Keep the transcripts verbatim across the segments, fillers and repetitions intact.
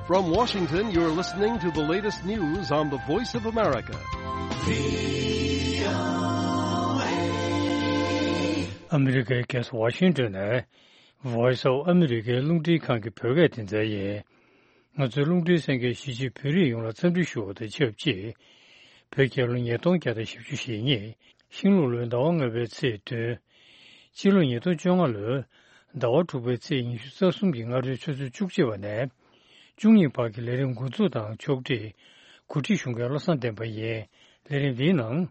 From Washington, you're listening to the latest news on the Voice of America. ཨ་མི་རི་ཀའི་རྒྱལ་ས་ཝ་ཤིང་ཏོན་ནས་Voice of America རླུང་འཕྲིན་ཁང་གི་བོད་སྐད་སྡེ་ཚན་ཡིན། ང་ཚོའི་རླུང་འཕྲིན་གསན་མཁན་གཞིས་བྱེས་བོད་རིགས་ཡོངས་ལ་འཚམས་འདྲི་ཞུ་བ་དང་ཆབས་ཅིག་བོད་རྒྱལ་ལོ་ཉིས་སྟོང་བརྒྱ་དང་བཞི་བཅུ་ཞེ་གཉིས། ཤིང་ལུག་ལོའི་ཟླ་བ་ལྔ་པའི་ཚེས་བདུན། སྤྱི་ལོ་ཉིས་སྟོང་བཅོ་ལྔ་ལོའི་ཟླ་བ་དྲུག་པའི་ཚེས་ཉི་ཤུ་རྩ་གསུམ་གྱི་སྔ་དྲོའི་ཆུ་ཚོད་བཅུ་གཅིག་པ་ནས་བཅུ་གཉིས་བར་གྱི་ལས་རིམ་འགོ་འཛུགས་དང་ཕྱོགས་སྒྲིག་གོ་སྒྲིག་ཞུ་མཁན་བློ་བཟང་བསྟན་པ་ཡིན། ལས་རིམ་འདིའི་ནང་།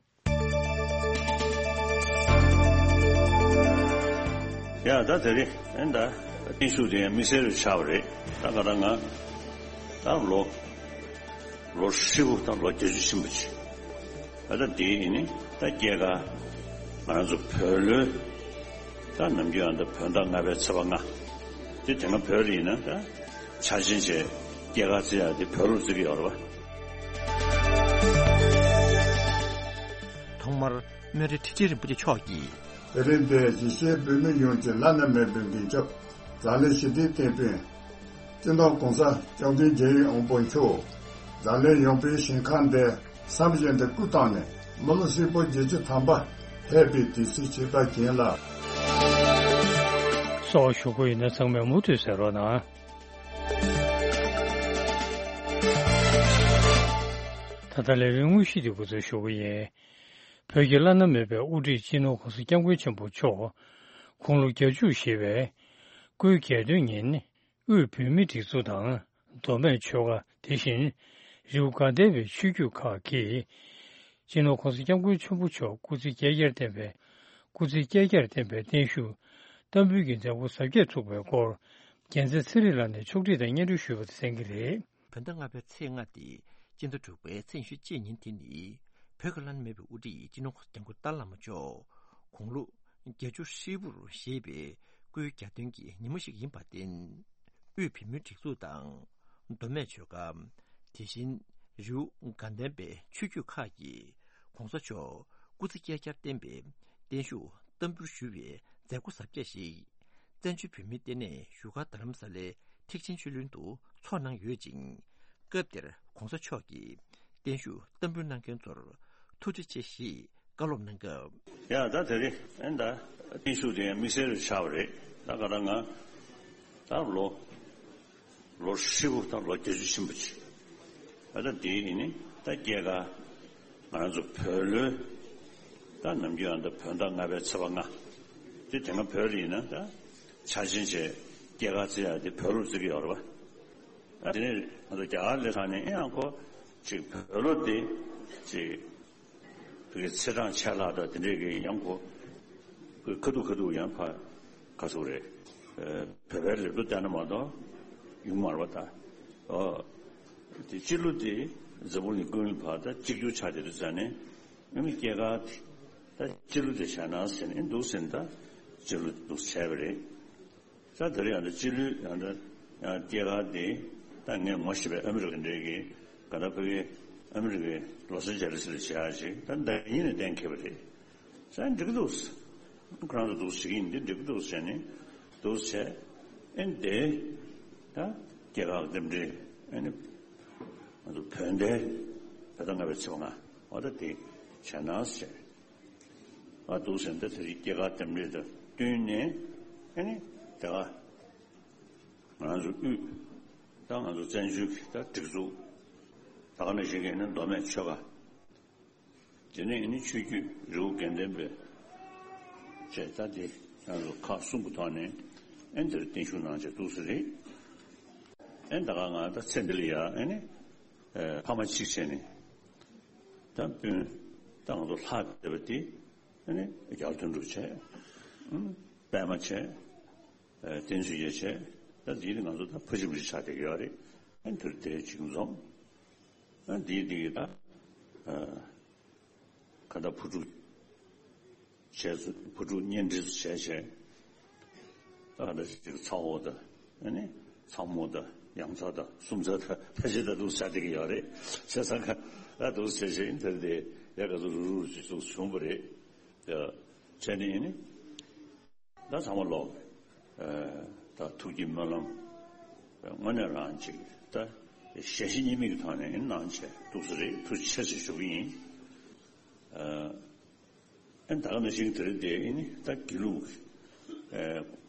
ཡ་ད་དེ་རེད། ཨེ་ད་བརྟན་བཞུགས་དེ་ཡང་དམིགས་བསལ་རུ་ཆགས་པ་རེད། ད་ག་ད་ང་ད་ལོ་ལོ་ཧྲིལ་པོ་དང་ལོ་བརྒྱད་ཅུ་ཕྱིན་པ་ཅིག་ད་ལྟ་འདི་ཡིན་ནི་ད་སྐྱེས་སྐར་ང་རང་ཚོ་བོད་ལོའི་ད་ནམ་རྒྱུན་ཡང་ད་བོད་ཟླ་ལྔ་པའི་ཚེས་པ་ལྔ་དེ་དེ་སྔ་བོད་ལ་ཡིན་ན་ད་འཆར་ཅན་བྱས་སྐྱེས་སྐར་བརྩི་ཡག་དེ་བོད་ལོ་བརྩི་གི་ཡོད་རེད་པ། ཐོག་མར་སྨན་རི་ཁྲི་ཆེན་རིན་པོ་ཆེ་མཆོག་གིས། དེ་རིང་འདིར་གཞིས་བྱེས་བོད་མི་ཡོངས་ཀྱི་བླ་ན་མེད་པའི་མདུན་ལྕོག་འཛམ་གླིང་ཞི་བདེའི་དེད་དཔོན། སྤྱི་ནོར་༸གོང་ས་༸སྐྱབས་མགོན་རྒྱལ་བའི་དབང་པོ་མཆོག་འཛམ་གླིང་ཡངས་པའི་ཞིང་ཁམས་འདིར་བསམ་བཞིན་དུ་སྐུ་བལྟམས་ནས་མི་ལོ་ཧྲིལ་པོ་བརྒྱད་ཅུ་ཐམ་པ་ཕེབས་པའི་དུས་ཚིགས་ཕྱི་དྲོ་བྱིན་ལ། སོགས་ཞུ་གི་ཡོད་ན་ཚང་མས་མུ་མཐུད་གསན་རོགས་གནང་། ད་ལྟ་ལས་རིམ་དངོས་གཞི་དེ་འགོ་འཛུགས་ཞུ་གི་ཡིན། བོད་ཀྱི་བླ་ན་མེད་པའི་དབུ་ཁྲིད་སྤྱི་ནོར་༸གོང་ས་༸སྐྱབས་མགོན་ཆེན་པོ་མཆོག་དགུང་ལོ་བརྒྱད་ཅུ་བཞེས་པའི་སྐུའི་གྱ་སྟོན་ཉིན། དབུས་བོད་མིའི་སྒྲིག་འཛུགས་དང་མདོ་སྨད་ཆོལ་ཁ་དེ་བཞིན་རི་བོ་དགའ་ལྡན་པའི་ཆོས་བརྒྱུད་ཁག་གིས་སྤྱི་ནོར་༸གོང་ས་༸སྐྱབས་མགོན་ཆེན་པོ་མཆོག་སྐུ་ཚེ་བསྐལ་བརྒྱར་བརྟན་པའི་སྐུ་ཚེ་བསྐལ་བརྒྱར་བརྟན་པའི་བརྟན་བཞུགས་བསྟར་འབུལ་གྱི་མཛད་སྒོ་གཟབ་རྒྱས་ཚུགས་པའི་སྐོར་རྒྱལ་མཚན་ཚེ་རིང་ལགས་ནས་ཕྱོགས་སྒྲིག་དང་སྙན་སྒྲོན་ཞུས་པ་དེ་གསན་གྱི་རེད། བོད་ཟླ་ལྔ་པའི་ཚེས་ལྔ་སྟེ་སྤྱི་ཟླ་དྲུག་པའི་ཚེས་ཉི་ཤུ་གཅིག་ཉིན་དེ་ནི་བོད་ཀྱི་བླ་ན་མེད་པའི་དབུ་ཁྲིད་སྤྱི་ནོར་༸གོང་ས་༸སྐྱབས་མགོན་ཏཱ་བླ་མ་མཆོག་དགུང་ལོ་བརྒྱད་ཅུ་ཧྲིལ་པོར་བཞེས་པའི་སྐུའི་གྱ་སྟོན་གྱི་ཉིན་མོ་ཞིག་ཡིན་པར་བརྟེན། དབུས་བོད་མིའི་སྒྲིག་འཛུགས་དང་མདོ་སྨད་ཆོལ་ཁ། དེ་བཞིན་རི་བོ་དགའ་ལྡན་པའི་ཆོས་བརྒྱུད་ཁག་གིས་༸གོང་ས་མཆོག་སྐུ་ཚེ་བསྐལ་བརྒྱར་བརྟན་པའི་བརྟན་བཞུགས་བསྟར་འབུལ་ཞུ་བའི་མཛད་སྒོ་གཟབ་རྒྱས་ཤིག་བཙན་བྱོལ་བོད་མིའི་ལྟེ་གནས་བཞུགས་སྒར་རྡ་རམ་ས་ལའི་ཐེག་ཆེན་ཆོས་གླིང་དུ་ཚོགས་གནང་ཡོད་ཅིང་། སྐབས་དེར་༸གོང་ས་མཆོག་གིས་བརྟན་བཞུགས་བསྟར་འབུལ་གནང་མཁན་ཚོར་ཐུགས་རྗེ་ཆེ་ཞེས་བཀའ་སློབ་གནང་སྐབས། ཡ་ད་དེ་རིང་ཨེ་ད་བརྟན་བཞུགས་དེ་ཡང་དམིགས་བསལ་རུ་ཆགས་པ་རེད། ད་ག་ད་ང་ད་ལོ་ལོ་ཧྲིལ་པོ་དང་ལོ་བརྒྱད་ཅུ་ཕྱིན་པ་ཅིག་ད་ལྟ་འདི་ཡིན་ནི་ད་སྐྱེས་སྐར་ང་རང་ཚོ་བོད་ལོའི་ད་ནམ་རྒྱུན་ཡང་ད་བོད་ཟླ་ལྔ་པའི་ཚེས་པ་ལྔ་དེ་དེ་སྔ་བོད་ལ་ཡིན་ན་ད་འཆར་ཅན་བྱས་སྐྱེས་སྐར་བརྩི་ཡག་དེ་བོད་ལོ་བརྩི་གི་ཡོད་རེད་པ། ཨ་དེ་ནས་ང་ཚོ་རྒྱ་གར་སླེབས་ཚར་ནས་ཨེ་ཡང་ཁོ་ཅིག་བོད་ལོ་དེ་ཅིག་བོད་ཀྱི་ཚེས་གྲངས་ཆད་ལྷག་དང་དེ་འདྲས་ཀྱི་ཡང་ཁོ་ཁ་ཐུག་ཁ་ཐུག་ཡང་ཕར་ག་ཚོད་རེད། ཨ་བོད་པའི་ལེབ་ཏོ་བལྟས་ན་མ་གཏོགས་ཡོང་མ་རེད་པ་ད། ཨོ། དེ་སྤྱི་ལོ་དེ་འཛམ་བུ་གླིང་ཀུན་ལ་ཕར་ད་གཅིག་གྱུར་ཆགས་བསྡད་དུས་ཙང་ནས་ཨ་ནི་སྐྱེས་སྐར་དེ་ད་སྤྱི་ལོ་དེ་བྱས་ན་ཟེར་ནས་འདུག་ཟེར་ནས་ད་སྤྱི་ལོ་འདུག་བྱས་པ་རེད། ད་དེ་རིང་ཡང་ད་སྤྱི་ལོའི་ཡང་ད་ཡང་སྐྱེས་སྐར་དེ་ད་ངས་ངོ་ཤེས་པའི་ཨ་མི་རི་ཀ་འདྲའི་གི་ག་ད་ཕ་གི་ཨ་མི་རི་ཀའི་ལོ་སི་ཨན་ཇེ་ལི་སི་ལ་བྱེད་ཡག་ཅིག་ད་ཟླ་ཉིན་ནས་གཏན་འཁེལ་བ་རེད། ས་འགྲིག་གི་འདུག་ཁོ་རང་ཚོ་འདུག་བྱེད་ཀྱི་ཡིན་འདི་འགྲིག་གི་འདུག་བྱས་ནས་འདུག་བྱས་ཨེ་འདི་ད་སྐྱེས་སྐར་རྟེན་འབྲེལ་ཨེ་ནི་ང་ཚོ་བོད་ཟླའི་བོད་ཟླ་ལྔ་པའི་ཚེས་པ་ལྔ་འོ་ད་དེ་བྱས་ན་ཟེར། ཨ་འདུག་ཟེར་ན་ད་དེ་རིང་སྐྱེས་སྐར་རྟེན་འབྲེལ་དང་བསྟུན་ནས་ཨ་ནི་དེ་ག་ང་རང་ཚོ་དབུས་ད་ང་ཚོ་བཙན་བྱོལ་གྱི་ད་སྒྲིག་འཛུགས་ད་ག་ནང་བཞིན་གྱི་ནི་མདོ་སྨད་ཆོལ་ཁ་དེ་ནས་ཨ་ནི་ཆོས་བརྒྱུད་རི་བོ་དགེ་ལྡན་པའི་བཅས་ད་དེ་ང་ཚོ་ཁག་གསུམ་གྱི་ཐོག་ནས་ཨ་ནི་དེར་བརྟན་བཞུགས་གནང་བྱས་འདུག་ཟེར་རེད། ཨ་ནི་ད་ག་ང་ད་ཚེ་འདི་ལ་ཡ་ཨ་ནི་ཕ་མ་གཅིག་བྱས་ནས། ད་སྤུན་ད་ང་ཚོ་ལྷག་བསྡད་པ་དེ་ཨ་ནི་རྒྱལ་དོན་གྲུབ་བྱས། ཨུམ་པད་མ་བྱས། ཨ་བསྟན་འཛིན་ཡེ་བྱས། ད་འདི་ནི་ང་ཚོ་ད་ཕ་གཅིག་བུ་གཅིག་ཆགས་བསྡད་ཀྱི་ཡོད་རེད། ཨ་ནི་དེར་དེ་གཅིག་འཛོམས། ཨ་འདི་འདི་གི་ད་ཨ་ཁ་ད་བུ་ཕྲུག་བྱས་སུ་བུ་ཕྲུག་གཉེན་སྒྲིག་སུ་བྱས་བྱས། ད་ག་འདྲ་ཞིག་ཚ་བོ་དང་ཨ་ནི་ཚ་མོ་དང་ཡང་ཚ་དང་སུམ་ཚ་དང་ཕལ་ཆེར་ད་འདུག་ཆགས་བསྡད་ཀྱི་ཡོད་རེད། བྱས་ཙང་ཁ་ད་འདུག་བྱས་བྱས་ཨིན་དེར་དེ་ཡ་ག་ཚོད་རུག་རུག་ཅིག་ཚུགས་བྱུང་བ་རེད། ད་བྱས་ནས་ཨ་ནི་ད་ཚང་མ་ལོག་ཨ་ད་ཐུགས་ཀྱི་སྨོན་ལམ་དངོས་གནས་རང་ཅིག་ད་ ཞལ་བཞེས་གཉིས་མེད་ཀྱི་ཐོག་ནས་གནང་བྱས་ཐུགས་སུ་རེད། ཐུགས་རྗེ་ཆེ་ཞེས་ཞུ་གི་ཡིན། ཨ་ཨེ་ད་ག་ནང་བཞིན་དེ་རིང་འདི་ཨེ་ནི་ད་དགེ་ལུགས་ཨེ་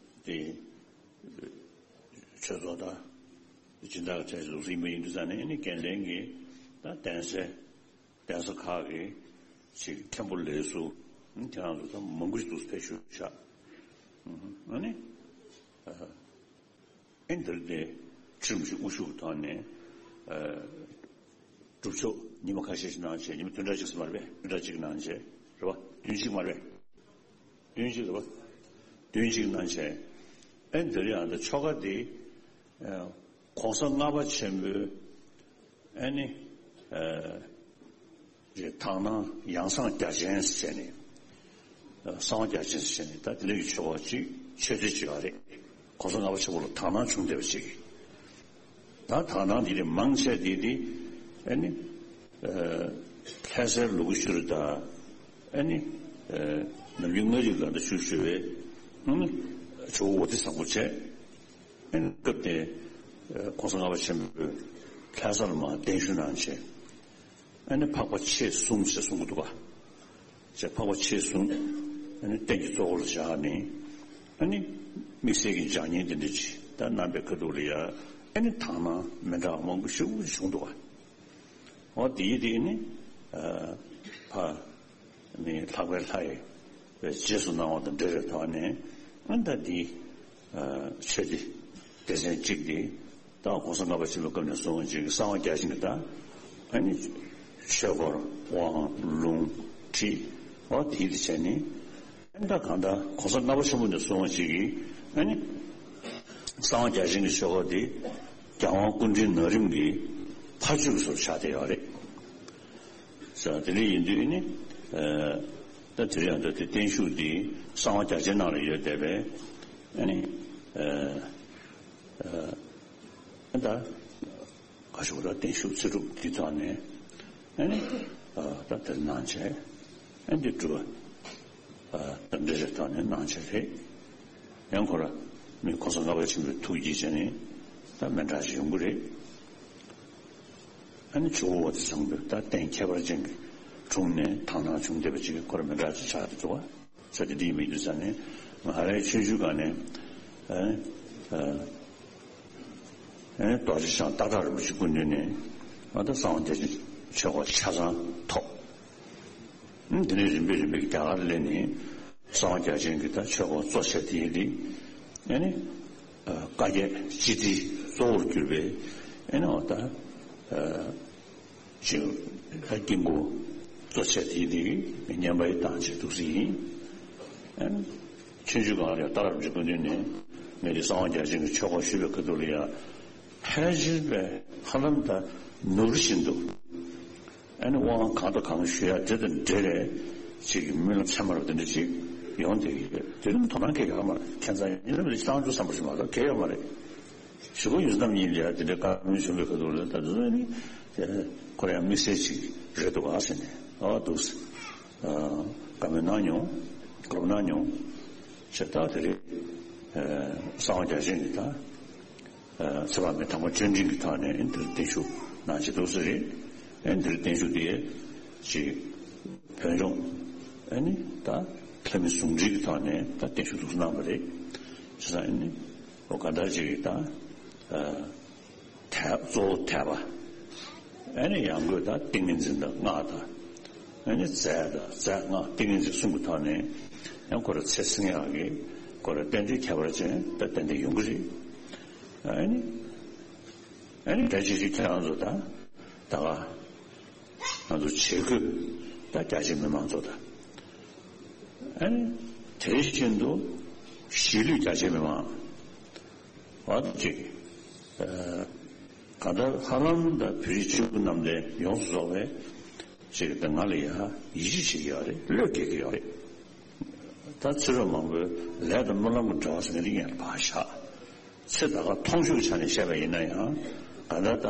དེ་ཆོས་ཚོགས་དང་སྦྱིན་བདག་གི་གྲས་སུ་ཡིན་པ་ཡིན་དུས་ཙང་ནས་ཨེ་ནི་འགན་ལེན་གྱི་ད་གདན་སའི་གདན་ས་ཁག་གི་ཅིག་མཁན་པོ་ལས་ཟུར་ཨེ་ཁྱེད་རང་ཚོ་ད་མང་པོ་ཞིག་འདུག་ཕེབས་ཞུ་བཞག་ཨ་ནི་ཨེ་འདིར་དེ་ཁྲིམས་ཀྱི་དབུ་བཞུགས་ཐོག་ནས་ཨ་སྒྲུབ་ཆོག་ཉི་མ་ཁ་ཤས་ཤིག་གནང་བྱས། ཉི་མ་བདུན་ཕྲག་གཅིག་ཙམ་མ་རེད་པས། བདུན་ཕྲག་གཅིག་གནང་བྱས་རེད་པ། བདུན་གཅིག་མ་རེད་པས། བདུན་གཅིག་རེད་པ། བདུན་གཅིག་གནང་བྱས། ཨེ་འདིར་ཡང་ད་ཆོ་ག་འདི་ཨ་གོང་ས་ལྔ་པ་ཆེན་པོའི་ཨེ་ནི་ཨ་རེད། དག་སྣང་ཡང་གསང་རྒྱ་ཆེན་ཟེར་ནས། གསང་བ་རྒྱ་ཆེན་ཟེར་ནས་ད་དེ་འདྲ་གི་ཆོ་ག་ཅིག་ཆོས་སྡེ་ཅིག་ཡོད་རེད། གོང་ས་ལྔ་པ་ཆེན་པོ་ལ་དག་སྣང་བྱུང་བསྡད་པ་ཅིག་ད་དག་སྣང་འདི་ནི་མང་ཆེ་འདི་འདི་ཨ་ནི་ཨ་ལྷ་སའི་ལུ་གུ་ཤུར་དང་ཨ་ནི་ཨ་ནམ་རྒྱུན་མངའ་རིས་ལ་ད་བཞུགས་བཞུགས་པའི་ཨ་ནི་ཇོ་བོ་དྷི་བཟང་པོ་བྱས། ཨ་ནི་སྐབས་དེ་ཨ་གོང་ས་ལྔ་པ་ཆེན་པོས་ལྷ་ས་ལ་མར་གདན་ཞུ་གནང་བྱས། ཨ་ནི་འཕགས་པ་མཆེད་གསུམ་ཞེས་གསུང་གི་འདུག་ག་བྱས་འཕགས་པ་མཆེད་གསུམ་ཨ་ནི་རྟེན་གྱི་གཙོ་བོར་བཞག་ནས་ཨ་ནི་དམིགས་བསལ་གྱི་སྦྱང་བརྙན་འདི་འདྲ་ཅིག་ད་གནང་པའི་ཁ་ཐུག་ལ་ཡ་ཨ་ནི་དག་སྣང་མི་འདྲ་མང་པོ་ཞེ་པོ་བྱུང་འདུག་ག་འོ་དེ་ཡིན་དེ་ནི་ཨ་ཕ་ནི་ལྷག་པའི་ལྷ་ཡི་རྗེས་སུ་གནང་བ་དང་འབྲེལ་བའི་ཐོག་ནས་ཨ་ནི་ད་འདི་ཨ་ཆོས་སྡེ་སྡེ་ཚན་གཅིག་འདི། ད་གོང་ས་ལྔ་པ་ཆེན་པོའི་སྐབས་ནས་བཟུང་ཅིག་གསང་བ་རྒྱ་ཆེན་གྱི་ད་ཨ་ནི་ཆོས་སྐོར་དབང་ལུང་ཁྲིད་འོ་དེ་དེ་བྱས་ནས་ཨ་ནི་ད་གང་ལྟར་གོང་ས་ལྔ་པ་ཆེན་པོ་ནས་བཟུང་ཅིག་གིས་ཨ་ནི་གསང་བ་རྒྱ་ཆེན་གྱི་ཆོས་སྐོར་དེ་རྒྱལ་དབང་སྐུ་ཕྲེང་ན་རིམ་གྱི་ཕ་ཇོ་གི་ཟུར་ཆགས་བསྡད་ཡོད་རེད། ས་དེ་འདྲ་ཡིན་དུས་ནི་ཨ་ད་དེ་རིང་ད་དེ་བརྟན་བཞུགས་འདི་གསང་བ་རྒྱ་ཆེན་ནང་ལ་ཡོད་བསྡད་པས་ཨ་ནི་ཨ་ཨ་ད་ག་ཞུ་ལ་བརྟན་བཞུགས་ཚེ་སྒྲུབ་འདི་ཐོག་ནས་ཨ་ནི་ཨ་ད་དེར་གནང་བྱས་ཨ་འདི་སྒྲུབ་པ་ཨ་ད་འདྲ་རེ་ཐོག་ནས་གནང་བྱས་རེད། ཡང་ཁོ་ར་མི་གོང་ས་ལྔ་པ་ཆེན་པོའི་ཐུགས་ཀྱི་བྱས་ནས་ད་མི་འདྲ་ཞིག་ཡོང་གི་རེད། ཨ་ནི་ཇོ་བོ་དྷི་བཟང་པོས་ད་རྟེན་ཁྱད་པར་ཅན་གྱི་དྲུང་ནས་དག་སྣང་བྱུང་བསྡད་པ་ཅིག་ཁོ་ར་མི་འདྲ་ཅིག་ཆགས་འདུག་བ། ས་དེ་འདི་ཡིན་མི་འདུག་ས་ནས་ང་རའི་ཆོས་ཞུ་ག་ནས་ཨ་ཨ་ཨ་རྡོ་རྗེ་འཆང་སྟག་བྲག་རིན་པོ་ཆེ་སྐུ་མདུན་ནས་ཨ་ད་གསང་བ་རྒྱ་ཆེན་ཆོས་སྐོར་ཆ་ཚང་ཐོབ། འདི་ནས་རིམ་པས་རིམ་པས་རྒྱ་གར་སླེབས་ནས་གསང་བ་རྒྱ་ཆེན་གྱི་ད་ཆོས་སྐོར་གཙོ་ཆེ་དེ་ཡིན་ཏེ། ཨ་ནི་བཀའ་བརྒྱད་སྤྱི་དྲིལ་གཙོ་བོར་གྱུར་པའི་ཨ་ནི་འོ་ད་ཅིག་ད་དཀྱིལ་འཁོར་གཙོ་ཆེ་དེ་ཡིན་ཏེ་བསྙེན་པ་ཡི་དང་བྱེད་འདུག་སེ་ཡིན། ཨ་ནི་ཆོས་ཞུ་ག་ལ་ཡང་ཏཱ་ལ་རིན་པོ་ཆེ་སྐུ་མདུན་ནས་ངས་འདི་གསང་བ་རྒྱ་ཆེན་གྱི་ཆོས་སྐོར་ཞུས་པའི་ཁ་ཐུག་ལ་ཡང་། ཕལ་ཆེར་པས་ཧ་ལམ་ད་ནོར་བཞིན་དུ། ཨ་ནི་དབང་གང་དང་གང་ཞུ་ཡ་དེ་དང་འབྲེལ་བའི་ཅིག་གི་སྨོན་ལམ་ཚད་མ་རུ་དེ་འདྲ་ཅིག་ཡོང་བསྡད་ཀྱི་ཡོད། དེ་རིང་དོ་སྣང་སྐྱེ་གི་ཡོད་མ་རེད། ཁྱད་མཚར་ཡིན་ནམ་རེ་བཏང་རྒྱུ་བསམ་པ་ཞིག་མ་གཏོགས་གལ་ཡོད་མ་རེད། ཞུ་གོ་ཡོད་རྣམ་གཉིས་ལ་ཡ་དེ་འདྲའི་བཀའ་མོལ་བྱུང་བའི་ཁ་ཐུག་ལ་ད་དེ་ཚོ་ནི་ཁོ་རང་ཡང་དམིགས་བསལ་ཅིག་རེད་འདུག་ག་ཟེར་ནས་ཨ་འདུག་ཟེར། བཀའ་མོལ་གནང་མྱོང་། གོ་རིམ་གནང་མྱོང་། བྱས་ད་དེ་རེད། གསང་བ་རྒྱ་ཆེན་གྱི་ད། ཚེ་དཔག་མེད་དམ་པ་བཅོས་འབྲིང་གི་ཐོག་ནས་འདིར་བརྟན་བཞུགས་གནང་བྱེད་འདུག་ས་རེད། ཨེ་འདིར་བརྟན་བཞུགས་དེ་ཅིག་བོད་ལྗོངས་ཨེ་ནི་ད་ལྷ་མི་ཟུང་འབྲེལ་གྱི་ཐོག་ནས་ད་བརྟན་བཞུགས་འདུག་གནང་བ་རེད། བྱས་ཙང་ཨེ་ནི་འོ་ག་འདྲ་ཅིག་ད་ཐལ་གཙོ་བོ་ཐལ་པ། ཨེ་ནི་ཡང་སྒོས་ད་ཏིང་ངེ་འཛིན་དང་སྔགས་དང་། ཨེ་ནི་རྫས་དང་རྫས་སྔགས་ཏིང་ངེ་འཛིན་གསུམ་གྱི་ཐོག་ནས་ཡང་ཁོ་ར་ཚེ་སྲིང་ཡག་གི་ཁོ་ར་རྟེན་འབྲེལ་ཁྱད་པར་ཅན་ད་ཏན་ཏན་ཡོང་གི་རེད། ཨ་ནི། ཨ་ནི་ད་ཅི་ཞིག་ཁྱེད་རང་ཚོ་ད་ད་ག་ང་ཚོ་བྱེད་དགོས་ད་རྒྱ་ཆེ་མི་མང་ཚོ་ད་ཨ་ནི་དེ་བཞིན་དུ་གཞིས་ལུས་རྒྱ་ཆེ་མི་མང་བ་ཅིག་གང་ལྟར་ཧ་ལམ་ད་བོད་རིགས་སྤྱི་བོ་གནམ་བསྟན་ཡོངས་སུ་རྫོགས་པའི་ཅིག་ད་ང་ལ་ཡ་ཡིད་ཆེས་བྱེད་ཀྱི་ཡོད་རེད། བློས་འགེལ་གྱི་ཡོད་རེད། ད་ཕྱི་རོལ་མང་པོའི་ལས་དང་སྨོན་ལམ་གྱི་འབྲེལ་བ་ཟེར་མཁན་དེ་ངས་ཕར་བཞག་ཚེ་ད་ག་མཐོང་ཆོས་ཀྱི་ཆ་ནས་བཤད་པ་ཡིན་ན་ཡང་ག་ད་ད་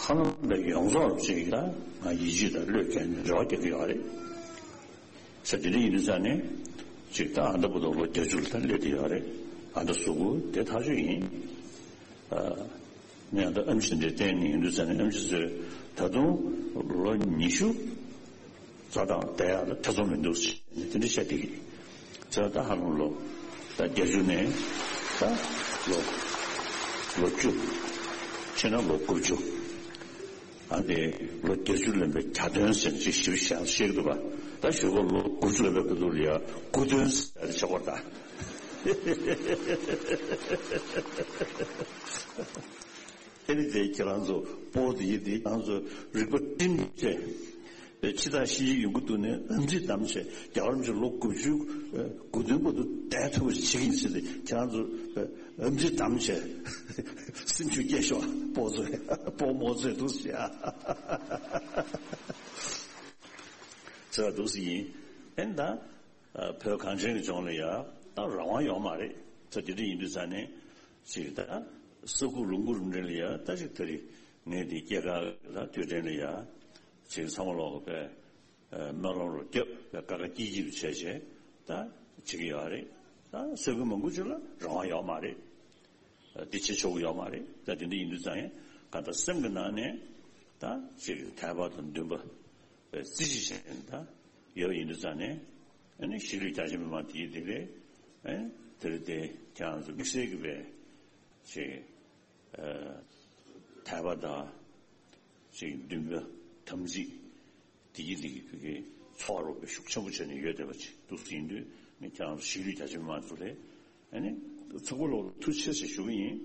ཧ་ལམ་པའི་ཡོངས་རྫོགས་ཅིག་ད་ང་ཡིད་ཆེས་དང་བློས་འགེལ་ནས་རེ་བ་རྒྱག་གི་ཡོད་རེད། ས་དེ་འདྲ་ཡིན་དུས་ཙང་ནས་ཅིག་ད་ཨ་མདའ་བུ་དང་ལོ་བརྒྱད་ཅུ་ལ་ད་སླེབས་བསྡད་ཡོད་རེད། ཨ་མདའ་གཟུགས་པོ་དེ་ཐག་ཆོད་ཡིན། ཨ། ངས་ད་ཨེམ་ཆི་འདྲ་བསྟན་ནས་ཡིན་དུས་ཙང་ནས། ཨེམ་ཆི་ཚོས་ད་དུང་ལོ་ཉི་ཤུ་རྩ་དང་བསྡད་ཡག་ལ་ཐེ་ཚོམ་མི་འདུག་ཟེར་ནས་དེ་འདྲ་བཤད་བསྡད་ཀྱི་རེད། ཚེ་ད་ཧ་ལམ་ལོ་ད་བརྒྱད་ཅུ་ནས་ད་ལོ་ལོ་བཅུ། ཕྱིན་ན་ལོ་དགུ་བཅུ། ཨ་ནི་ལོ་བརྒྱད་ཅུ་ལོན་པའི་གྱ་སྟོན་ཟེར་ཅིག་ཞིབ་ཞིབ་བཤད་ཀྱི་འདུག་པ། ད་ཞོགས་པ་ལོ་དགུ་བཅུ་ལོན་པའི་སྐབས་དུ་ལ་ཡ་དགུ་སྟོན་ཟེར་ཆོག་པར་གདའ། ཨེ་ནི་དེ་ཁྱེད་རང་ཚོ་སྤོ་དེ་ཡི་དེ་ཁྱེད་རང་ཚོ་རིག་པ་སྒྲིམ་བྱས། ཕྱི་ཐག་ཤི་ཡི་ཡོང་གི་འདུག་ནས་ཨམ་ཚིག་བསྡམས་བྱས། རྒྱ་གར་མི་ཚོ་ལོ་དགུ་བཅུ་དགུ་སྟོན་བར་དུ་བསྡད་ཐུབ་པ་ཞིག་བྱེད་ཀྱི་ཡིན་ཟེར་ཏེ། ཁྱེད་རང་ཚོ་ཨམ་ཚིག་བསྡམས་བྱས་སེམས་ཤུགས་སྐྱེད་ཤོག་སྤོ་ཚོས་སྤོ་རྨོ་ཚོས་འདུག་ཟེར་ཡ། ཟེར་བ་འདུག་ཟེར་ཡིན། ཨེ་ནི་ད་བོད་གངས་ཅན་གྱི་ལྗོངས་ལ་ཡ་ད་རང་དབང་ཡོད་མ་རེད། ད་དེ་འདྲ་ཡིན་དུས་ཙང་ནས་ཅིག་ད་ས་ཁུག་ལུང་ཁུག་རུ་འདྲ་ལ་ཡ་ད་ཅིག་ད་རེས་ངས་འདི་སྐྱེས་སྐར་ལ་དུས་དྲན་ལ་ཡ་ཅིག་ཚང་མ་ལོག་གི་པས། ཨ། སྨོན་ལམ་རུ་རྒྱབ་པའི་ཀ་ཁ་སྐྱིད་སྐྱིད་དུ་བྱས་བྱས་ད་བྱེད་ཀྱི་ཡོད་རེད། ད་ས་ཁུལ་མང་པོ་ཅིག་ལ་རང་དབང་ཡོད་མ་རེད། ཨ། འདི་བྱེད་ཆོག་གི་ཡོད་མ་རེད། ད་དེ་འདྲ་ཡིན་དུས་ཙང་ཡང་གང་ལྟར་སེམས་ཀྱི་ནང་ནས་ད་ཅིག་དད་པ་དང་འདུན་པ་བརྩི་བྱེད་བྱས་ནས་ད་ཡོད་པ་ཡིན་དུས་ཙང་ནས། ཨ་ནི་གཞིས་ལུས་རྒྱ་ཆེ་མི་མང་དེ་ཡི་དེ་རེད། ཨ། དེ་རེད་དེ་ཁྱེད་རང་ཚོ་དམིགས་བསལ་གྱི་བས་ཅིག་དད་པ་དང་ཅིག་འདུན་པ་དམ་ཚིག་དེ་གི་དེ་གི་བོད་ཀྱི་ཚོགས་རོགས་པའི་ཤུགས་ཆེན་པོ་བྱས་ནས་ཡོད་བསྡད་པ་ཅིག་འདུག་ཟིན་དུས་ནི། ཁྱེད་རང་ཚོ་གཞིས་ལུས་རྒྱ་ཆེ་མི་མང་ཚོ་ལ་ཨ་ནི་ཚོགས་པ་ལོག་ཐུགས་རྗེ་ཆེ་ཞུ་གི་ཡིན།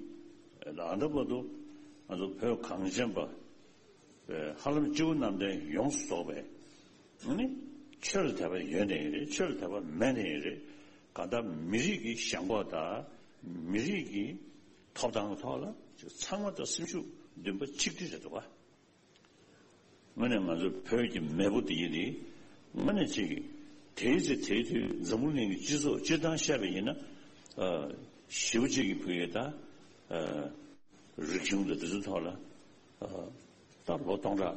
ད་ལྟ་བར་དུ་ང་ཚོ་བོད་གངས་ཅན་པ་ཧ་ལམ་སྤྱི་བོ་གནམ་བསྟན་ཡོངས་སུ་རྫོགས་པའི་ནི་ཆོས་ལ་དད་པ་ཡོད་ནའི་རེད། ཆོས་ལ་དད་པ་མེད་ནའི་རེད། གང་ལྟར་མི་རིགས་ཀྱི་ཞེན་ཁོག་དང་མི་རིགས་ཀྱི་ཐོབ་ཐང་གི་ཐོག་ལ་ཚང་མ་དང་སེམས་ཤུགས་འདུན་པ་གཅིག་སྒྲིལ་རེད་འདུག་ག། དངོས་གནས་ང་ཚོ་བོད་ཀྱི་མེས་པོ་འདི་ཡིན་དེ་དངོས་གནས་ཅིག་དེའི་ཚེ་དེའི་དུས་འཛམ་བུ་གླིང་གི་སྤྱི་ཚོགས་སྤྱིར་བཏང་བཤད་པ་ཡིན་ན། ཨ། ཞེ་པོ་ཅིག་གི་བོད་ཡིག་དང་། ཨ། རིག་གཞུང་དང་དེ་ཚོའི་ཐོག་ལ། ཨ། ད་ལོ་སྟོང་ཕྲག་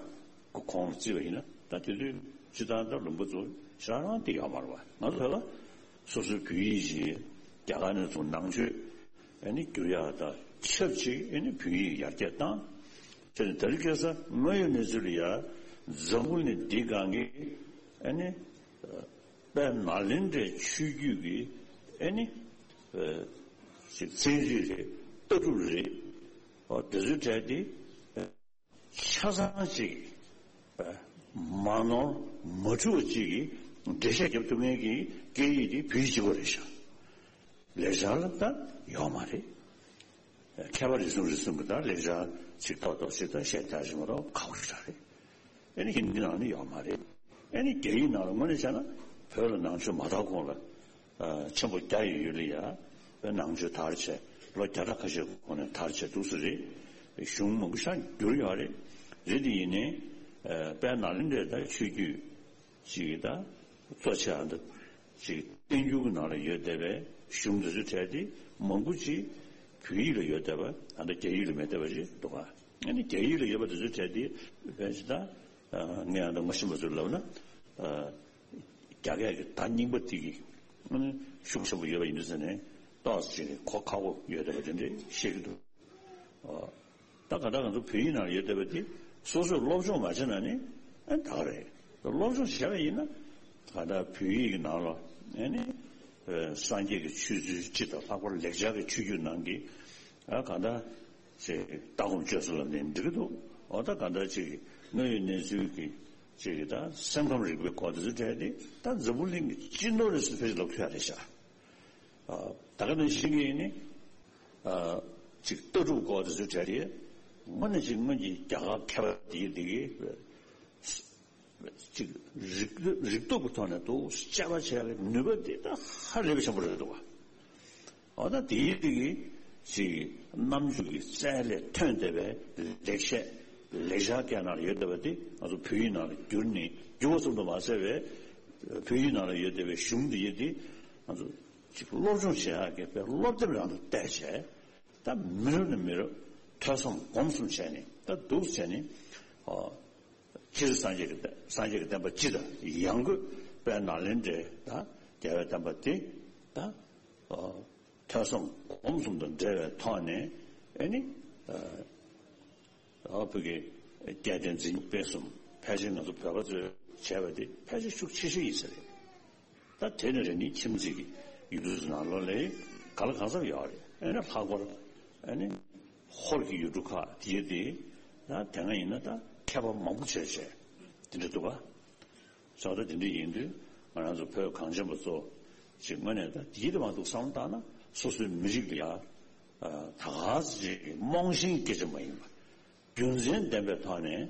གི་གོང་ལ་བརྩིས་པ་ཡིན་ན། ད་དེ་དུས་སྤྱིར་བཏང་ད་ལུང་པ་ཚོ་ཞེ་དྲག་རང་དེ་ཡོད་མ་རེད་པ། ང་ཚོ་ལ་སོ་སོའི་བོད་ཡིག་ཅིག་རྒྱ་གར་ནས་ཚུར་ནང་ཆོས་ཨ་ནི་བསྒྱུར་ཡག་དང་ཆབས་ཅིག་ཨ་ནི་བོད་ཡིག་ཡར་རྒྱས་བཏང་། བྱས་ནས་ད་རེས་ཁ་སང་དངོས་ཡོད་གནས་ཚུལ་ལ་ཡ་འཛམ་བུ་གླིང་འདིའི་སྒང་གི་ཨ་ནི་དཔལ་ནཱ་ལེནྡྲའི་ཆོས་བརྒྱུད་ཀྱི་ཨ་ནི་ཨ་ཅིག་ཚན་རིག་རེད། ལྟ་གྲུབ་རེད། ཨོ་དེ་ཚོའི་གྲས་དེ་ཆ་ཚང་ཅིག་མ་ནོར་མ་འཁྲུལ་བ་ཅིག་གི་འགྲེལ་བཤད་རྒྱབ་ཐུབ་མཁན་གྱི་སྐད་ཡིག་དེ་བོད་ཡིག་གཅིག་པོ་རེད་ཤག་ལེགས་སྦྱར་ལ་ད་ཡོད་མ་རེད། མཁས་པ་རེ་ཟུང་རེ་ཟུང་གིས་ད་ལེགས་སྦྱར་ཅིག་ཏོག་ཏོག་ཅིག་ད་བཤད་རྒྱག་བཞིན་པ་རོགས་ཁག་པོ་ཞིག་རེད། ཨ་ནི་ཧིན་དི་ནང་ནས་ཡོད་མ་རེད། ཨ་ནི་རྒྱ་ཡིག་ནང་ལ་དངོས་གནས་བྱས་ན་བོད་ལ་ནང་ཆོས་མ་དར་གོང་ལ་ཨ་ཆེན་པོ་རྒྱ་ཡི་ཡུལ་ལ་ཡ་དཔེ་ནང་ཆོས་དར་བྱས། ལོ་བརྒྱ་ཕྲག་ཁ་ཤས་གོང་ནས་དར་བྱས་འདུག་སེ་རེད། གཞུང་མང་པོ་ཞིག་བསྒྱུར་ཡོད་རེད། རེད་དེ་ཡིན་ནའི་ཨ་དཔལ་ནཱ་ལེནྡྲའི་ད་ཆོས་བརྒྱུད་ཅིག་གི་ད་གཙོ་ཆེ་ཨ་ད་ཅིག་བསྟན་འགྱུར་གྱི་ནང་ལ་ཡོད་བསྡད་པའི་གཞུང་འདི་ཚོའི་གྲས་དེ་མང་པོ་ཅིག་བོད་ཡིག་ལ་ཡོད་བསྡད་པ། ཨ་ད་རྒྱ་ཡིག་ལ་མེད་བསྡད་པ་ཞིག་འདུག་ག། ཨ་ནི་རྒྱ་ཡིག་ལ་ཡོད་པ་དེ་ཚོའི་གྲས་དེ་ཕལ་ཆེར་ད་ཨ་ངས་ཨ་ད་ངོ་ཤེས་པ་ཚོར་ལབ་ན། ཨ་རྒྱ་སྐད་ཀྱི་ད་རྙིང་པ་དེ་གི་ཨ་ནི་ཤུགས་ཆེན་པོ་ཡོད་པ་ཡིན་དུས་ཙང་ནས་ཏོག་ཙམ་ཅིག་གོ་ཁག་པོ་ཡོད་བསྡད་པ་དེ་འདྲ་ཤེས་ཀྱི་འདུག། ཨ། ད་ག་ད་ང་ཚོ་བོད་ཡིག་ནང་ཡོད་བསྡད་པ་དེ་སོ་སོས་སློབ་སྦྱོང་མ་བྱས་ན་ནི་ཨ་ད་ག་རེད། སློབ་སྦྱོང་བྱས་པ་ཡིན་ན་ག་ད་བོད་ཡིག་གི་ནང་ལ་ཨ་ནི་ཨ་སངས་རྒྱས་ཀྱི་ཆོས་ཚུལ་སྤྱི་དང་ལྷག་པར་ལེགས་སྦྱར་གྱི་ཆོས་བརྒྱུད་ནང་གི་ཨ་ག་ད་ཅིག་ལྟ་སྒོམ་སྤྱོད་གསུམ་ལ་ནི་འགྲིག་གི་འདུག། འོ་ད་ག་ད་ཅིག་དངོས་ཡོད་གནས་ཚུལ་གྱི་ཅིག་ད་སེམས་ཁམས་རིག་པའི་སྐོར་དེ་ཚོ་གྲས་དེ་ད་འཛམ་བུ་གླིང་གི་སྤྱི་ནོར་རེད་ཟེར་ཕལ་ཆེར་ལབ་ཐུབ་ཡ་རེད་ཤག། ཨ། ད་ག་ནང་བཞིན་གྱི་ནི། ཨ། ཅིག་ལྟ་གྲུབ་སྐོར་དེ་ཚོའི་གྲས་དེ། དངོས་གནས་ཅིག་སྔོན་གྱི་རྒྱ་གར་མཁས་པ་དེ་དེ་གི་ཅིག་རིག་རིག་སྟོབས་ཀྱི་ཐོག་ནས་འདུག་དཔྱད་པ་བྱས་པའི་ནུས་པ་དེ་ད་ཧ་ལས་པ་ཆེན་པོ་རེད་འདུག་ག། འོ་ད་དེ་དེ་གི་ཅིག་རྣམ་འགྱུར་གྱི་རྩལ་ལས་ཐོན་བསྡད་པའི་ལེགས་བཤད་ལེགས་སྦྱར་སྐད་ནང་ལ་ཡོད་བསྡད་པ་དེ་ང་ཚོ་བོད་ཡིག་ནང་ལ་བསྒྱུར་ནས་བསྒྱུར་བ་ཙམ་དུ་མ་ཟད་པའི་བོད་ཡིག་ནང་ལ་ཡོད་བསྡད་པའི་གཞུང་དེ་ཡི་དེ་ང་ཚོ་ཅིག་སློབ་སྦྱོང་བྱེད་ཡག་གི་དཔེ་སློབ་དེབ་རང་དུ་བལྟས་བྱས། ད་མི་རབས་ནས་མི་རབས་ཐོས་བསམ་སྒོམ་གསུམ་བྱས་ནས་ད་འདུག་བྱས་ནས། ཨོ། སྤྱིར་སངས་རྒྱས་ཀྱི་བསྟན་སངས་རྒྱས་ཀྱི་བསྟན་པ་སྤྱི་དང་ཡང་སྒོས་དཔལ་ནཱ་ལེནྡྲའི་ད་རྒྱལ་བའི་བསྟན་པ་དེ་ད། ཨོ། ཐོས་བསམ་སྒོམ་གསུམ་དང་འབྲེལ་བའི་ཐོག་ནས་ཨེ་ནི། ཨ། ཨ་བོད་ཀྱི་སྐལ་ལྡན་འཛིན་སྤེལ་གསུམ་ཕལ་ཆེར་ང་ཚོ་བོད་པ་ཚོས་བྱས་པ་དེ་ཕལ་ཆེར་ཤུགས་ཆེ་ཤོས་ཡིན་ས་རེད། ད་དེ་ནས་རེ་ནི་ཁྱིམ་མཚེས་ཀྱི་ཡུལ་གྲུ་ཚོ་ནང་ལོགས་ལ་ག་ལ་གང་འཚམ་ཡོད་རེད། ཨ་ནི་ལྷག་པར་ཨ་ནི་ཧོར་གྱི་ཡུལ་གྲུ་ཁག་དེ་དེ་ད་དེ་སྔ་ཡིན་ན་ད་མཁས་པ་མང་པོ་བྱས་བྱས་དེ་འདྲ་འདུག་ག་ས་ད་དེ་འདྲ་ཡིན་དུས་ང་རང་ཚོ་བོད་གངས་ཅན་པ་ཚོ་ཅིག་དངོས་གནས་ད་དེའི་དེ་མ་འདུག་བསམ་བློ་བཏང་ན་སོ་སོའི་མི་རིགས་ལ་ཡ་ད་ག་ཟེ་ཅིག་རྨོངས་ཤིང་སྐད་ཆ་མ་ཡིན་པ་རྒྱུ་མཚན་ལྡན་པའི་ཐོག་ནས་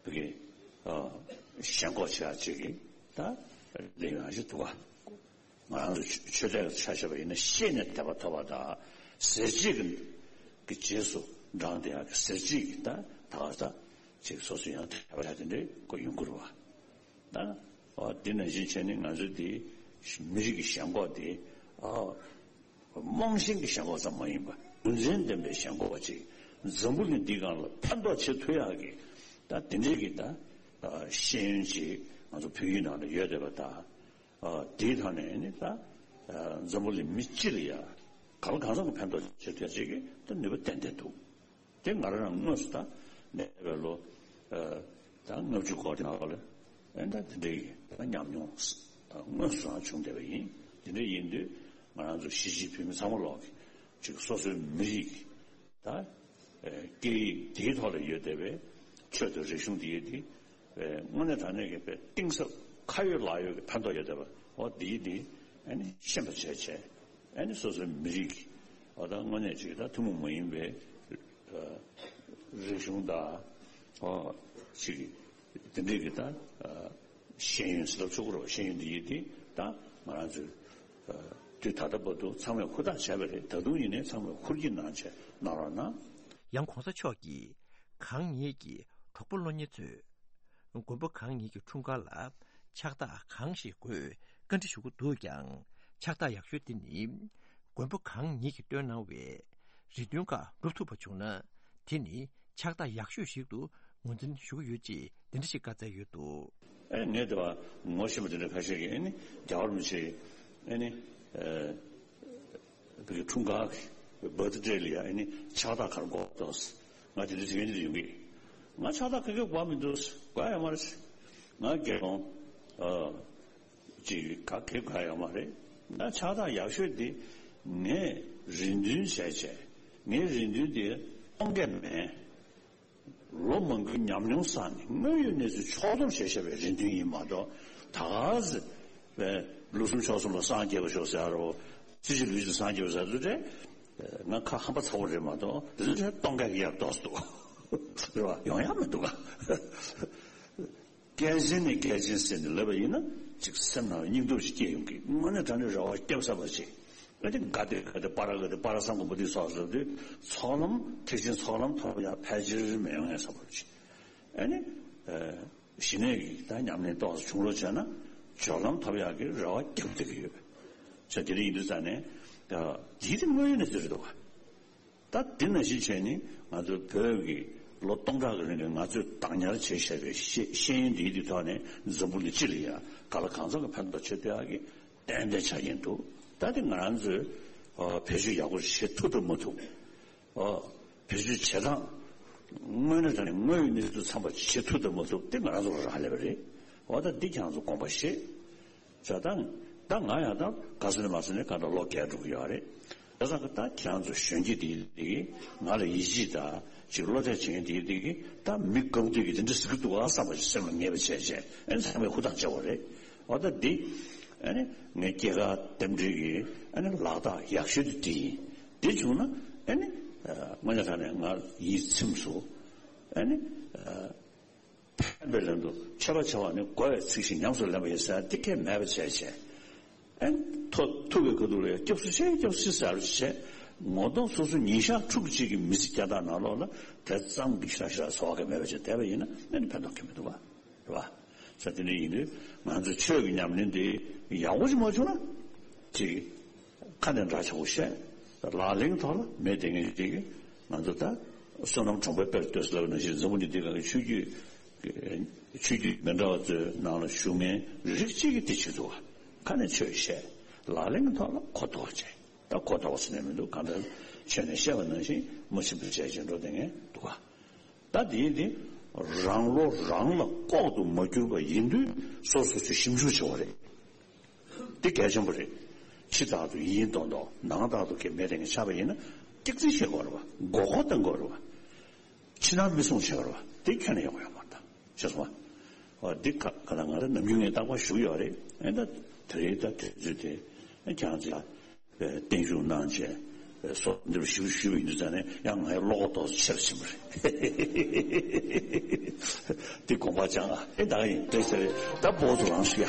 བོད་ཀྱི་ཞེན་ཁོག་བྱེད་ཡ་ཅིག་གི་ད་ལས་ཡོང་ཞིག་འདུག་ག་ང་རང་ཚོ་ཆོས་དད་ཆ་བཞག་པ་ཡིན་ན་ཤེས་ནས་དད་པ་ཐོབ་པ་དང་ཟེར་བྱེད་ཀྱི་རྗེས་སུ་འབྲངས་ཏེ་ཡ་ཟེར་བྱེད་ཀྱི་ད་ད་ག་ད་ཅིག་སོ་སོ་ཡང་དད་པ་བྱ་དེ་འདྲའི་སྐོར་ཡོང་གི་རེད་བ། ད་འོ་དེ་ནང་བཞིན་བྱས་ནས་ང་ཚོའི་དེ་མི་རིགས་ཀྱི་ཞེན་ཁོག་དེ་ཨ་རྨོངས་ཤིང་གི་ཞེན་ཁོག་ཙམ་མ་ཡིན་པ་རྒྱུ་མཚན་ལྡན་པའི་ཞེན་ཁོག་ཅིག་འཛམ་བུ་གླིང་འདི་སྒང་ལ་ཕན་ཐོགས་བྱེད་ཐུབ་ཡག་གི་ད་དེ་འདྲའི་གི་ད་ཤེས་ཡོན་ཅིག་ང་ཚོ་བོད་ཡིག་ནང་ལ་ཡོད་བསྡད་པ་ད། ཨ་དེའི་ཐོག་ནས་ནི་ད་ཨ་འཛམ་བུ་གླིང་མི་སྤྱི་ལ་ཡ་གང་ལ་གང་འཚམ་གྱི་ཕན་ཐོགས་བྱེད་ཐུབ་ཅིག་གི་ད་ནུས་པ་ཏན་ཏན་འདུག་དེ་ང་རང་རང་དངོས་སུ་ད་ནད་པའི་ལོ་ཨ་ད་ལྔ་བཅུ་འཁོར་དེ་ནང་ལ་ཨེ་ད་དེ་འདྲའི་གི་ད་ཉམས་མྱོང་ད་དངོས་སུ་རང་བྱུང་བསྡད་པ་ཡིན། དེ་འདྲ་ཡིན་དུས་ང་རང་ཚོ་གཞིས་བྱེས་བོད་མི་ཚང་མ་ལོག་གི་ཅིག་སོ་སོའི་མི་རིགས་ཀྱི་ད་ཨེ་སྐད་ཡིག་དེའི་ཐོག་ལ་ཡོད་བསྡད་པའི་ཆོས་དང་རིག་གཞུང་དེ་ཡོད་དེ། དངོས་གནས་དྲང་གནས་ཀྱི་དཔེ་གཏིང་ཟབ་ཁ་ཡོད་ལག་ཡོད་ཀྱི་ཕན་ཐོགས་ཡོད་བསྡད་པ་འོ་འདིའི་འདི་ཨ་ནི་ཤེས་པ་བྱས་བྱས་ཨ་ནི་སོ་སོའི་མི་རིགས་ཀྱི་འོ་ད་དངོས་གནས་ཅིག་ད་ཐུན་མོང་མ་ཡིན་པའི་རིག་གཞུང་དང་འོ་ཅིག་དེ་འདྲས་ཀྱི་ད་ཤེས་ཡོན་ཟེར་ལབ་ཆོག་གི་རེད། ཤེས་ཡོན་འདི་ཡིན་འདི་ད་ང་རང་ཚོས་དུས་ད་ལྟ་བར་དུ་ཚང་མས་ཧུར་ཐག་བྱས་པ་རེད། ད་དུང་ཡིན་ནའི་ཚང་མས་ཧུར་གྱིས་གནང་བྱས་གནང་རོགས་གནང་། ཡང་གོང་ས་མཆོག་གིས་གང་ཉིད་ཀྱི་གྲོགས་པོ་སློབ་གཉེར་ཚོས་མགོན་པོ་གང་ཉིད་ཀྱི་འཁྲུངས་སྐར་ལ་ཕྱག་རྟགས་གང་ཞིག་དགོས་བཀའ་འདྲི་ཞུ་གི་འདུག་ཀྱང་། ཕྱག་རྟགས་ཡག་ཤོས་དེ་ནི་མགོན་པོ་གང་ཉིད་ཀྱིས་བཏོན་གནང་བའི་རེ་འདུན་ཁག་འགྲུབ་ཐུབ་པ་བྱུང་ན་དེ་ནི་ཕྱག་རྟགས་ཡག་ཤོས་ཤིག་ཏུ་ངོས་འཛིན་ཞུ་གི་ཡོད་ཅེས་འདི་འདྲ་ཞིག་བཀའ་སྩལ་ཡོད་འདུག་ཨེ་ངས་དེ་བ་ངོ་ཤེས་པ་དེ་འདྲ་ཁ་ཤས་ཀྱིས་ཨེ་ནི་རྒྱལ་བ་རིན་པོ་ཆེ་ཨེ་ནི་ཨེ། བོད་ཀྱི་འཁྲུངས་སྐར་གྱི་བར་ཐི་ཌེ་ལ་ཡ་ཨ་ནི་ཕྱག་རྟགས་ག་རེ་དགོས་འདུག་ང་དེ་འདྲ་ཟེར་མཁན་དེ་འདྲ་ཡོང་གི། ང་ཕྱག་རྟགས་ག་གེ་དགོས་མི་འདུག་དགོས་ཡོད་མ་རེད། ང་དགེ་སློང་ཨ་ཅིག་ག་གེ་དགོས་ཡོད་མ་རེད། ང་ཕྱག་རྟགས་ཡག་ཤོས་དེ་ངས་རེ་འདུན་བྱས་བྱས་ངའི་རེ་འདུན་དེ་སྟོང་གས་མེད། ལོ་མང་པོའི་ཉམས་མྱོང་བསགས་ནས་དངོས་ཡོད་གནས་ཚུལ་ཕྱོགས་བསྡོམས་བྱས་བཞག་པའི་རེ་འདུན་ཡིན་མ་གཏོགས་ད་ག་ཟེ་བའི་ལུགས་གསུམ་ཕྱོགས་གསུམ་ལ་སངས་རྒྱས་པར་ཤོག་ཟེར་རོ། སྲིད་ཞི་ལུས་ཀྱི་སངས་རྒྱས་པར་ཟེར་དུས་དེ་ང་ཁ་ཧམ་པ་ཚ་བོ་རེད་མ་གཏོགས་དེ་ཚོ་དེ་སྟོང་ཁ་གི་ཡར་ཏོག་ཙམ་འདུག་རེད་བ། ཡོང་ཡ་མི་འདུག་ག་སྐལ་ཆེན་ནི་སྐལ་ཆེན་ཟེར་ནས་ལབ་པ་ཡིན་ན་ཅིག་སེམས་ནང་སྙིང་སྟོབས་ཤིག་སྐྱེ་ཡོང་གི། དངོས་གནས་དྲང་གནས་རེ་བ་སྐྱབས་ས་པ་ཅིག་ཨ་ནི་ག་དེ་ག་དེ་པ་ར་ག་དེ་པ་ར་སངས་གོ་བོ་དྷི་སོགས་ཟེར་དུས་ཚོགས་ལམ་ཐེག་ཆེན་ཚོགས་ལམ་ཐོབ་ཡ་ཕལ་ཆེར་མི་ཡོང་ཡ་ས་པ་ཅིག་ཨ་ནི་ཞི་གནས་ཀྱི་ད་ཉམས་ལེན་ཏོག་ཙམ་བྱུང་རོགས་བྱས་ན་སྦྱོར་ལམ་ཐོབ་ཡག་གི་རེ་བ་རྒྱབ་བསྡད་ཀྱི་ཡོད། ས་དེ་འདྲ་ཡིན་དུས་ཙང་ནས་ད་དེའི་དེ་དངོས་ཡོད་གནས་ཚུལ་རེད་འདུག་ག་ད་དེ་ནང་བཞིན་བྱས་ནས་ང་ཚོ་བོད་ཀྱི་ལོ་སྟོང་ཕྲག་གི་རིང་ལ་ང་ཚོས་བདག་ཉར་བྱས་བཞག་པའི་ཤེས་ཤེས་ཡོན་འདིའི་དེ་ཐོག་ནས་འཛམ་བུ་གླིང་སྤྱི་ལ་ཡང་ག་ལ་གང་འཚམ་གྱི་ཕན་ཐོགས་བྱེད་ཐུབ་ཡག་གི་ཏན་ཏན་ཆགས་ཀྱིན་འདུག་ད་དེ་ང་རང་ཚོས་ཨ་བེད་སྤྱོད་ཡག་པོ་བྱེད་ཐུབ་དང་མ་ཐུབ། ཨ་བེད་སྤྱོད་བྱེད་སྟངས་དངོས་གནས་དྲང་གནས་དངོས་ཡོད་གནས་ཚུལ་ཚང་པ་བྱེད་ཐུབ་དང་མ་ཐུབ་དེ་ང་རང་ཚོ་ལ་རག་ལས་པ་རེད། འོ་ད་འདི་ཁྱེད་རང་ཚོ་དགོངས་པ་བཞེས། ཟེར་ད་ད་ང་ཡང་ད་ག་ས་ནས་མ་ས་ནས་ག་ད་ལོ་བརྒྱད་འགྲོ་གི་ཡོད་རེད། ད་ས་ག་ད་ཁྱེད་རང་ཚོ་གཞོན་སྐྱེས་དེ་དེ་གི་ང་ལ་ཡིད་ཆེས་ད་ཅིག་བློ་གཏད་བྱེད་མཁན་དེ་དེ་གི་ད་མི་དགའ་པོ་དེ་གི་དེ་འདྲ་ཟེར་གི་འདུག་ཨ་བསམ་པ་ཞིག་སེམས་ལ་ངེས་པ་བྱས་བྱས་ཨ་ནི་ཚང་མས་ཧུར་ཐག་བྱེད་པ་རེད། འོ་ད་འདི་ཨ་ནི་ངའི་སྐྱེས་སྐར་རྟེན་འབྲེལ་གི་ཨ་ནི་ལག་རྟགས་ཡག་ཤོས་དེ་དེ་ཡིན། དེ་བྱུང་ན་ཨ་ནི་དངོས་གནས་དྲང་གནས་ང་ཡིད་ཚིམས་སོང་། ཨ་ནི། ཕན་པའི་ལན་དུ་མཆོད་པ་བྱ་བ་ནི་དགའ་བའི་ཚིག་བཞིན་ཉམས་སུ་ལེན་པ་ཡིན་ཟེར་འདི་སྐད་མེད་པ་བྱས་བྱས། ཨན་ཐོ་ཐུག་གི་ཁ་ཐུག་ལ་ཡང་སྐྱབས་སུ་མཆི་སྐྱབས་སུ་མཆི་ཟེར་བྱས། ངོ་གདོང་སོ་སོ་ཉིན་ཞག་ཕྲུགས་གཅིག་གི་མི་ཚེ་བསྐྱལ་སྟངས་ནང་ལོགས་ལ་དེ་ཙམ་གྱི་ཞེ་དྲག་ཞེ་དྲག་ཚོར་བ་གང་མེད་པ་བྱས་བསྡད་པ་ཡིན་ན་ཨ་ནི་ཕན་ཐོགས་གང་ཡང་མི་འདུག་ག་རེད་བ། ས་དེ་འདྲ་ཡིན་དུས་ང་ཚོ་ཆོས་ཀྱི་ཉམས་ལེན་འདི་ཡག་པོ་ཅིག་མ་བྱུང་ན་ཅིག་ཁ་ནས་འདྲ་ཆགས་པོ་བཤད། ལག་ལེན་ཐོག་ལ་མེད་དེ་ངས་ཅིག་ང་ཚོ་ད་བསོད་ནམས་གྲོང་པའི་དཔེར་ལྟོས་ཟེར་ལབ་ནང་བཞིན་འཛམ་བུ་གླིང་འདི་ག་གི་ཆོས་བརྒྱུད་ཆོས་བརྒྱུད་མི་འདྲ་བ་ཚོའི་ནང་ལ་བཞུགས་མཁན་རིགས་གཅིག་གིས་དེ་བྱེད་ཐུབ་པ། ཁ་ནས་ཆོས་བཤད། ལག་ལེན་ཐོག་ལ་གོ་རྟོགས་བྱས། ད་གོ་རྟོགས་པ་ཟེར་ནས་མི་འདུག་གང་ལྟར་ཆོས་ནས་བཤད་པ་ནང་བཞིན་མ་ཕྱིན་པར་བྱས་བྱས་འགྲོ་བསྡད་མཁན་འདུག་ག་ད་དེ་ཡིན་དེ་རང་བློ་རང་ལ་ལྐོག་ཏུ་མ་གྱུར་པ་ཡིན་དུས་སོ་སོ་ཚོས་ཞིབ་འཇུག་བྱེད་པ་རེད། འདི་གལ་ཆེན་པོ་རེད། ཕྱི་ལྟར་དུ་ཡིན་མདོག་མདོག་ནང་ལྟར་དུ་གལ་མེད་དེ་ངས་ཆགས་པ་ཡིན་ན་སྐྱག་རྫུན་བྱེད་དགོས་རེད་བ། མགོ་སྐོར་གཏོང་དགོས་རེད་བ། ཕྱི་ནང་མི་སྲུང་བྱེད་དགོས་རེད་བ། དེ་ཁྱོན་ནས་ཡོང་གི་ཡོད་མ་རེད་ད། ཤེས་སོང་བ། འོ་འདི་ཁ་ཁ་ལ་ང་རང་ནམ་རྒྱུན་ངས་རྟག་པར་ཞུ་གི་ཡོད་རེད། ཨེ་ད་དེ་རིང་ད་དུས་ཚོད་དེ་ཁྱེད་རང་ཚོས་བརྟན་བཞུགས་གནང་བྱས་སོ་འདིར་ཞུ་ཞུ་བའི་ཡིན་དུས་ཙང་ནས་ཡང་ངའི་བློ་ཁོག་ཏོག་ཙམ་ཆེ་རུ་ཕྱིན་པ་རེད། འདི་དགོངས་པ་བཅངས་ཨ། ཨེ་ད་ག་ཡིན་བཀྲ་ཤིས་བདེ་ལེགས། ད་བོད་དུ་རང་ཞུ་ཡ།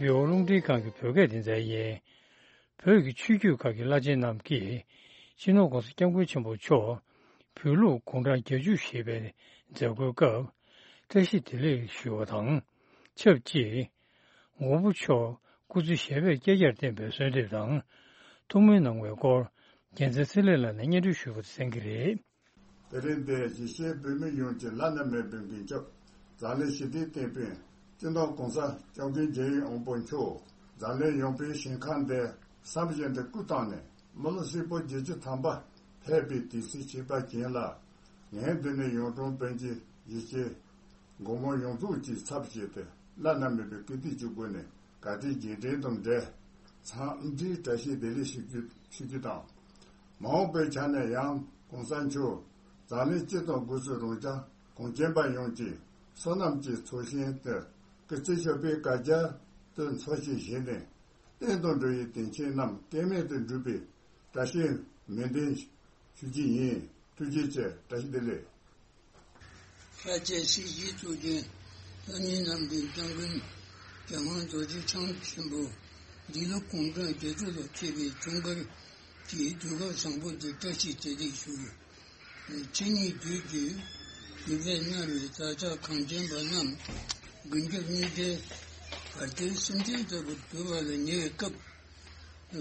རི་བོ་རླུང་འཕྲིན་ཁང་གི་བོད་སྐད་སྡེ་ཚན་ཡིན། བོད་ཀྱི་ཆོས་བརྒྱུད་ཁག་གི་བླ་ཆེན་རྣམས་ཀྱིས་སྤྱི་ནོར་༸གོང་ས་༸སྐྱབས་མགོན་ཆེན་པོ་མཆོག་བོད་ལུགས་དགུང་གྲངས་བརྒྱད་ཅུ་བཞེས་པའི་མཛད་སྒོའི་སྐབས་བཀྲ་ཤིས་བདེ་ལེགས་ཞུ་བ་དང་ཆབས་ཅིག་མགོན་པོ་མཆོག་སྐུ་ཚེ་ཞབས་པད་བསྐལ་བརྒྱར་བརྟན་པའི་གསོལ་འདེབས་དང་ཐུགས་སྨོན་གནང་བའི་སྐོར་རྒྱལ་མཚན་ཚེ་ལེགས་ལགས་ནས་སྙན་སྒྲོན་ཞུ་བར་གསན་གྱི་རེད། དེ་རིང་འདིར་གཞིས་བྱེས་བོད་མི་ཡོངས་ཀྱི་བླ་ན་མེད་པའི་མགོན་སྐྱབས་འཛམ་གླིང་ཞི་བདེའི་དེད་དཔོན་སྤྱི་ནོར་༸གོང་ས་༸སྐྱབས་མགོན་རྒྱལ་བའི་དབང་པོ་མཆོག་འཛམ་གླིང་ཡངས་པའི་ཞིང་ཁམས་འདིར་བསམ་བཞིན་དུ་སྐུ་བལྟམས་ནས་མི་ལོ་ཧྲིལ་པོ་བརྒྱད་ཅུ་ཐམ་པ་ཕེབས་པའི་དུས་ཚིགས་ཆེ་བ་ཅན་ལ། ངས་འདི་ནས་གཡུང་དྲུང་བོན་གྱི་གཞིས་བྱེས་སྒོ་མོ་ཡོངས་རྫོགས་ཀྱི་ཚབ་བྱས་ཏེ་བླ་ན་མེད་པའི་བཀུར་སྟི་ཆེན་པོ་ནས་དགའ་དད་རྗེས་དྲན་དང་འབྲེལ་འཚམས་འདྲིའི་བཀྲ་ཤིས་བདེ་ལེགས་ཞུ་རྒྱུ་ཞུ་རྒྱུ་དང་། མ་འོངས་པའི་ཆ་ནས་ཡང་༸གོང་ས་མཆོག་འཛམ་གླིང་སྤྱི་དང་སྒོས་སུ་རང་ཅག་གངས་ཅན་པ་ཡོངས་ཀྱི་བསོད་ནམས་ཀྱི་ཚོགས་ཞིང་དེར་སྐུ་ཚེ་ཞབས་པད་བསྐལ་བརྒྱར་དུ་འཚོ་ཞིང་གཞེས་ནས་བསྟན་དང་འགྲོ་བའི་དོན་ཆེན་རྣམས་སྐལ་མེད་དུ་འགྲུབ་པའི་བཀྲ་ཤིས་སྨོན་འདུན་ཞུ་རྒྱུ་ཡིན། ཐུགས་རྗེ་ཆེ། བཀྲ་ཤིས་བདེ་ལེགས། ལྷ་རྒྱལ་སྲས་ཀྱི་གཙུག་རྒྱན་བླ་མ་རྣམས་ཀྱི་སྐྱབས་མགོན་རྒྱལ་དབང་རྡོ་རྗེ་འཆང་ཆེན་པོ་འདི་ལོ་དགུང་གྲངས་བརྒྱད་ཅུ་ལ་ཕེབས་པའི་འཁྲུངས་སྐར་གྱི་དུས་སྐབས་བཟང་པོ་འདིར་བཀྲ་ཤིས་བདེ་ལེགས་ཞུ། ཆེ་ཉིད་དུས་ཀྱི་ཡུལ་ཕེབས་གནང་བའི་བདག་ཅག་གངས་ཅན་པ་རྣམས་མགོན་སྐྱབས་རྙིང་གྲས་བར་དོའི་སེམས་ཅན་ལྟ་བུར་གྱུར་པ་ལ་ཉེ་བའི་སྐབས།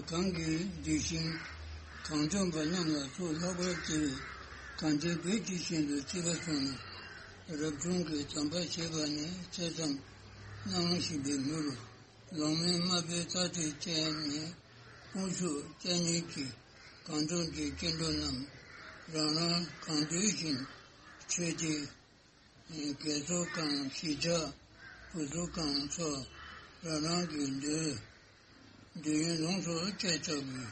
གང་གི་གདུལ་ཞིང་གངས་ལྗོངས་པ་རྣམས་ལ་གཙོ་ལྷག་པར་བརྩེ་བའི་གངས་ཅན་བོད་ཀྱི་ཞིང་དུ་བརྩེ་བ་བྱུང་ནས་རབ་བྱུང་གི་དམ་པ་ཞེས་པ་ནས་ཐེ་ཚོམ་གནང་བཞིན་པའི་མུར་ལོང་མེད་དམར་པོའི་རྩྭ་དེ་བཅད་ནས་དཔུང་ཤུགས་བཅས་ཉིད་ཀྱིས་གངས་ལྗོངས་ཀྱི་སྐྱེ་འགྲོ་རྣམས་རང་རང་གང་འདོད་བཞིན་འཕྲོས་ཏེ། རྒས་ཚོ་གང་གཞིས་ཆགས་བུ་ཚོ་གང་ཚོ་རང་རང་གི་འདོད་འདོད་ཡོན་ལོངས་སུ་སྤྱད་ཆོག་པའི་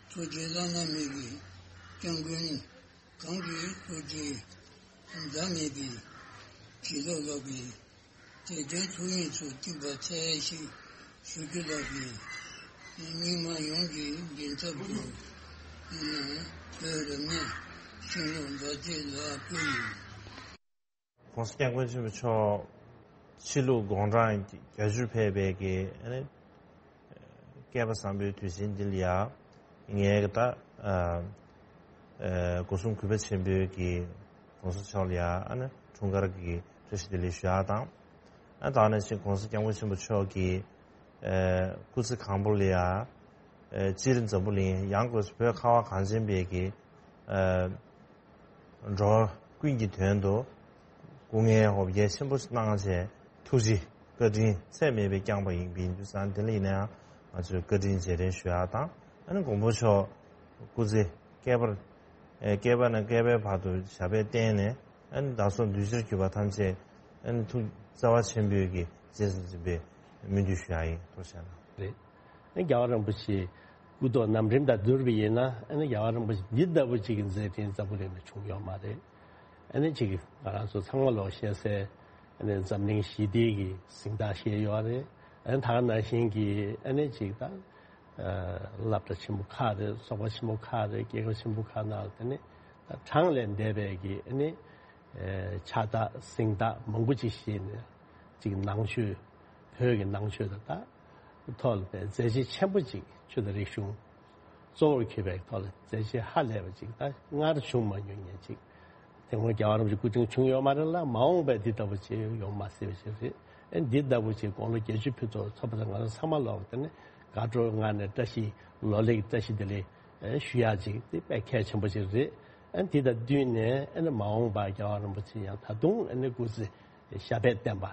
ཐུགས་རྗེ་བླ་ན་མེད་པའི་སྐྱབས་མགོན་གང་གི་ཐུགས་རྗེ་ཟླ་མེད་པའི་བྱིན་རླབས་ལགས་པས་དད་ལྡན་ཐུགས་དབྱངས་སུ་བསྟོད་པ་འཚལ་ཞེས་ཞུ་རྒྱུ་ལགས་པས། རྙིང་མ་ཡོངས་ཀྱི་མགྲིན་ཚབ་ཏུ་བོད་རབ་གནས་ཤིང་ལུག་མཛའ་བརྩེ་ལ་ཕུལ་ཡིན། ༸གོང་ས་༸སྐྱབས་མགོན་ཆེན་པོ་མཆོག་ཕྱི་ལུགས་དགུང་གྲངས་བརྒྱད་ཅུར་ཕེབས་པའི་གི་ཨ་ནི་བསྐལ་པ་བཟང་པོའི་དུས་ཆེན་འདི་ལ་ཡ་ངས་གི་ད་ཨ་ཨ་སྒོ་གསུམ་གུས་པ་ཆེན་པོས་གི་༸གོང་ས་མཆོག་ལ་ཡ་ཨ་ནི་འཁྲུངས་སྐར་གི་བཀྲ་ཤིས་བདེ་ལེགས་ཞུ་ཡག་དང་། ཨ་ད་ནི་ཅིག་༸གོང་ས་༸སྐྱབས་མགོན་ཆེན་པོ་མཆོག་གི་ཨ་སྐུ་ཚེ་གང་པོ་ལ་ཡ་ཨ་སྤྱིར་འཛམ་བུ་གླིང་ཡང་སྒོས་སུ་བོད་ཁ་བ་གངས་ཅན་པའི་གི་ཨ་འགྲོ་བ་ཀུན་གྱི་དོན་དུ་སྐུ་ངལ་འོ་བརྒྱལ་ཆེན་པོ་གནང་བྱས་ཐུགས་རྗེ་བཀའ་དྲིན་ཚད་མེད་པའི་བསྐྱངས་པ་ཡིན་པ་ཡིན་དུས་ཙང་དེ་ལ་ཡིན་ན་ཡང་ང་ཚོས་བཀའ་དྲིན་རྗེས་དྲན་ཞུ་ཡག་དང་ཨ་ནི་མགོན་པོ་མཆོག་སྐུ་ཚེ་བསྐལ་པར་ཨེ་བསྐལ་པ་ནས་བསྐལ་པའི་བར་དུ་ཞབས་པད་བརྟན་ནས་ཨ་ནི་བདག་སོགས་འདུས་བྱས་གྱུར་པ་ཐམས་ཅད་ཨ་ནི་ཐུགས་བརྩེ་བ་ཆེན་པོས་ཀྱི་རྗེས་སུ་འཛིན་པའི་སྨོན་འདུན་ཞུ་ཡག་ཡིན། ཐུགས་རྗེ་གནང་། རེད། ཨ་ནི་རྒྱལ་བ་རིན་པོ་ཆེ་སྐུ་ཐོག་རྣམ་འདྲེན་དང་བསྡུར་བ་ཡིན་ན་ཨ་ནི་རྒྱལ་བ་རིན་པོ་ཆེ་འདི་ལྟ་བུ་ཅིག་གི་མཛད་འཕྲིན་འཛམ་བུ་གླིང་ལ་བྱུང་ཡོད་མ་རེད། ཨ་ནི་ཅིག་ང་རང་ཚོ་ཚང་མ་ལོག་ཤེས་གསལ་ཨ་ནི་འཛམ་གླིང་ཞི་བདེ་གི་གཟེངས་རྟགས་བཞེས་ཡོད་རེད། ཨ་ནི་ད་ག་ནང་བཞིན་གྱི་ཨ་ནི་ཅིག་ད་སློབ་གྲྭ་ཆེན་པོ་ཁག་རེད། ཚོགས་པ་ཆེན་པོ་ཁག་རེད། རྒྱལ་ཁབ་ཆེན་པོ་ཁག་ནང་ལ་དེ་ནི་ད་གྲངས་ལས་འདས་པའི་གི་ཨ་ནི་ཕྱག་རྟགས་གཟེངས་རྟགས་མང་པོ་ཅིག་བཞེས་ནས་ཅིག་ནང་ཆོས་བོད་ཀྱི་ནང་ཆོས་དང་ད་ཐོག་ལ་མཛད་རྗེས་ཆེན་པོ་ཅིག་ཆོས་དང་རིག་གཞུང་གཙོ་བོར་གྱུར་པའི་ཐོག་ལ་མཛད་རྗེས་ཧ་ལས་པ་ཅིག་ད་སྔར་བྱུང་མ་མྱོང་མཁན་ཅིག་དེ་སྔོན་རྒྱལ་བ་རིན་པོ་ཆེ་སྐུ་ཕྲེང་བྱུང་ཡོད་མ་རེད་ལ་མ་འོངས་པའི་འདི་ལྟ་བུ་ཅིག་ཡོང་མ་སྲིད་པ་ཞིག་རེད། ཨ་འདི་ལྟ་བུ་ཅིག་དགུང་ལོ་བརྒྱད་ཅུ་ཕེབས་ཐོག་ཚོགས་པ་དང་ང་རང་ཚང་མ་ལོག་དེ་ནི་དགའ་སྤྲོ་ངང་ནས་བཀྲ་ཤིས་ལོ་ལེགས་བཀྲ་ཤིས་བདེ་ལེགས་ཨ་ཞུ་ཡག་ཅིག་དེ་དཔེ་གལ་ཆེན་པོ་ཅིག་རེད། ཨ་འདི་དང་བསྟུན་ནས་ཨ་ནི་མ་འོངས་པར་རྒྱལ་བ་རིན་པོ་ཆེ་ཡང་ད་དུང་ཨ་ནི་སྐུ་ཚེ་ཞབས་པད་བརྟན་པ།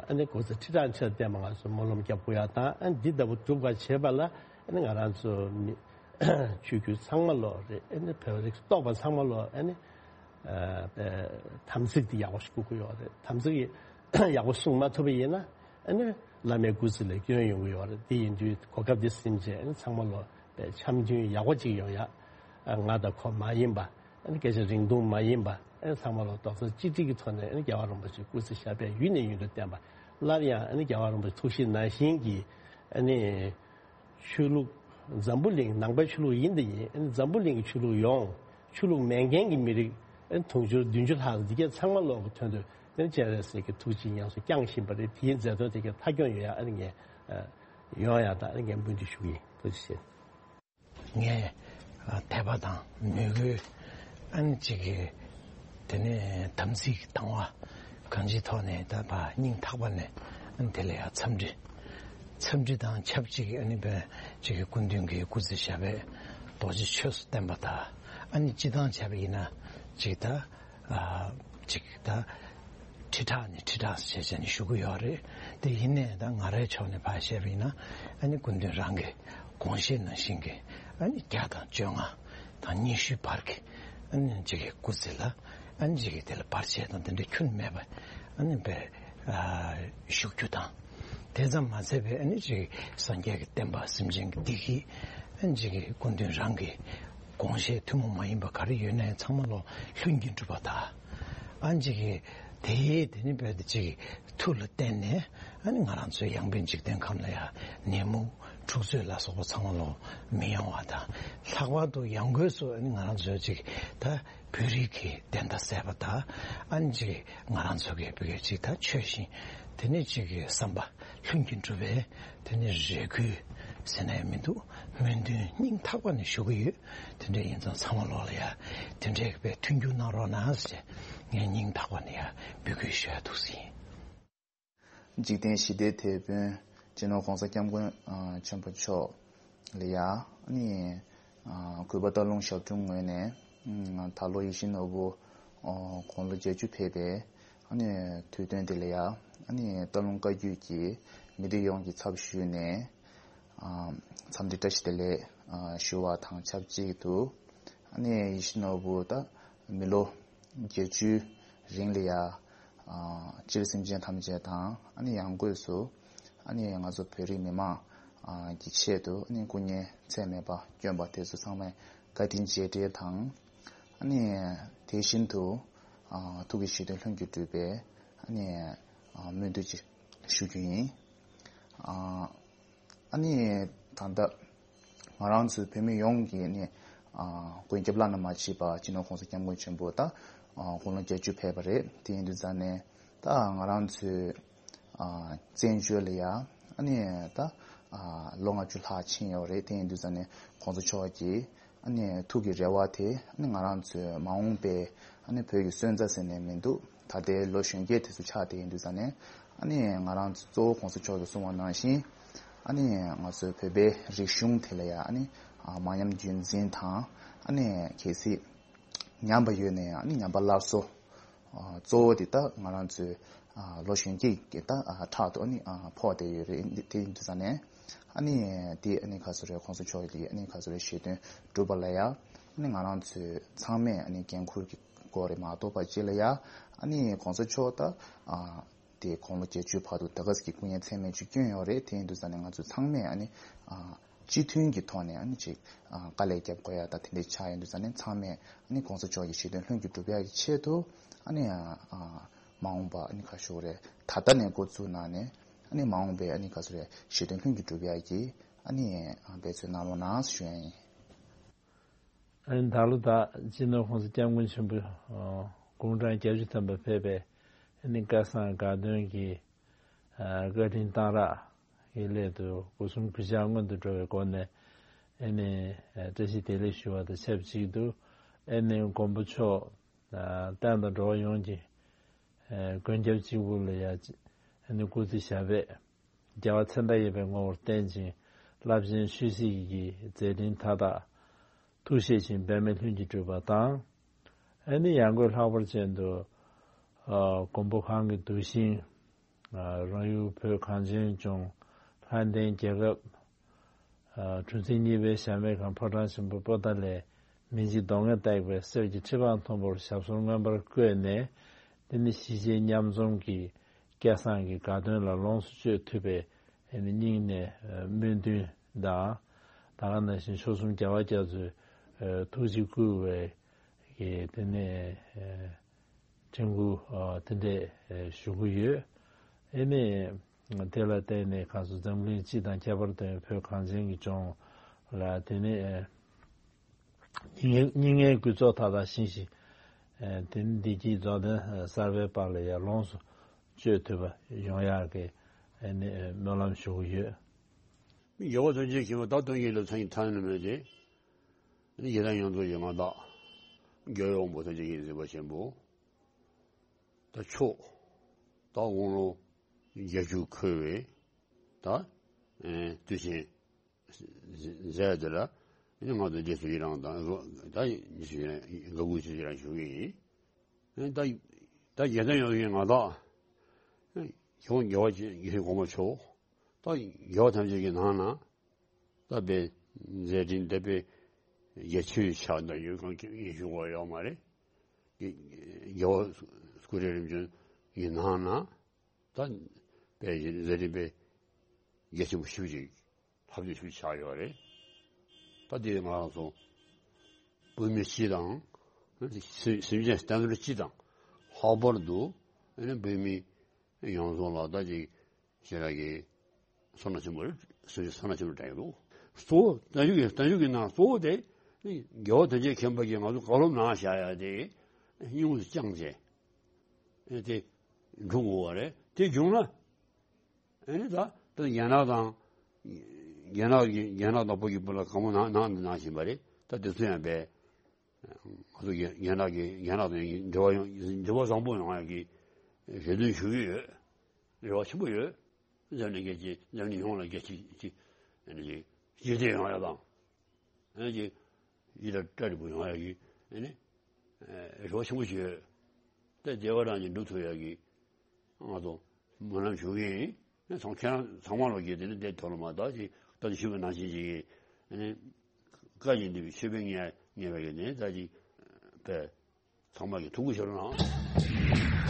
ཨ་ནི་སྐུ་ཚེ་ཁྲི་ཕྲག་ཕྲག་བརྟན་པ་ང་ཚོ་སྨོན་ལམ་རྒྱབ་དགོས་ཡག་དང་། ཨ་འདི་ལྟ་བུ་སྒྲུབ་པར་བྱེད་པ་ལ་ཨ་ནི་ང་རང་ཚོ་མི་ཆོས་བརྒྱུད་ཚང་མ་ལོག་རེད། ཨ་ནི་བོད་རིགས་གཏོགས་པ་ཚང་མ་ལོག་ཨ་ནི་ཨ་དམ་ཚིག་དེ་ཡག་པོ་ཞིག་དགོས་ཀྱི་ཡོད་རེད། དམ་ཚིག་ཡག་པོ་སྲུང་མ་ཐུབ་པ་ཡིན་ན་ཨ་ནི་བླ་མའི་སྐུ་ཚེ་ལ་སྐྱོན་ཡོང་གི་ཡོད་རེད། དེ་ཡིན་དུས་གོ་སྐབས་འདི་ཟིན་བྱས་ཨ་ནི་ཚང་མ་ལོག་པའི་འཆམ་མཐུན་ཡག་པོ་ཅིག་ཡོང་ཡག་ཨ་ང་དང་ཁོ་མ་ཡིན་པ། ཨ་ནི་སྐད་ཆ་རིང་ཐུང་མ་ཡིན་པ། ཨ་ནི་ཚང་མ་ལོག་རྡོག་རྩ་གཅིག་སྒྲིལ་གྱི་ཐོག་ནས་ཨ་ནི་རྒྱལ་བ་རིན་པོ་ཆེའི་སྐུ་ཚེ་ཞབས་པད་ཡུན་ནས་ཡུན་དུ་བརྟན་པ། སླར་ཡང་ཨ་ནི་རྒྱལ་བ་རིན་པོ་ཆེ་ཐུགས་བཞེད་ནང་བཞིན་གྱི་ཨ་ནི་ཆོས་ལུགས་འཛམ་བུ་གླིང་ནང་པའི་ཆོས་ལུགས་ཡིན་དང་ཡིན། ཨ་ནི་འཛམ་བུ་གླིང་གི་ཆོས་ལུགས་ཡོངས། ཆོས་ལུགས་མེད་མཁན་གྱི་མི་རིགས་ཨ་ནི་དུང་ཕྱུར་བདུན་ཅུ་ལྷག་འདི་གས་ཚང་མ་ལོག་གི་དོན་དུ་ཨ་ནི་སྤྱན་རས་གཟིགས་ཀྱི་ཐུགས་རྗེ་ཉམས་སུ་བསྐྱངས་བཞིན་པ་རེད། དེའི་མཛད་དོན་དེ་གས་མཐའ་འཁྱོངས་ཡོང་ཡག་ཨ་ནི་ངས་ཨ་ཡོང་ཡག་དང་ཨ་ནི་ངས་སྨོན་འདུན་ཞུ་གི་ཡིན། ཐུགས་རྗེ་ཆེ། ངས་ཨ་དད་པ་དང་མོས་གུས་ཨ་ནི་གཅིག་གི་དེ་ནས་དམ་ཚིག་དང་བ་གང་ཅིའི་ཐོག་ནས་ད་ཕར་སྙིང་ཐག་པ་ནས་ཨ་ནི་དེ་ལ་ཡང་འཚམས་འདྲི། འཚམས་འདྲི་དང་ཆབས་ཅིག་ཨ་ནི་བས་གཅིག་གི་སྐུ་མདུན་གྱི་སྐུ་ཚེ་ཞབས་པད་རྡོ་རྗེ་ཆོས་སུ་བརྟན་པ་དང་། ཨ་ནི་སྤྱི་བཏང་བྱས་པ་ཡིན་ན་གཅིག་ད་ཨ་གཅིག་ད་ཁྲི་ཕྲག་ནས་ཁྲི་ཕྲག་བྱས་བྱས་ནས་བཞུགས་ཀྱི་ཡོད་རེད། དེ་ཡིན་ནའི་ད་ང་རའི་ཕྱོགས་ནས་ཕར་བཤད་པ་ཡིན་ན་ཨ་ནི་སྐུ་མདུན་རང་གི་དགོངས་བཞེད་ནང་བཞིན་གྱི་ཨ་ནི་བརྒྱ་དང་བཅོ་ལྔ་དང་ཉི་ཤུའི་བར་གྱི་ཨ་ནི་གཅིག་གི་སྐུ་ཚེ་ལ་ཨ་ནི་གཅིག་གི་དེ་ལ་བར་ཆད་དང་དེ་འདྲ་ཁྱོན་མེད་པ་ཨ་ནི་བས་ཨ་བཞུགས་རྒྱུ་དང་། དེ་ཙམ་མ་ཚད་པའི་ཨ་ནི་གཅིག་སངས་རྒྱས་ཀྱི་བསྟན་པ་སེམས་ཅན་གྱི་བདེ་སྐྱིད་ཨ་ནི་གཅིག་གི་སྐུ་མདུན་རང་གི་དགོངས་བཞེད་ཐུན་མོང་མ་ཡིན་པ་ག་རེ་ཡོད་ན་ཡང་ཚང་མ་ལོ་ལྷུན་གྱིས་གྲུབ་པ་དང་། ཨ་ནི་གཅིག་གི་དེའི་དེ་ནི་བས་དེ་གཅིག་མཐུ་ལ་བརྟེན་ནས་ཨ་ནི་ང་རང་ཚོའི་ཡངས་པའི་འཇིག་རྟེན་ཁམས་ལ་ཡང་ནད་མུག་འཁྲུག་རྩོད་ལ་སོགས་པ་ཚང་མ་ལོ་མི་ཡོང་བ་དང་། ལྷག་པར་དུ་ཡང་སྒོས་སུ་ཨ་ནི་ང་རང་ཚོའི་གཅིག་ད་བོད་རིགས་ཀྱི་བདེན་མཐའ་གསལ་བ་དང་། ཨ་ནི་གཅིག་ང་རང་ཚོ་གི་བོད་ཀྱི་གཅིག་ད་ཆོས་བཞིན་དེ་ནི་གཅིག་གི་བསམ་པ་ལྷུན་གྱིས་གྲུབ་པའི་དེ་ནི་རེ་སྐུལ་ཟེར་ན་ཡང་མི་འདུག་སྨོན་འདུན་སྙིང་ཐག་པ་ནས་ཞུ་གི་ཡོད། དེ་འདྲ་ཡིན་ཙང་ཚང་མ་ལོག་ལ་ཡ་དེ་འདྲའི་བས་མཐུན་འགྱུར་གནང་རོགས་གནང་ཟེར་ངས་སྙིང་ཐག་པ་ནས་ཡ་འབོད་སྐུལ་ཞུ་ཡ་འདུག་ཟིན། འཇིག་རྟེན་ཞི་བདེའི་དེད་དཔོན་སྤྱི་ནོར་༸གོང་ས་༸སྐྱབས་མགོན་ཆེན་པོ་མཆོག་ལ་ཡ་ཨ་ནི་གུས་པ་སྟག་ལུང་ཞབས་དྲུང་ངོས་ནས་ད་ལོ་ཡིད་བཞིན་ནོར་བུ་དགུང་ལོ་བརྒྱད་ཅུ་ཕེབས་པའི་ཨ་ནི་དུས་སྟོན་དེ་ལ་ཡ་ཨ་ནི་སྟག་ལུང་བཀའ་བརྒྱུད་ཀྱི་མི་སྡེ་ཡོངས་ཀྱི་ཚབ་ཞུས་ནས་འཚམས་འདྲི་བཀྲ་ཤིས་བདེ་ལེགས་ཞུ་བ་དང་ཆབས་ཅིག་ཏུ། ཨ་ནི་ཡིད་བཞིན་ནོར་བུ་ད་མི་ལོ་བརྒྱད་ཅུའི་རིང་ལ་ཡ་སྤྱིར་སེམས་ཅན་ཐམས་ཅད་དང་ཨ་ནི་ཡང་སྒོས་སུ་ཨ་ནི་ང་ཚོ་བོད་རིགས་མི་མང་གི་ཆེད་དུ་ཨ་ནི་སྐུ་ངལ་ཚད་མེད་པ་བསྐྱོན་པ་དེ་ཚོ་ཚང་མས་བཀའ་དྲིན་རྗེས་དྲན་དང་། ཨ་ནི་དེ་བཞིན་དུ་ཐུགས་ཀྱི་བཞེད་དོན་ལྷུན་གྱིས་གྲུབ་པའི་ཨ་ནི་སྨོན་འདུན་ཅིག་ཞུ་རྒྱུ་ཡིན། ཨ་ནི་ད་ལྟ་ང་རང་ཚོའི་བོད་མི་ཡོངས་ཀྱི་ནི་ཨ་མགོན་སྐྱབས་བླ་ན་མ་མཆིས་པ་སྤྱི་ནོར་༸གོང་ས་༸སྐྱབས་མགོན་ཆེན་པོ་ད་དགུང་ལོ་བརྒྱད་ཅུ་ཕེབས་པ་རེད། དེ་ཡིན་དུས་ཙང་ནས་ད་ང་རང་ཚོའི་ཨ་བཙན་བྱོལ་ལ་ཡ་ཨ་ནི་ད་ཨ་ལོ་ལྔ་བཅུ་ལྷག་ཕྱིན་ཡོད་རེད། དེ་ཡིན་དུས་ཙང་ནས་༸གོང་ས་མཆོག་གིས་ཨ་ནི་ཐུགས་ཀྱི་རེ་བ་དེ་ཨ་ནི་ང་རང་ཚོའི་མ་འོངས་པའི་ཨ་ནི་བོད་ཀྱི་སོན་རྩ་ཟེར་ནས་མི་འདུག་ད་ལྟའི་ལོ་གཞོན་སྐྱེས་དེ་ཚོ་ཆགས་བསྡད་ཡིན་དུས་ཙང་ནས་ཨ་ནི་ང་རང་ཚོ་གཙོ་བོ་༸གོང་ས་མཆོག་གིས་གསུངས་པ་ནང་བཞིན་ཨ་ནི་ང་ཚོའི་བོད་པའི་རིག་གཞུང་དེ་ལ་ཡང་ཨ་ནི་མ་ཉམས་རྒྱུན་འཛིན་དང་ཨ་ནི་གལ་སྲིད་ཉམས་པ་ཡོད་ན་ཡང་ཨ་ནི་ཉམས་པ་སླར་གསོ་གཙོ་བོ་དེ་ད་ང་རང་ཚོའི་ལོ་གཞོན་སྐྱེས་ཀྱི་ད་ཕྲག་ཏུ་ཨ་ནི་ཕོག་བསྡད་ཡོད་རེད། དེ་ཡིན་དུས་ཙང་ནས་ཨ་ནི་དེ་ཨ་ནི་ག་ཚོད་རེད། ༸གོང་ས་མཆོག་གི་ཨ་ནི་ག་ཚོད་རེད། བཞེད་དོན་སྒྲུབ་པ་ལ་ཡང་ཨ་ནི་ང་རང་ཚོའི་ཚང་མས་ཨ་ནི་འགན་འཁུར་གྱི་སྐོར་རེད་མ་གཏོགས་པ་སྤྱི་ལ་ཡང་ཨ་ནི་༸གོང་ས་མཆོག་ད་དེ་དགུང་ལོ་བརྒྱད་ཅུའི་བར་དུ་ད་ག་ཟེ་གི་སྐུ་ངལ་ཚད་མེད་ཅིག་བསྐྱོན་ཡོད་རེད། དེ་ཡིན་དུས་ཙང་ནས་ང་ཚོ་ཚང་མས་ཨ་ནི་སྤྱི་མཐུན་གྱི་ཐོག་ནས་ཨ་ནི་ཅིག་དཀའ་ལས་རྒྱབ་དགོས་ཡ་ད་དེ་འདྲ་ཆགས་ཡོང་དུས་ཙང་ནས་ཚང་མས་ཨ་ནི་༸གོང་ས་མཆོག་གི་བཞེད་དོན་ལྷུན་གྱིས་གྲུབ་ཡ་གི་ཆེད་དུ་ཨ་ནི་མ་འོངས་པ་ཨ་ནི་ག་ཞུ་རེད། ད་ལྟ་ནས་འགོ་བཙུགས་གནང་ནས་ཨ་ནི་མ་འོངས་པའི་ཨ་ནི་ག་ཞུ་རེད། བཞེད་དོན་ལྷུན་གྱིས་གྲུབ་ཡ་གི་ཨ་ནི་འབད་བརྩོན་གནང་རོགས་གནང་ཞུ་ཡ་ཡིན། ཨ་ནི་ད་ལོ་ད་སྤྱི་ནོར་༸གོང་ས་༸སྐྱབས་མགོན་ཆེན་པོ་དགུང་གྲངས་བརྒྱད་ཅུ་ཐམ་པ་ཕེབས་པའི་ཨ་ནི་སྐལ་བཟང་དགའ་སྟོན་གྱི་བཀའ་དྲིན་གཏང་རག་གི་སླད་དུ་སྒོ་གསུམ་གུས་ཕྱག་སྔོན་དུ་འགྲོ་བའི་སྒོ་ནས་ཨ་ནི་བཀྲ་ཤིས་བདེ་ལེགས་ཞུ་བ་དང་ཆབས་ཅིག་ཏུ་ཨ་ནི་མགོན་པོ་མཆོག་བསྟན་དང་འགྲོ་བ་ཡོངས་ཀྱི་མགོན་སྐྱབས་གཅིག་པུ་ལ་ཡ་ ཨ་ནི་སྐུ་ཚེ་ཞབས་པད་རྒྱལ་བ་མཚན་རྟགས་ཡོད་པའི་ངོ་བོར་བརྟན་ཅིང་རླབས་ཆེན་ཆོས་སྲིད་ཀྱི་མཛད་འཕྲིན་མཐའ་དག་ཐུགས་བཞེད་ཅིང་འབད་མེད་ལྷུན་གྱིས་གྲུབ་པ་དང་། ཨ་ནི་ཡང་སྒོས་ལྷག་པར་ཅན་དུ་ཨ་མགོན་པོ་གང་གི་གདུལ་ཞིང་ཨ་རང་ཡུལ་བོད་གངས་ཅན་ལྗོངས་ལྷ་ལྡན་རྒྱལ་ཁབ་ཨ་གྲུ་འཛིན་གཉིས་པའི་ཞབས་མེད་ཁང་ཕོ་བྲང་ཆེན་པོ་པོ་ཏཱ་ལའི་མི་འཇིགས་གདོང་ལྔས་བཏེགས་པའི་གསེར་གྱི་ཁྲི་འཕང་མཐོན་པོར་ཞབས་སོར་མངོན་པར་བཀོད་ནས། དེ་ནི་གཞིས་བྱེས་མཉམ་འཛོམས་ཀྱི་སྐལ་བཟང་གི་དགའ་སྟོན་ལ་ལོངས་སུ་སྤྱོད་ཐུབ་པའི་ཨ་ནི་སྙིང་ནས་ཨ་སྨོན་འདུན་དང་། ད་ག་ནང་བཞིན་མཆོག་གསུམ་རྒྱལ་བ་རྒྱ་མཚོས་ཨ་ཐུགས་རྗེ་བསྐུལ་བའི་གི་དེ་ནས་ཨ་དྲན་སྐུལ་ཨ་དེ་འདྲས་ཨ་ཞུ་གི་ཡོད། ཨ་ནི་དེ་ལ་བརྟེན་ནས་ཁ་སང་འཛམ་གླིང་སྤྱི་དང་ཁྱད་པར་དུ་བོད་གངས་ཅན་གྱི་ལྗོངས་ལ་དེ་ནས་ཨ་སྙིང་སྙིང་ལྔའི་གུས་ཚོགས་མཐའ་དག་བཞེངས་ཤིང་། ཨ་དེ་ནས་བདེ་སྐྱིད་རྫོགས་ལྡན་གསར་པའི་དཔལ་ལ་ཡང་ལོངས་སུ་སྤྱོད་ཐུབ་པ་ཡོང་ཡག་གི་ཨ་ནི་སྨོན་ལམ་ཞུ་གི་ཡོད། རྒྱལ་བ་ཐམས་ཅད་མཁྱེན་པ་བདག་དོན་གཉེར་ལ་མཚན་ཉིད་ཐ་སྙད་མེད་དེ། ཨ་ནི་ཡི་དམ་ཡོངས་རྫོགས་ཀྱི་མངའ་བདག་རྒྱལ་བའི་དབང་པོ་ཐམས་ཅད་ཀྱི་གཟིགས་པ་ཆེན་པོ། ད་མཆོག་ད་དབང་ལུང་བརྒྱད་ཅུ་འཁོར་བའི་ད་ཨེ་དུས་ཆེན་མཛད་དེ་ལ་ཨ་ནི་ང་ཚོ་རྗེས་སུ་ཡི་རང་དང་ད་ཉི་ཤུ་ཡི་རང་དགའ་མགུ་ཆེ་ཡི་རང་ཞུ་གི་ཡིན། ཨ་ནི་ད་ད་ཡི་དམ་ཡོངས་རྫོགས་ཀྱི་མངའ་བདག་ཨེ་ཁྱེད་རང་རྒྱལ་བ་ཡིད་བཞིན་གོང་མ་མཆོག་ད་རྒྱལ་བ་ཐམས་ཅད་ཀྱི་ནང་ན། ད་དཔེ་མཛད་འཕྲིན་དེ་དཔེ་རྒྱ་ཆེའི་ཆ་ནས་ཡོད་གང་གི་ཡིན་ཞུ་དགོས་ཡོད་མ་རེད། རྒྱལ་བ་སྐུ་ཕྲེང་རིམ་བྱོན་གྱི་ནང་ན་ད་དཔེ་མཛད་འཕྲིན་དཔེ་རྒྱ་ཆེན་པོ་ཞེ་པོ་ཅིག་ལྷག་བསྡུས་ཞེ་པོ་ཆགས་ཡོད་རེད། ད་དེ་ང་རང་ཚོ་བོད་མི་སྤྱི་དང་སེམས་ཅན་བསྟན་འཛིན་སྤྱི་དང་ལྷག་པར་དུ་ཨ་ནི་བོད་མི་ཡོངས་རྫོགས་ལ་ད་ཅིག་ཞེ་དྲག་གི་བསོད་ནམས་ཆེན་པོ་རེད། སེམས་ཅན་བསོད་ནམས་ཆེན་པོ་དྲན་གྱི་འདུག་གཙོ་བོ་བརྟན་བཞུགས་ཀྱི་བརྟན་བཞུགས་ཀྱི་ནང་གཙོ་བོ་དེ་རྒྱལ་བ་དོན་ཆེན་མཁྱེན་པ་གིས་ང་ཚོ་བཀའ་སློབ་གནང་བཞག་ཡ་དེ་སྙིང་དུ་བཅངས་བྱས་དེ་འགྲོ་དགོས་པ་རེད། དེ་བྱུང་ན་ཨ་ནི་ད་ད་རྒྱ་ནག་དང་རྒྱ་ནག་གི་རྒྱ་ནག་དང་བོད་ཀྱི་བར་ལ་གང་མང་གནང་གནང་གནང་བཞིན་པ་རེད། ད་དེ་ཚོ་ཡང་བས། ང་ཚོ་རྒན་རྒན་ལགས་ཀྱིས་རྒན་ལགས་དང་འབྲེལ་བ་ཡོང་འབྲེལ་བ་བཟང་པོ་ཡོང་ཡག་གི་རེ་འདུན་ཞུ་གི་ཡོད། རེ་བ་ཆེན་པོ་ཡོད། འཛམ་གླིང་རྒྱལ་སྤྱི་འཛམ་གླིང་ཡོངས་ལ་རྒྱལ་སྤྱི་ཅིག་ཨ་ནི་ཅིག་ཞི་བདེ་ཡོང་ཡག་དང་། ཨ་ནི་ཅིག་ཡིད་ལ་བཀྲ་རིག་པོ་ཡོང་ཡག་གི་ཨ་ནི་རེ་བ་ཆེན་པོ་ཞིག་ཡོད། ད་བདེ་བ་རང་གིས་འགྲུབ་ཐུབ་ཡག་གི་ང་ཚོ་སྨོན་ལམ་ཞུ་གི་ཡིན། ཚང་ཁྱེད་རང་ཚང་མ་ལོག་གིས་དེ་ནི་དེ་ཐོག་ལ་མ་དག་ཅིག་ད་ཞུས་པ་ནང་བཞིན་ཅིག་གིས་ཨ་ནི་བཀའ་བཞིན་འདུས་པའི་མཆོད་པའི་ངལ་ངལ་བའི་གི་ནི་ད་ཅིག་པས་ཚང་མ་གི་ཐུགས་ཁུར་ཤོར་ན།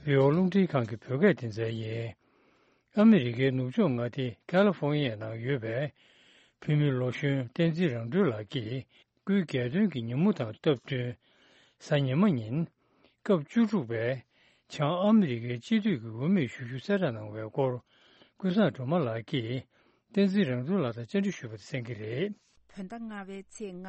བོད་རླུང་འཕྲིན་ཁང་གི་བོད་སྐད་སྡེ་ཚན་ཡིན། ཨ་མི་རི་ཀའི་ནུབ་ཕྱོགས་མངའ་སྡེ་ཁ་ལི་ཧྥོ་ནི་ཡའི་ནང་ཡོད་པའི་བོད་མི་ལོ་གཞོན་བསྟན་འཛིན་རང་གྲོལ་ལགས་ཀྱིས་སྐུའི་རྒྱལ་སྟོན་གྱི་ཉིན་མོ་དང་སྟབས་བསྟུན། གཟའ་ཉི་མ་ཉིན་སྐབས་བཅུ་དྲུག་པའི་བྱང་ཨ་མི་རི་ཀའི་སྤྱི་འཐུས་ཀྱི་འོས་མིར་ཞུགས་རྒྱུ་གསལ་བསྒྲགས་གནང་བའི་སྐོར། ཀུན་བཟང་སྒྲོལ་མ་ལགས་ཀྱིས་བསྟན་འཛིན་རང་གྲོལ་ལགས་དང་བཅར་འདྲི་ཞུས་པ་དེ་གསན་གྱི་རེད། བོད་ཟླ་ལྔ་པའི་ཚེས་ལྔ།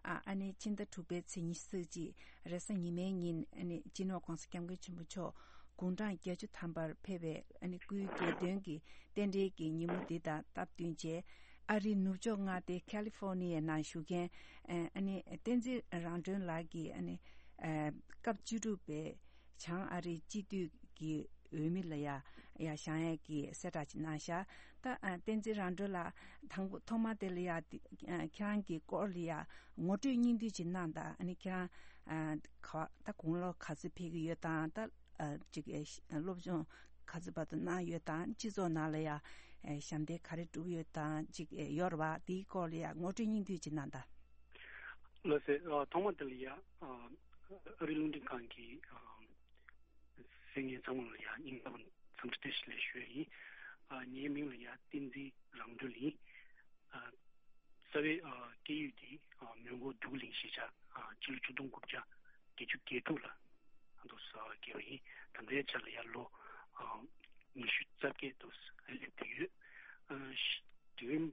ཨ་ཨ་ནི་ཕྱི་ཟླ་དྲུག་པའི་ཚེས་ཉི་ཤུ་རྩ་གཅིག་རེས་གཟའ་ཉི་མའི་ཉིན་ཨ་ནི་སྤྱི་ནོར་༧གོང་ས་༧སྐྱབས་མགོན་ཆེན་པོ་མཆོག་དགུང་གྲངས་བརྒྱད་ཅུ་ཐམ་པར་ཕེབས་པའི་ཨ་ནི་སྐུའི་རྒྱལ་སྟོན་གྱི་རྟེན་འབྲེལ་གྱི་ཉིན་མོ་འདི་དང་སྟབས་བསྟུན་བྱས། ཨ་རིའི་ནུབ་ཕྱོགས་མངའ་སྡེ་ཁ་ལི་ཧྥོ་ནི་ཡའི་ནང་བཞུགས་མཁན་ཨ་ནི་བསྟན་འཛིན་རང་གྲོལ་ལགས་ཀྱིས་ཨ་ནི་སྐབས་བཅུ་དྲུག་པའི་བྱང་ཨ་རིའི་སྤྱི་འཐུས་ཀྱི་འོས་མི་ལ་ཡ་ཡ་བཞེངས་ཡས་ཀྱི་གསལ་བསྒྲགས་ཅིག་གནང་ཤག་ད་ཨ་བསྟན་འཛིན་རང་གྲོལ་ལགས་དང་པོ་ཐོག་མ་དེ་ལ་ཡ་འདི་ཨ་ཁྱེད་རང་གི་སྐོར་ལ་ཡ་ངོ་སྤྲོད་སྙིང་བསྡུས་ཅིག་གནང་དང་། ཨ་ནི་ཁྱེད་རང་ཨ་ག་ད་དགུང་ལོ་ག་ཚོད་ཕེབས་ཀྱི་ཡོད་དང་། ད་ཨ་ཅིག་ཨ་སློབ་སྦྱོང་ག་ཚོད་བར་དུ་གནང་ཡོད་དང་། སྤྱི་ཚོགས་ནང་ལ་ཡ་ཨ་ཞབས་འདེགས་ག་རེ་བསྒྲུབས་ཡོད་དང་ཅིག་ཨ་ཡོད་རེད་བ། དེའི་སྐོར་ལ་ཡ་ངོ་སྤྲོད་སྙིང་བསྡུས་ཅིག་གནང་དང་། ལགས་སེ། ཨ་ཐོག་མ་དེ་ལ་ཡ་ཨ་ཨ་རི་རླུང་འཕྲིན་ཁང་གི་ཨ་གསན་མཁན་ཚང་མ་ལ་ཡ་སྙིང་ཐག་པ་ནས་འཚམས་འདྲི་བཀྲ་ཤིས་བདེ་ལེགས་ཞུ་ཡ་ཡིན། ཨ་ངའི་མིང་ལ་ཡ་བསྟན་འཛིན་རང་གྲོལ་ཡིན། ཨ་རྩ་བའི་ཨ་སྐད་ཡིག་དེ་ཨ་མོན་གྷོ་འདུ་གླིང་གཞིས་ཆགས་ཨ་ཕྱི་ལོ་ཆིག་སྟོང་དགུ་བརྒྱ་བརྒྱད་ཅུ་གྱ་དྲུག་ལ་ཨ་འདུག་སེ་སྐྱེས་པ་ཡིན། ད་ལྟའི་ཆ་ལ་ཡ་ལོ་ཨ་ཉི་ཤུ་རྩ་བརྒྱད་འདུག་སེ་སླེབས་བསྡད་ཡོད། ཨ་དུས་རིམ་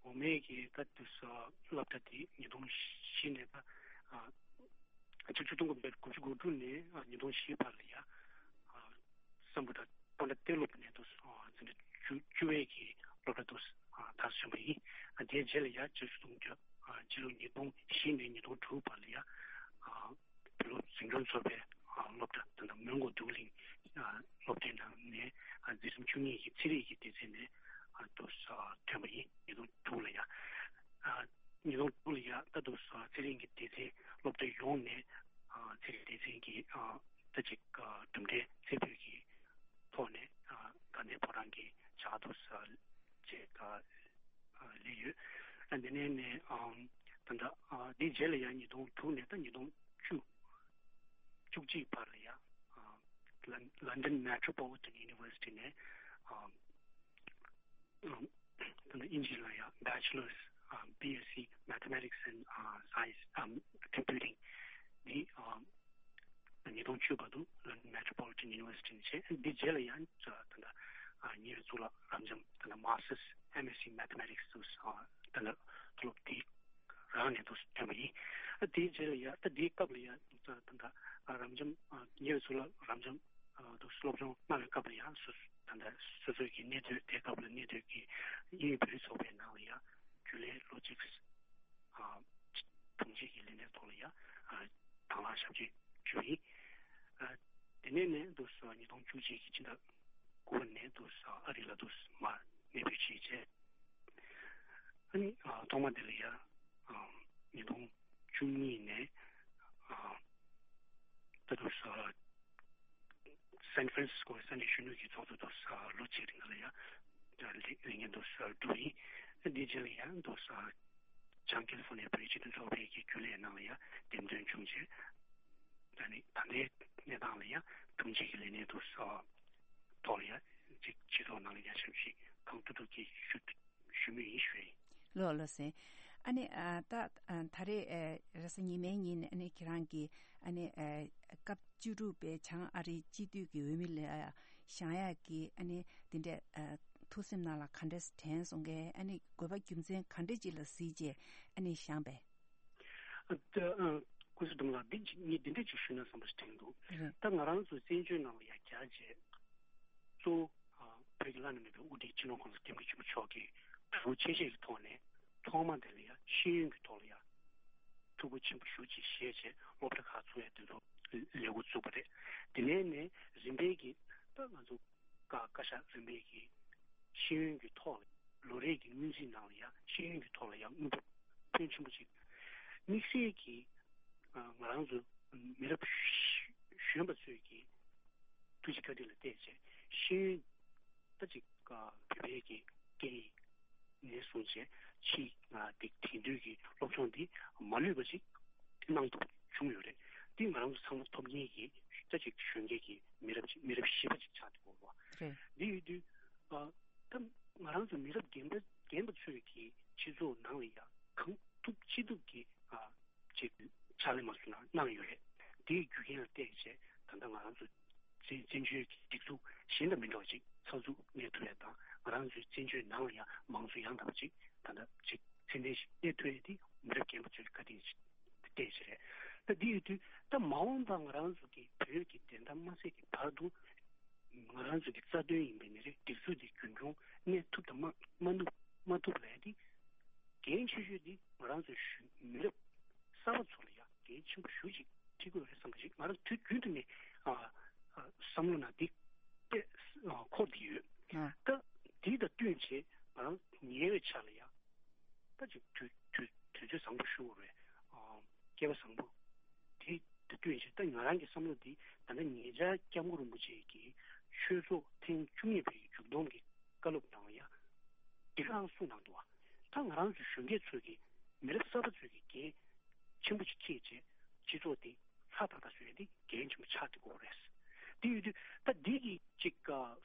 འོ་མའི་གི་ད་དུས་སུ་སློབ་གྲྭ་དེ་ཉིས་སྟོང་བཞི་ནས་ད་ཨ་ ཆིག་སྟོང་དགུ་བརྒྱ་དགུ་བཅུ་གོ་དྲུག་ནས་ཨ་ཉིས་སྟོང་བཞི་བར་ལ་ཡ་ཨ་སམ་བྷོ་ཊ་སྤོན་ཊ་གཏེར་སློབ་ནས་དུ་ཨ་འཛིན་གྲྭ་བཅུ་བཅུ་བའི་གི་སློབ་གྲྭ་དུ་ཨ་མཐར་སོན་པ་ཡིན། ཨ་དེའི་རྗེས་ལ་ཡ་ཆིག་སྟོང་དགུ་བརྒྱ་ཨ་སྤྱི་ལོ་ཉིས་སྟོང་བཞི་ནས་ཉིས་སྟོང་དྲུག་བར་ལ་ཡ་ཨ་བོད་སློབ་འཛིན་སྐྱོང་ཚོགས་པའི་ཨ་སློབ་གྲྭ་ད་ལྟ་མོན་གྷོ་འདོད་རྒུ་གླིང་ཨ་སློབ་གྲྭའི་ནང་ནས་ཨ་འཛིན་རིམ་བཅུ་གཉིས་ཀྱི་ཚན་རིག་གི་སྡེ་ཚན་ནས་ཨ་དུ་ཨ་ཐོན་པ་ཡིན། ཉིས་སྟོང་དྲུག་ལ་ཡ་ཨ་ཉིས་སྟོང་དྲུག་ལ་ཡ་ད་དུ་ཨ་ཚན་རིག་གི་སྡེ་ཚན་སློབ་གྲྭ་ཡོངས་ནས་ཨ་ཚན་རིག་སྡེ་ཚན་གྱི་ཨ་ད་ཅིག་ཨ་གྲུབ་འབྲས་རྩེ་ཕུད་ཀྱི་ཐོག་ནས་ཨ་དགའ་ལྡན་ཕོ་བྲང་གི་ཇག་ཏུ་ས་བཅས་ཨ་སླེབས་ཡོད། ཨ་འདི་ནས་ནས་ཨམ་ད་ལྟ་ཨ་འདིའི་རྗེས་ལ་ཡང་ཉིས་སྟོང་དྲུག་ནས་ད་ཉིས་སྟོང་བཅུ་བཅུ་གཅིག་བར་ལ་ཡང་ཨ་Lon- London Metropolitan University ནས་ཨམ་ཨམ་ད་ལྟ་དབྱིན་ཇི་ལ་ཡང་Bachelor's ཨམ་B S C Mathematics and ཨ་Science ཨམ་Computing འདི་ཨམ་ཉིས་སྟོང་བཅུ་བར་དུ་London Metropolitan University ནས་བྱས། འདི་རྗེས་ལ་ཡང་ད་ལྟ་ཉེ་བའི་གཙུག་ལག་རབ་འབྱམས་ད་ལྟ་Masters M S C Mathematics དུ་ད་ལྟ་མཐོ་སློབ་དེ་རང་ནས་དུ་ཐོན་པ་ཡིན། དེའི་རྗེས་ལ་ཡང་ད་དེའི་སྐབས་ལ་ཡང་ད་ལྟ་རབ་འབྱམས་ཉེ་བའི་གཙུག་ལག་རབ་འབྱམས་དུ་སློབ་སྦྱོང་གནང་བའི་སྐབས་ལ་ཡང་སོ་ད་ལྟ་སོ་སོའི་གི་གནས་སྡོད་དེའི་སྐབས་ལ་གནས་སྡོད་ཀྱི་དབྱིན་ཡུལ་བོད་རིགས་ཚོགས་པའི་ནང་ལ་ཡང་རྒྱུན་ལས་ལོ་གཅིག་ཨ་དྲུང་ཆེ་གི་ལས་གནས་ཐོག་ལ་ཡང་ཨ་དང་བླངས་ཞབས་ཕྱི་ཞུས་ཡིན། ཨ་དེ་ནས་ནས་འདུག་སེ་ཉིས་སྟོང་བཅུ་གཅིག་གི་ཕྱི་ཟླ་དགུ་པ་ནས་འདུག་སེ་ཨ་རི་ལ་འདུག་སེ་མར་གནས་སྤོས་བྱས་རྗེས། ཨ་ནི་ཨ་ཐོག་མ་དེ་ལ་ཡང་ཨ་ཉིས་སྟོང་བཅུ་གཉིས་ནས་ཨ་ད་འདུག་སེ་སན་ཧྥ་རན་སིས་ཀོ་ས་གནས་གཞོན་ནུ་གི་ཚོགས་གཙོ་དུ་ལོ་གཅིག་རིང་ལ་ཡང་ལས་ལས་འགན་དུ་བསྒྲུབས་ཡིན། དེ་རྗེས་ལ་ཡང་དུ་བྱང་ཀེ་ལི་ཧྥོ་ནི་ཡ་བོད་རིགས་སྤྱི་མཐུན་ཚོགས་པའི་གི་རྒྱུན་ལས་ནང་ལ་ཡང་འདེམས་ཐོན་བྱུང་རྗེས། ད་ནི་ད་ལྟའི་གནས་སྟངས་ལ་ཡང་དྲུང་ཆེ་གི་ལས་གནས་དུ་ཐོག་ལ་ཡང་ཅིག་སྤྱི་ཚོགས་ནང་ལ་ཡང་ཞབས་ཕྱི་གང་ཐུབ་ཐུབ་ཀྱིས་ཞུ་ཞུ་མུས་ཡིན་ཞུ་ཡིན། ལགས་ལགས་སེ། ཨ་ནི་ཨ་ད་ཨ་ད་རེས་ཨ་རེས་གཟའ་ཉི་མའི་ཉིན་ཨ་ནི་ཁྱེད་རང་གིས་ཨ་ནི་ཨ་སྐབས་བཅུ་དྲུག་པའི་བྱང་ཨ་རིའི་སྤྱི་འཐུས་ཀྱི་འོས་མི་ལ་བཞེངས་ཡག་གི་ཨ་ནི་དེ་འདྲས་ཨ་ཐུགས་སེམས་ནང་ལ་ག་འདྲས་དྲན་སོང་གས། ཨ་ནི་དགོས་པ་རྒྱུ་མཚན་ག་འདྲས་ཅིག་ལ་གཟིགས་རྗེས་ཨ་ནི་བཞེངས་པས། ཨ་ད་ཨ་སྐུ་ཞབས་ལགས་འདི་ཅིག་ངས་འདི་འདྲས་ཅིག་ཞུས་ན་བསམ་པ་ཞིག་དྲན་འདུག་རེད། ད་ང་རང་ཚོ་བཙན་བྱོལ་ནང་ལ་ཡར་བསྐྱར་རྗེས། གཙོ་བོ་ཨ་བོད་ཀྱི་བླ་ན་མེད་པའི་དབུ་ཁྲིད་སྤྱི་ནོར་༸གོང་ས་༸སྐྱབས་མགོན་ཆེན་པོ་མཆོག་གིས་གྲོས་ཆེ་ཆེ་གི་ཐོག་ནས་ཐོག་མ་དེ་ལ་ཡང་ཤེས་ཡོན་གྱི་ཐོག་ལ་ཡང་ཐུགས་ཁུར་ཆེན་པོ་ཞེ་པོ་ཅིག་བཞེས་བྱས་སློབ་གྲྭ་ཁག་བཙུགས་ཡ་དེ་ཚོ་ལས་འགོ་བཙུགས་པ་རེད། དེ་ནས་ནས་རིམ་པས་ཀྱིས་ད་ང་ཚོ་བཀའ་བཀའ་ཤག་རིམ་པས་ཀྱིས་ཤེས་ཡོན་གྱི་ཐོག་ལ་ལོ་རེ་གི་སྔོན་རྩིས་ནང་ལ་ཡང་ཤེས་ཡོན་གྱི་ཐོག་ལ་ཡང་དངུལ་འབོར་ཕོན་ཆེན་པོ་ཅིག་དམིགས་བསལ་གྱིས་ང་རང་ཚོ་མི་རབས་གཞོན་པ་ཚོས་ཀྱིས་ཐུགས་རྗེ་བཀའ་དྲིན་ལ་བརྟེན་བྱས་ཤེས་ཡོན་ད་ཅིག་བོད་པའི་གི་སྐད་ཡིག་ནས་བཟུང་བྱས་ཕྱིའི་ང་དེ་དེང་དུས་ཀྱི་སློབ་སྦྱོང་འདི་མ་ལུས་པ་ཅིག་གནང་ཐུབ་བྱུང་ཡོད་རེད། འདི་ང་རང་ཚོ་ཚང་མ་ཐོབ་མཁན་གྱི་ད་ཅིག་གཞོན་སྐྱེས་ཀྱི་མི་རབས་ཅིག་མི་རབས་བཞི་པ་ཅིག་ཆགས་འདུག་གོ་བ། རེད། འདི་ཡོད་དུས་ཨ་ད་ང་རང་ཚོ་མི་རབས་རྒན་པ་རྒན་པ་ཚོས་ཀྱི་སྤྱི་ཚོགས་ནང་ལ་ཡང་གང་ཐུབ་ཅི་ཐུབ་ཀྱི་ཨ་ཅིག་ཕྱག་ལས་མ་བཟོས་ན་གནང་ཡོད་རེད། དེའི་རྒྱུ་རྐྱེན་ལ་བརྟེན་བྱས་ད་ལྟ་ང་རང་ཚོ་བཙན་བཙན་བྱོལ་གྱི་སྒྲིག་འཛུགས་གཞན་དང་མི་འདྲ་བ་ཅིག་ཚགས་ཚུད་གནས་ཐུབ་ཡ་དང་ང་རང་ཚོའི་བཙན་བྱོལ་ནང་ལ་ཡང་མང་གཙོ་ཡང་དག་པ་ཅིག་ད་ལྟ་ཅིག་ཚད་ལྡན་ཞིག་གནས་ཐུབ་ཡ་དེ་མི་རབས་རྒན་པ་ཚོའི་བཀའ་དྲིན་ཞིག་བརྟེན་བྱས་རེད། ད་འདི་ཡོད་དུས་ད་མ་འོངས་པ་ང་རང་ཚོ་གི་བོད་ཀྱི་བདེན་མཐའ་མ་གསལ་གྱི་བར་དུ་ང་རང་ཚོ་གི་རྩ་དོན་ཡིན་པའི་ནི་རེད། སྒྲིག་འཛུགས་འདི་རྒྱུན་འཁྱོངས་གནས་ཐུབ་དང་མ་མ་ཐུབ་མ་ཐུབ་ལ་ཡ་དེ་འགན་ཆེ་ཤོས་འདི་ང་རང་ཚོའི་གཞོན་མི་རབས་གསར་པ་ཚོ་ལ་ཡ་འགན་ཆེན་པོ་ཞེ་པོ་ཅིག་འཁྲི་དགོས་རེད་བསམ་པ་ཞིག་ང་རང་དུས་རྒྱུན་དུ་ནས་ཨ་ཨ་བསམ་བློ་ནང་འདི་དཔེ་ཨ་འཁོར་བསྡད་ཡོད། ཨ། ད་འདི་དང་བསྟུན་བྱས་ང་རང་ཉེ་བའི་ཆར་ལ་ཡ་ད་ཅིག་དུས་དུས་དུས་ཚོད་བཟང་པོ་ཞུ་དགོས་རེད། ཨ་སྐལ་བ་བཟང་པོ་དེ་དང་བསྟུན་བྱས་ད་ང་རང་གི་བསམ་བློ་འདི་ད་ལྟ་ཉེ་ཆར་སྐྱབས་མགོན་རིན་པོ་ཆེ་གིས་ཆོས་ཚོགས་ཐེངས་བཅུ་གཉིས་པའི་མཇུག་སྡོམ་གྱི་བཀའ་སློབ་ནང་ལ་ཡ་འདི་ག་རང་གསུངས་གནང་འདུག་བ། ད་ང་རང་ཚོ་གཞོན་སྐྱེས་ཚོས་ཀྱི་མི་རབས་གསར་པ་ཚོས་ཀྱི་འགན་ཆེན་པོ་ཅིག་འཁྱེར་བྱས་སྤྱི་ཚོགས་འདི་ལྷ་ཐག་ཐག་བཟོ་ཡ་འདི་འགན་ཆེན་པོ་ཆགས་བསྡད་ཀྱི་ཡོད་རེད། དེ་ཡོད་དུས་ད་འདི་གི་ཅིག་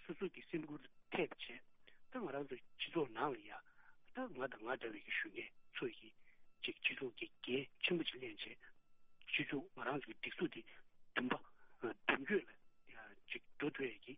སོ་སོ་གི་སེམས་ཁུར་ཐེབས་བྱས་ད་ང་རང་ཚོ་སྤྱི་ཚོགས་ནང་ལ་ཡ་ད་ང་དང་ང་འདྲ་བའི་གི་གཞོན་སྐྱེས་ཚོས་ཀྱི་ཅིག་སྤྱི་ཚོགས་ཀྱི་འགན་ཆེན་པོ་ཅིག་ལེན་བྱས་སྤྱི་ཚོགས་ང་རང་ཚོ་གི་སྒྲིག་འཛུགས་འདི་མདུན་པ་མདུན་སྐྱོད་ལ་ཅིག་འགྲོ་ཐུབ་ཡ་གི་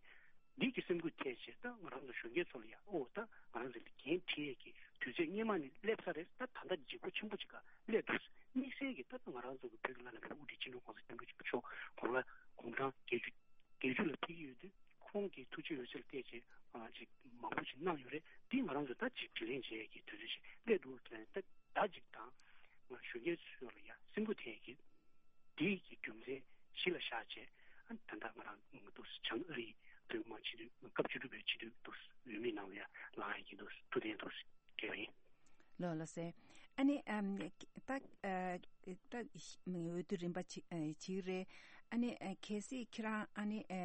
འདི་གི་སེམས་ཁུར་ཐེབས་བྱས་ད་ང་རང་ཚོ་གཞོན་སྐྱེས་ཚོ་ལ་ཡ་ཨོ་ད་ང་རང་ཚོ་ལ་འགན་འཁྲི་ཡས་ཀྱི་དུས་ཚོད་སྔོན་མ་ནས་སླེབས་ཚར་རེད། ད་ད་ལྟ་ལྗིད་ཁོག་ཆེན་པོ་ཅིག་ག་སླེབས་འདུག་དམིགས་བསལ་གྱི་ད་ལྟ་ང་རང་ཚོ་གི་བོད་ཀྱི་བླ་ན་མེད་པའི་དབུ་ཁྲིད་སྤྱི་ནོར་༸གོང་ས་༸སྐྱབས་མགོན་ཆེན་པོ་མཆོག་དགུང་ལོ་དགུང་གྲངས་བརྒྱད་ཅུ་བརྒྱད་ཅུ་ལ་ཕེབས་ཀྱི་ཡོད་དུས། ཁོང་གིས་ཐུགས་རྗེ་ཡོད་ཚད་ལ་བལྟས་བྱས་ཨ་ཅིག་མང་པོ་ཞིག་གནང་ཡོད་རེད། འདི་ང་རང་ཚོ་ད་ཅིག་དྲིན་ལན་འཇལ་ཡས་ཀྱི་དུས་ཚོད་ཞིག་སླེབས་འདུག་ཟེར་ནས། ད་ད་ཅིག་དང་ང་གཞོན་སྐྱེས་ཚོ་ལ་ཡ་སེམས་འགུལ་ཐེབས་ཀྱི་འདི་གི་རྒྱུ་མཚན་གཞི་ལ་བཞག་བྱས། ཨ་ད་ལྟ་ང་རང་འདུག་བྱང་ཨ་རིའི་བོད་མི་མང་སྤྱི་འཐུས་སྐབས་བཅུ་དྲུག་པའི་སྤྱི་འཐུས་འདུག་འོས་མིའི་ནང་ལ་ཡ་ལངས་ཡས་ཀྱི་འདུག་ཐུགས་གཏན་འདུག་སྤྲད་པ་ཡིན། ལོ་ལོ་སེ། ཨ་ནི་ཨམ་ད་ཨ་ད་འོས་བསྡུ་རིམ་པ་ཅིག་ཨ་ཅིག་རེད། ཨ་ནི་ཨ་གལ་སྲིད་ཁྱེད་རང་ཨ་ནི་ཨ་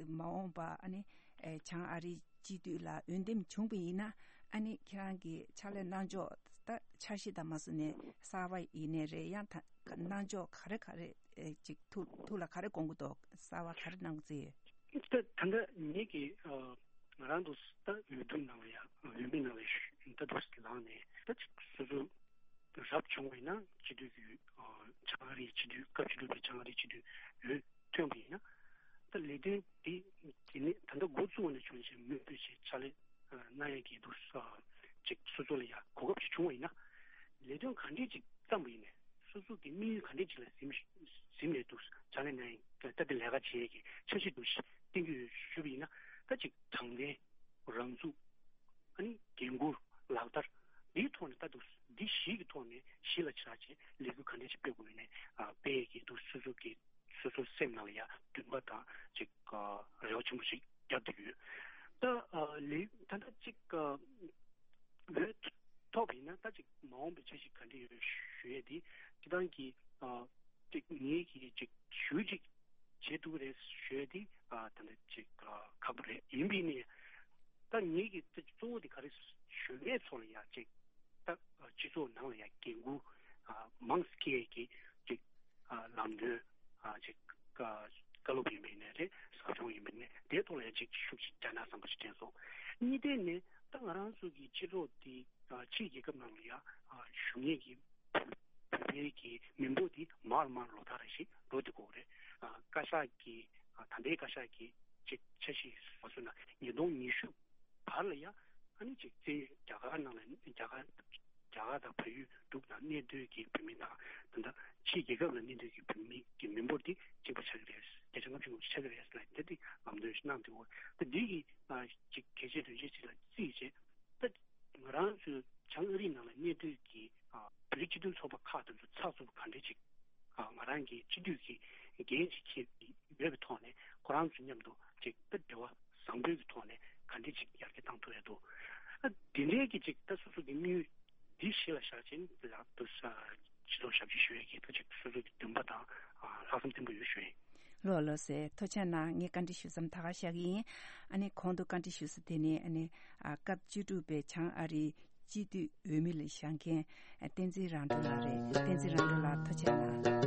མ་འོངས་པ་ཨ་ནི་ཨ་བྱང་ཨ་རིའི་སྤྱི་འཐུས་ལ་འོས་འདེམས་བྱུང་བ་ཡིན་ན། ཨ་ནི་ཁྱེད་རང་གི་ཕྱག་ལས་གནང་ཕྱོགས་ད་འཆར་གཞི་དང་མ་བཟོ་ནས་གསར་བ་ཡིན་ནའི་རེད། ཡང་ད་གནང་ཕྱོགས་ག་རེ་ག་རེ་ཨེ་ཅིག་ཐུགས་ཐུགས་ལ་ག་རེ་དགོངས་ཀྱི་འདུག་གསར་བ་ག་རེ་གནང་རྩིས་ཡོད། ད་ད་ལྟ་ངེད་ཀྱི་ཨ་ང་རང་ཚོ་ད་འོས་བསྡུ་ནང་ལ་ཡ་འོས་མི་ནང་ལ་ཞུ་ད་དུ་ལངས་ནས་ད་ཅིག་སོ་སོ་རབ་བྱུང་བ་ཡིན་ན་སྤྱི་འཐུས་ཀྱི་ཨ་བྱང་ཨ་རིའི་སྤྱི་འཐུས་སྐབས་བཅུ་དྲུག་པའི་བྱང་ཨ་རིའི་སྤྱི་འཐུས་འོས་ཐོན་པ་ཡིན་ན། ད་ལས་དོན་འདི་དེ་ནས་ད་ལྟ་འགོ་བཙུགས་པ་ནས་བྱུང་བཞིན་མུ་མཐུད་བྱས་ཕྱག་ལས་གནང་ཡས་ཀྱི་འདུག་ཅིག་སོ་སོ་ལ་ཡ་གོ་སྐབས་ཅིག་བྱུང་བ་ཡིན་ན། ལས་དོན་ག་འདྲས་ཅིག་བརྩམས་པ་ཡིན་ནའི་སོ་སོ་གི་དམིགས་ཡུལ་ག་འདྲས་ཅིག་ལ་གཟིམ་གཟིམ་ནས་འདུག་ཕྱག་ལས་གནང་ཡས་ད་ལྟ་ལས་ཀ་བྱེད་ཡས་ཀྱི་འཆར་གཞི་འདུག་བཏིང་གི་ཡོད་ཞུས་པ་ཡིན་ན། ད་ཅིག་དྲང་བདེན། རང་ཚུགས། ཨ་ནི་འགན་འཁུར། ལག་བསྟར། འདིའི་ཐོག་ནས་ལྟ་འདུག་འདི་བཞི་གི་ཐོག་ནས་གཞི་ལ་ཆགས་བྱས་ལས་འགུལ་ག་འདྲ་ཞིག་སྤེལ་དགོས་ཡོད་ནས་ཨ་སྤེལ་ཡས་ཀྱི་འདུག་སོ་སོ་གི་སོ་སོའི་སེམས་ནང་ལ་ཡ་འདུན་པ་དང་ཅིག་ཨ་རེ་བ་ཆེན་པོ་ཞིག་བརྒྱབ་བསྡད་ཡོད། ད་ཨ་ལས་ད་ལྟ་ཅིག་ཨ་འོས་ཐོབ་པ་ཡིན་ན་ད་ཅིག་མ་འོངས་པའི་འཆར་གཞི་ག་འདྲ་ཡོད་ཞུ་ཡས་དེ་སྤྱི་བཏང་གི་ཨ་ཅིག་ངེད་ཀྱི་ཅིག་ཞུ་ཅིག་བྱེད་ཐུབ་ཀྱི་རེད་ཞུ་ཡས་དེ་ཨ་ད་ནི་ཅིག་ཨ་ཁག་པོ་རེད། ཡིན་པས་ནི་ད་ངེད་ཀྱི་ད་གཙོ་བོ་དེ་ག་རེ་ཞུ་ཡས་ཚོ་ལ་ཡ་ཅིག་ད་ཨ་སྤྱི་ཚོགས་ནང་ལ་ཡ་འགན་འཁུར་ཨ་མང་སྐྱེས་ཀྱི་ཅིག་ཨ་ལམ་སྟོན་ཨ་ཅིག་བཀའ་སློབ་ཡིན་པས་ནི་རེད། ཟབ་སྦྱོང་ཡིན་པས་ནི་དེའི་ཐོག་ལ་ཡ་ཅིག་ཤུགས་ཅིག་རྒྱག་ན་བསམ་པ་ཞིག་དྲན་སོང་། གཉིས་ནས་ད་ང་རང་ཚོ་གི་སྤྱི་ཚོགས་དེ་ཨ་ཕྱིའི་རྒྱལ་ཁབ་ནང་ལ་ཡ་ཨ་བཞུགས་མཁན་གྱི་བོད་པའི་གི་མི་འབོར་དེ་མར་མར་ལོག་ཐག་རེ་ཞིག་འགྲོ་བསྡད་ཀྱི་ཡོད་རེད། ཨ་བཀའ་ཤག་གི་ཨ་ད་ལྟའི་བཀའ་ཤག་གི་ཅིག་འཆར་གཞི་མ་བཟོས་ན་ཉིས་སྟོང་ཉི་ཤུ་བར་ལ་ཡ་ཨ་ནི་ཅིག་བཙན་བྱོལ་རྒྱ་གར་ནང་ལ་རྒྱ་གར་རྒྱ་གར་དང་བལ་ཡུལ་འབྲུག་དང་གནས་སྡོད་ཀྱི་བོད་མི་དང་ད་ལྟ་ཕྱིའི་རྒྱལ་ཁབ་ལ་གནས་སྡོད་ཀྱི་བོད་མི་གི་མི་འབོར་དེ་གཅིག་པ་ཆགས་ཀྱི་རེད། བརྒྱ་ཆ་ལྔ་བཅུ་ལྔ་བཅུ་ཆགས་ཀྱི་རེད་ཟེར་ལབ་དེ་དེ་ལམ་སྟོན་ཞིག་གནང་འདུག་ད་འདི་གི་ཨ་ཅིག་གལ་ཆེ་དོན་ཆེ་ཅིག་ལ་བརྩིས་བྱས། ད་ང་རང་ཚོའི་བྱང་ཨ་རི་ནང་ལ་གནས་སྡོད་ཀྱི་ཨ་བོད་རིགས་སྤྱི་མཐུན་ཚོགས་པ་ཁག་དེ་ཚོ་ཚགས་ཚུད་པོ་ག་འདྲས་ཅིག་ཨ་ང་རང་གི་སྤྱི་འཐུས་ཀྱི་འགན་ཅིག་འཁྱེར་ཡོད་པའི་ཐོག་ནས་ཁོ་རང་ཚོ་མཉམ་དུ་ཅིག་ད་འབྲེལ་བ་བཟང་པོའི་གི་ཐོག་ནས་ག་འདྲས་ཅིག་ཡར་རྒྱས་བཏང་ཐུབ་ཡ་འདུག་ཨ་དེ་འདྲའི་གི་ཅིག་ད་སོ་སོ་གི་དམིགས་ཡུལ་འདི་གཞི་ལ་བཞག་བྱས་ནས་ལག་ཏུ་ས་སྤྱི་ཚོགས་ཞབས་ཕྱི་ཞུ་ཡས་ཀྱི་ད་ཅིག་སོ་སོ་གི་འདུན་པ་དང་ཨ་ལྷག་བསམ་བརྟན་པོ་ཡོད་ཞུ་ཡིན། ལོ་ལོ་སེ་ཐུགས་རྗེ་གནང་། ངས་བཀའ་འདྲི་ཞུ་མཚམས་ད་ག་བཞག་གི་ཡིན། ཨ་ནི་གོང་དུ་བཀའ་འདྲི་ཞུས་སོ་དེ་ནི་ཨ་ནི་ཨ་སྐབས་བཅུ་དྲུག་པའི་བྱང་ཨ་རིའི་སྤྱི་འཐུས་འོས་མི་ལ་བཞེངས་མཁན་བསྟན་འཛིན་རང་གྲོལ་ལགས་རེད། བསྟན་འཛིན་རང་གྲོལ་ལགས་ཐུགས་རྗེ་གནང་།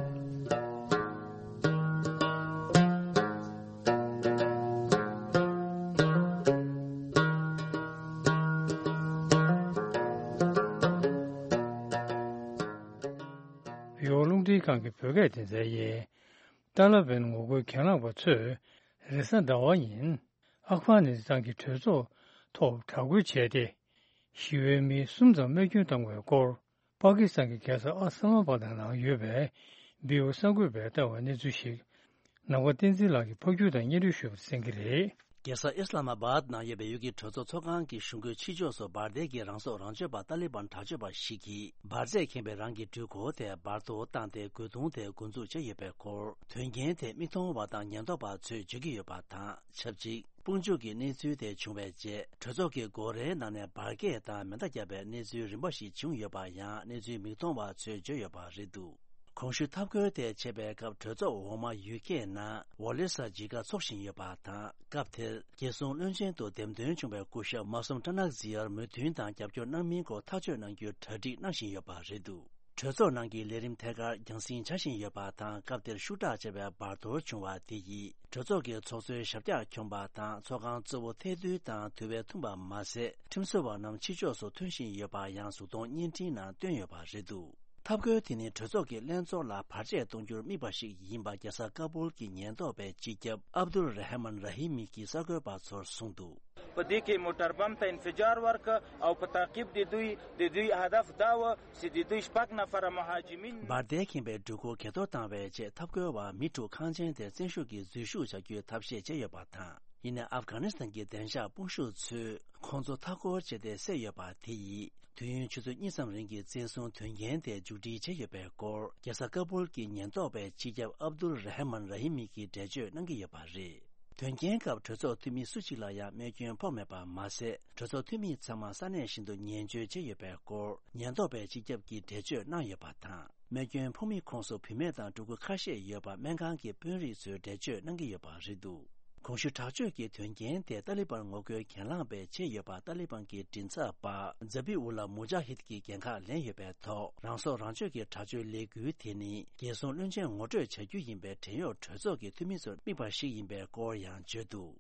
ཡོ་རླུང་འཕྲིན་ཁང་གི་བོད་སྐད་སྡེ་ཚན་ཡིན། ཏཱ་ལ་བན་ངོ་རྒོལ་གྱེན་ལངས་པ་ཚོས་རེས་གཟའ་ཟླ་བ་ཉིན་ཨབ་གྷ་ནི་སི་ཐན་གྱི་གྲོས་ཚོགས་ཐོག་དྲག་རྒོལ་བྱས་ཏེ། ཞི་བའི་མི་གསུམ་ཙམ་རྨས་སྐྱོན་བཏང་བའི་སྐོར། པ་ཀི་སི་ཐན་གྱི་རྒྱལ་ས་ཨ་སི་ལམ་ཨ་བྷ་དྷ་ནང་ཡོད་པའི་བི་ཨོ་གསར་འགོད་པས་བཏང་བའི་གནས་ཚུལ་ཞིག་ནམ་མཁའ་བསྟན་འཛིན་ལགས་ཀྱིས་ཕབ་སྒྱུར་དང་སྙན་སྒྲོན་ཞུས་པ་གསན་གྱི་རེད། རྒྱལ་ས་ཨི་སི་ལ་མ་བཱད་ནང་ཡོད་པའི་ཡུལ་གྱི་གྲོས་ཚོགས་ཚོགས་ཁང་གི་གཞུང་སྒོའི་ཕྱི་ཕྱོགས་སུ་འབར་མདེལ་གྱིས་རང་སྲོག་རང་གཅོད་པ་ཏཱ་ལི་བན་དྲག་སྤྱོད་པ་ཞིག་གིས་འབར་རྫས་ཁེངས་པའི་རང་གི་འགྲུལ་འཁོར་དེ་འབར་གཏོར་བཏང་སྟེ་རྒོལ་རྡུང་དེ་འགོ་འཛུགས་བྱས་ཡོད་པའི་སྐོར། དོན་རྐྱེན་དེ་མིག་མཐོང་བ་དང་ཉེན་རྟོག་པ་ཚོས་བརྗོད་ཀྱི་ཡོད་པ་དང་ཆབས་ཅིག་དཔུང་འཇུག་གི་གནས་ཚུལ་དེ་བྱུང་བའི་རྗེས་གྲོས་ཚོགས་ཀྱི་སྒོ་རའི་ནང་ནས་འབར་གས་དང་མེ་མདའ་བརྒྱབ་པའི་གནས་ཚུལ་རིམ་པ་ཞིག་བྱུང་ཡོད་པ་ཡང་གནས་ཚུལ་མིག་མཐོང་བ་ཚོས་བརྗོད་ཡོད་པ་རེད་འདུག་གོང་ཞུས་འཐབ་རྒོལ་དེ་བྱེད་པའི་སྐབས་གྲོས་ཚོགས་འོག་མ་ཡུལ་སྐད་ནང་ཝོ་ལེ་ས་ཇི་ཀ་འཚོགས་བཞིན་ཡོད་པ་དང་། སྐབས་དེར་རྒྱལ་སྲུང་བློན་ཆེན་དུ་འདེམས་ཐོན་བྱུང་བའི་སྐུ་ཞབས་མ་སུམ་ཀྲ་ནག་ཛི་ཡར་མོས་མཐུན་དང་རྒྱབ་སྐྱོར་གནང་མིན་སྐོར་ཐག་གཅོད་གནང་རྒྱུའི་གྲ་སྒྲིག་གནང་བཞིན་ཡོད་པ་རེད་འདུག་གྲོས་ཚོགས་ནང་གི་ལས་རིམ་ཐད་ཀར་རྒྱང་སྲིང་བྱ་བཞིན་ཡོད་པ་དང་། སྐབས་དེར་ཤུགས་དྲག་ཆེ་བའི་འབར་གཏོར་བྱུང་བ་དེ་ཡིས་གྲོས་ཚོགས་ཀྱི་ཚོགས་གཙོའི་ཞབས་བཀྱག་འཁྱོམས་པ་དང་ཚོགས་ཁང་གཙོ་བོ་ཐལ་རྡུལ་དང་དུ་བས་ཐུམ་པ་མ་ཟད། ཁྲིམས་བཟོ་བ་རྣམས་ཕྱི་ཕྱོགས་སུ་ཐོན་བཞིན་ཡོད་པ་ཡང་གཟུགས་མཐོང་བརྙན་འཕྲིན་ནང་བཏོན་ཡོད་པ་རེད་འདུག་འཐབ་རྒོལ་དེ་ནི་གྲོས་ཚོགས་ཀྱི་ལྷན་ཚོགས་ལ་བར་ཆད་གཏོང་རྒྱུར་དམིགས་པ་ཞིག་ཡིན་པ་རྒྱལ་ས་ཀ་སྦུལ་གྱི་ཉེན་རྟོག་པའི་སྤྱི་ཁྱབ་ཨབ་དུལ་ར་ཧ་མན་ར་ཧི་མི་གིས་གསར་འགོད་པ་ཚོར་གསུངས་འདུག په دې کې موټر بم ته انفجار ورکړ او په تعقیب د دوی، د دوی هدف دا و چې د دوی شپږ نفره مهاجمین. بار دې ཁེངས་པའི་འགྲུལ་འཁོར་གྱ་ཐོར་བཏང་བའི་རྗེས་ཐབ་སྐོལ་བ་མི་དྲུག་ཁང་ཆེན་དེར་བཙན་ཤུགས་ཀྱིས་འཛུལ་ཞུགས་བྱ་རྒྱུའི་ཐབས་ཤེས་བྱས་ཡོད་པ་དང་། ཡིན་ནའི་ཨབ་གྷ་ནི་སི་ཐན་གྱི་བདེ་འཇགས་དཔུང་ཤུགས་ཚོས་ཁོང་ཚོ་མཐའ་སྐོར་བྱས་ཏེ་བསད་ཡོད་པ་དེ་ཡིས། དུས་ཡུན་ཆུ་ཚོད་གཉིས་ཙམ་རིང་གི་བཙན་བཟུང་དོན་རྐྱེན་དེ་མཇུག་སྒྲིལ་བྱས་ཡོད་པའི་སྐོར། རྒྱལ་ས་ཀ་པུལ་གྱི་ཉེན་རྟོག་པས་སྤྱི་ཁྱབ་ཨབ་དུལ་ར་ཧ་མན་ར་ཧི་མི་གིས་འགྲེལ་བརྗོད་གནང་གི་ཡོད་པ་རེད། དོན་རྐྱེན་སྐབས་གྲོས་ཚོགས་འཐུས་མི་སུ་གཅིག་ལ་ཡང་རྨས་སྐྱོན་ཕོག་མེད་པ་མ་ཟད། གྲོས་ཚོགས་འཐུས་མི་ཚང་མ་ས་གནས་བཞིན་དུ་ཉེན་བཅོལ་བྱས་ཡོད་པའི་སྐོར། ཉེན་རྟོག་པས་སྤྱི་ཁྱབ་ཀྱིས་འགྲེལ་བརྗོད་གནང་ཡོད་པ་དང་། རྨས་སྐྱོན་ཕོག་མི་ཁོངས་སུ་བུད་མེད་དང་ཕྲུ་གུ་ཁ་ཤས་ཡོད་པ་སྨན་ཁང་གི་དཔོན་རིགས་ཚོས་འགྲེལ་བརྗོད་གནང་གི་ཡོད་པ་རེད་འདུག་གོང་ཞུས་དྲག་སྤྱོད་ཀྱི་དོན་རྐྱེན་དེ་ཏཱ་ལི་བན་ངོ་རྒོལ་གྱེན་ལངས་པས་བྱས་ཡོད་པ་ཏཱ་ལི་བན་གྱི་མགྲིན་ཚབ་པ་ཛ་བི་ཨུ་ལ་མུ་ཇཱ་ཧིད་ཀྱི་འགན་ཁག་ལེན་ཡོད་པའི་ཐོག་རང་སྲོག་རང་གཅོད་ཀྱི་དྲག་སྤྱོད་ལས་འགུལ་དེ་ནི་རྒྱལ་སྲུང་བློན་ཆེན་ངོ་སྤྲོད་བྱ་རྒྱུ་ཡིན་པའི་བྲན་གཡོག་གྲོས་ཚོགས་ཀྱི་འཐུས་མི་ཚོར་དམིགས་པ་ཞིག་ཡིན་པའི་སྐོར་ཡང་བརྗོད་འདུག་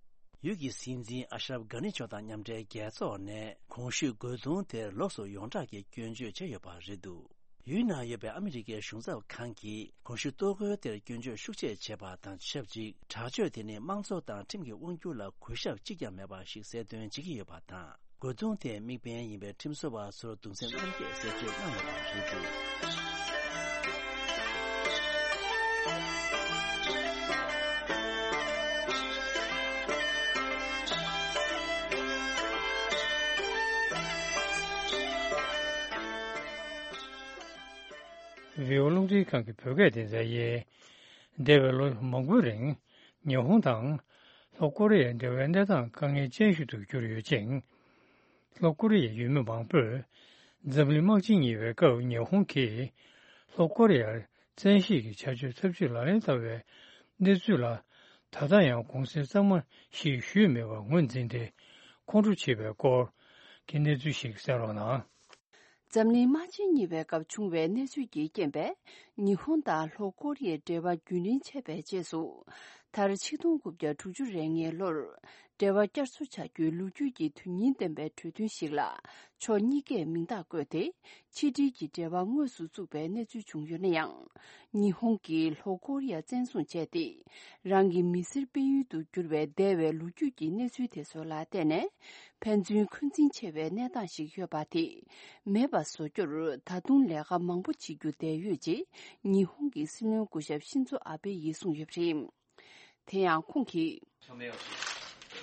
ཡུལ་གྱི་སྲིད་འཛིན་ཨ་ཤ་རབ་གྷ་ནི་མཆོག་དང་མཉམ་འབྲེལ་རྒྱལ་ཚོགས་ནས་གོང་ཞུས་རྒོལ་རྡུང་དེར་ལོགས་སུ་ཡོངས་གྲགས་ཀྱི་སྐྱོན་བརྗོད་བྱས་ཡོད་པ་རེད་འདུག་ཡུལ་ནང་ཡོད་པའི་ཨ་མི་རི་ཀའི་གཞུང་ཚབ་ཁང་གིས་གོང་ཞུས་གཏོར་རྒོལ་དེར་སྐྱོན་བརྗོད་ཤུགས་ཆེ་བྱས་པ་དང་ཆབས་ཅིག་དྲག་སྤྱོད་དེ་ནི་དམངས་གཙོ་དང་ཁྲིམས་ཀྱི་དབང་སྒྱུར་ལ་གུས་ཞབས་གཅིག་ཀྱང་མེད་པ་ཞིག་གསལ་སྟོན་བྱེད་ཀྱི་ཡོད་པ་དང་། རྒོལ་རྡུང་དེའི་དམིགས་འབེན་ཡིན་པའི་ཁྲིམས་བཟོ་བ་ཚོར་གདུང་སེམས་མཉམ་སྐྱེད་གསལ་བརྗོད་གནང་ཡོད་པ་རེད་འདུག་བི་ཨོ་རླུང་འཕྲིན་ཁང་གི་བོད་སྐད་སྡེ་ཚན་ཡིན། འདས་པའི་ལོ་མང་པོའི་རིང་ཉི་ཧོང་དང་ལྷོ་ཀོ་རི་ཡའི་འབྲེལ་བའི་གནས་སྟངས་དཀའ་ངལ་ཅན་ཞིག་ཏུ་གྱུར་ཡོད་ཅིང་། ལྷོ་ཀོ་རི་ཡའི་ཡུལ་མི་མང་པོས་འཛམ་གླིང་དམག་ཆེན་གཉིས་པའི་སྐབས་ཉི་ཧོང་གིས་ལྷོ་ཀོ་རི་ཡར་བཙན་ཤེད་ཀྱི་བྱ་སྤྱོད་ཚབས་ཆེ་ལག་ལེན་བསྟར་བའི་གནས་ཚུལ་ལ་ད་ལྟ་ཡང་དགོངས་སེལ་གཙང་མ་ཞིག་ཞུས་མེད་པར་ངོས་འཛིན་ཏེ་ཁོང་ཁྲོ་བྱེད་པའི་སྐོར་གྱི་གནས་ཚུལ་ཞིག་གསན་རོགས་གནང་། འཛམ་གླིང་དམག་ཆེན་གཉིས་པའི་སྐབས་བྱུང་བའི་གནས་ཚུལ་གྱི་རྐྱེན་པས། ཉི་ཧོང་དང་ལྷོ་ཀོ་རི་ཡའི་འབྲེལ་བ་རྒྱུན་རིང་ཆད་པའི་རྗེས་སུ། མཐར་ཆིག་སྟོང་དགུ་བརྒྱ་དྲུག་ཅུ་རེ་ལྔའི་ལོར། འབྲེལ་བ་བསྐྱར་གསོ་བྱ་རྒྱུའི་ལོ་རྒྱུས་ཀྱི་དོན་སྙིང་ལྡན་པའི་གྲོས་མཐུན་ཞིག་ལ། ཕྱོགས་གཉིས་ཀས་མིང་རྟགས་བཀོད་དེ། ཕྱི་འབྲེལ་གྱི་འབྲེལ་བ་དངོས་སུ་བཙུགས་པའི་གནས་ཚུལ་བྱུང་ཡོད་ན་ཡང་། ཉི་ཧོང་གིས་ལྷོ་ཀོ་རི་ཡ་བཙན་བཟུང་བྱས་ཏེ། རང་གི་མི་སེར་སྤེལ་ཡུལ་དུ་གྱུར་བའི་འདས་པའི་ལོ་རྒྱུས་ཀྱི་གནས་ཚུལ་དེ་ཚོ་ལ་བརྟེན་ནས། ཕན་ཚུན་འཁོན་འཛིན་ཆེ་བའི་གནས་སྟངས་ཤིག་ཡོད་པ་དེ། མེད་པ་བཟོ་རྒྱུར་ད་དུང་ལས་ཀ་མང་པོ་བྱེད་རྒྱུ་བསྡད་ཡོད་ཅེས། ཉི་ཧོང་གི་སྲིད་བློན་སྐུ་ཞབས་ཤིན་ཛོ་ཨ་བེ་ཡིས་གསུངས་ཡོད་པ་རེད། དེ་ཡང་ཁོང་གིས། 署名をし、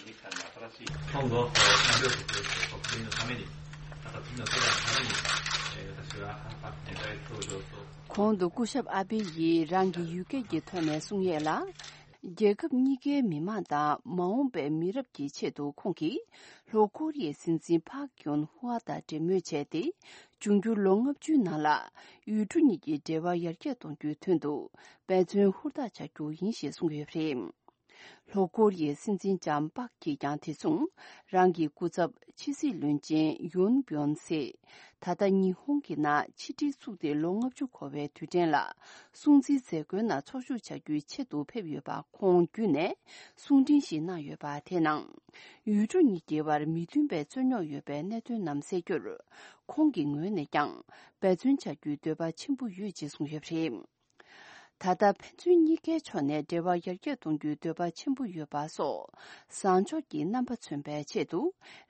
日韓の新しい今後、韓国国民のために、また次の世代のために、えー私は、あ、あ、大統領と གོང་དུ་སྐུ་ཞབས་ཨ་བེ་ཡིས་རང་གི་ཡུལ་སྐད་ཀྱི་ཐོག་ནས་གསུང་ཡས་ལ། རྒྱལ་ཁབ་གཉིས་ཀའི་མི་མང་དང་མ་འོངས་པའི་མི་རབས་ཀྱི་ཆེད་དུ་ཁོང་གིས་ལྷོ་ཀོ་རི་ཡའི་སྲིད་འཛིན་ཕག་ཡོན་ཧུའ་དང་འབྲེལ་མོལ་བྱས་ཏེ། འབྱུང་འགྱུར་ལོ་ལྔ་བཅུའི་ནང་ལ་ཡུལ་གྲུ་གཉིས་ཀྱི་འབྲེལ་བ་ཡར་རྒྱས་གཏོང་རྒྱུའི་དོན་དུ་འབད་བརྩོན་ཧུར་ཐག་བྱ་རྒྱུ་ཡིན་ཞེས་གསུངས་ཡོད་པ་རེད། ལྷོ་ཀོ་རི་ཡའི་སྲིད་འཛིན་ལྕམ་པག་གིས་ཀྱང་དེ་མཚུངས་རང་གི་སྐུ་ཚབ་ཕྱི་སྲིད་བློན་ཆེན་ཡོན་བོན་སེ། ད་ལྟ་ཉི་ཧོང་གི་ནང་ཕྱི་འབྲེལ་བཙུགས་ཏེ་ལོ་ལྔ་བཅུ་འཁོར་བའི་དུས་དྲན་ལ་སྲུང་བརྩིའི་མཛད་སྒོའི་ནང་ཚོགས་ཞུགས་བྱ་རྒྱུའི་ཆེད་དུ་ཕེབས་ཡོད་པ་ཁོང་བརྒྱུད་ནས་གསུང་འཕྲིན་ཞིག་གནང་ཡོད་པ་དེའི་ནང་། ཡུལ་གྲུ་གཉིས་ཀྱི་བར་མི་མཐུན་པའི་རྩོད་རྙོག་ཡོད་པའི་གནད་དོན་རྣམས་སེལ་རྒྱུར་ཁོང་གི་ངོས་ནས་ཀྱང་འབད་བརྩོན་བྱ་རྒྱུའི་འདོད་པ་ཆེན་པོ་ཡོད་ཅེས་གསུངས་ཡོད་པ་རེད། ད་ལྟ་ཕན་ཚུན་གཉིས་ཀའི་ཕྱོགས་ནས་འབྲེལ་བ་ཡར་རྒྱས་གཏོང་རྒྱུའི་འདོད་པ་ཆེན་པོ་ཡོད་པ་སོགས་བཟང་ཕྱོགས་ཀྱི་རྣམ་པ་མཚོན་པའི་ཆེད་དུ།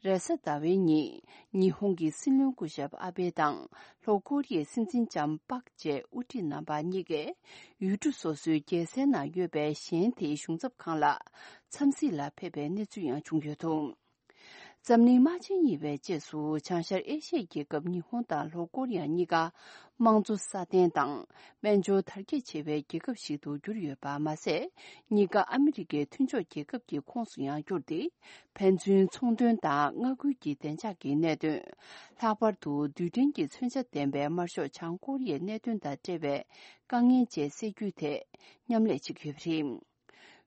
རེས་གཟའ་ཟླ་བའི་ཉིན་ཉི་ཧོང་གི་སྲིད་བློན་སྐུ་ཞབས་ཨ་བེ་དང་ལྷོ་ཀོ་རི་ཡའི་སྲིད་འཛིན་ལྕམ་པག་བཅས་དབུ་ཁྲིད་རྣམ་པ་གཉིས་ཀས་ཡུལ་གྲུ་སོ་སོའི་རྒྱལ་སའི་ནང་ཡོད་པའི་གཞན་དེའི་གཞུང་ཚབ་ཁང་ལ་འཚམས་གཟིགས་ལ་ཕེབས་པའི་གནས་ཚུལ་ཡང་བྱུང་ཡོད་འདུག་འཛམ་གླིང་དམག་ཆེན་གཉིས་པའི་རྗེས་སུ་བྱང་ཤར་ཨེ་ཤི་ཡའི་རྒྱལ་ཁབ་ཉི་ཧོང་དང་ལྷོ་ཀོ་རི་ཡ་གཉིས་ཀ་དམངས་གཙོ་སྲ་བརྟན་དང་དཔལ་འབྱོར་དར་རྒྱས་ཆེ་བའི་རྒྱལ་ཁབ་ཞིག་ཏུ་གྱུར་ཡོད་པ་མ་ཟད། གཉིས་ཀ་ཨ་མི་རི་ཀའི་མཐུན་ཕྱོགས་རྒྱལ་ཁབ་ཀྱི་ཁོངས་སུ་ཡང་གྱུར་ཏེ། ཕན་ཚུན་ཚོང་དོན་དང་མངའ་ཁུལ་གྱི་བདེ་འཇགས་ཀྱི་གནད་དོན། ལྷག་པར་དུ་རྡུལ་ཕྲན་གྱི་མཚོན་ཆ་ལྡན་པའི་དམར་ཤོག་བྱང་ཀོ་རི་ཡའི་གནད་དོན་དང་འབྲེལ་བའི་དཀའ་ངལ་བཅས་སེལ་རྒྱུའི་ཐད་མཉམ་ལས་བྱེད་ཀྱི་ཡོད་པ་རེད།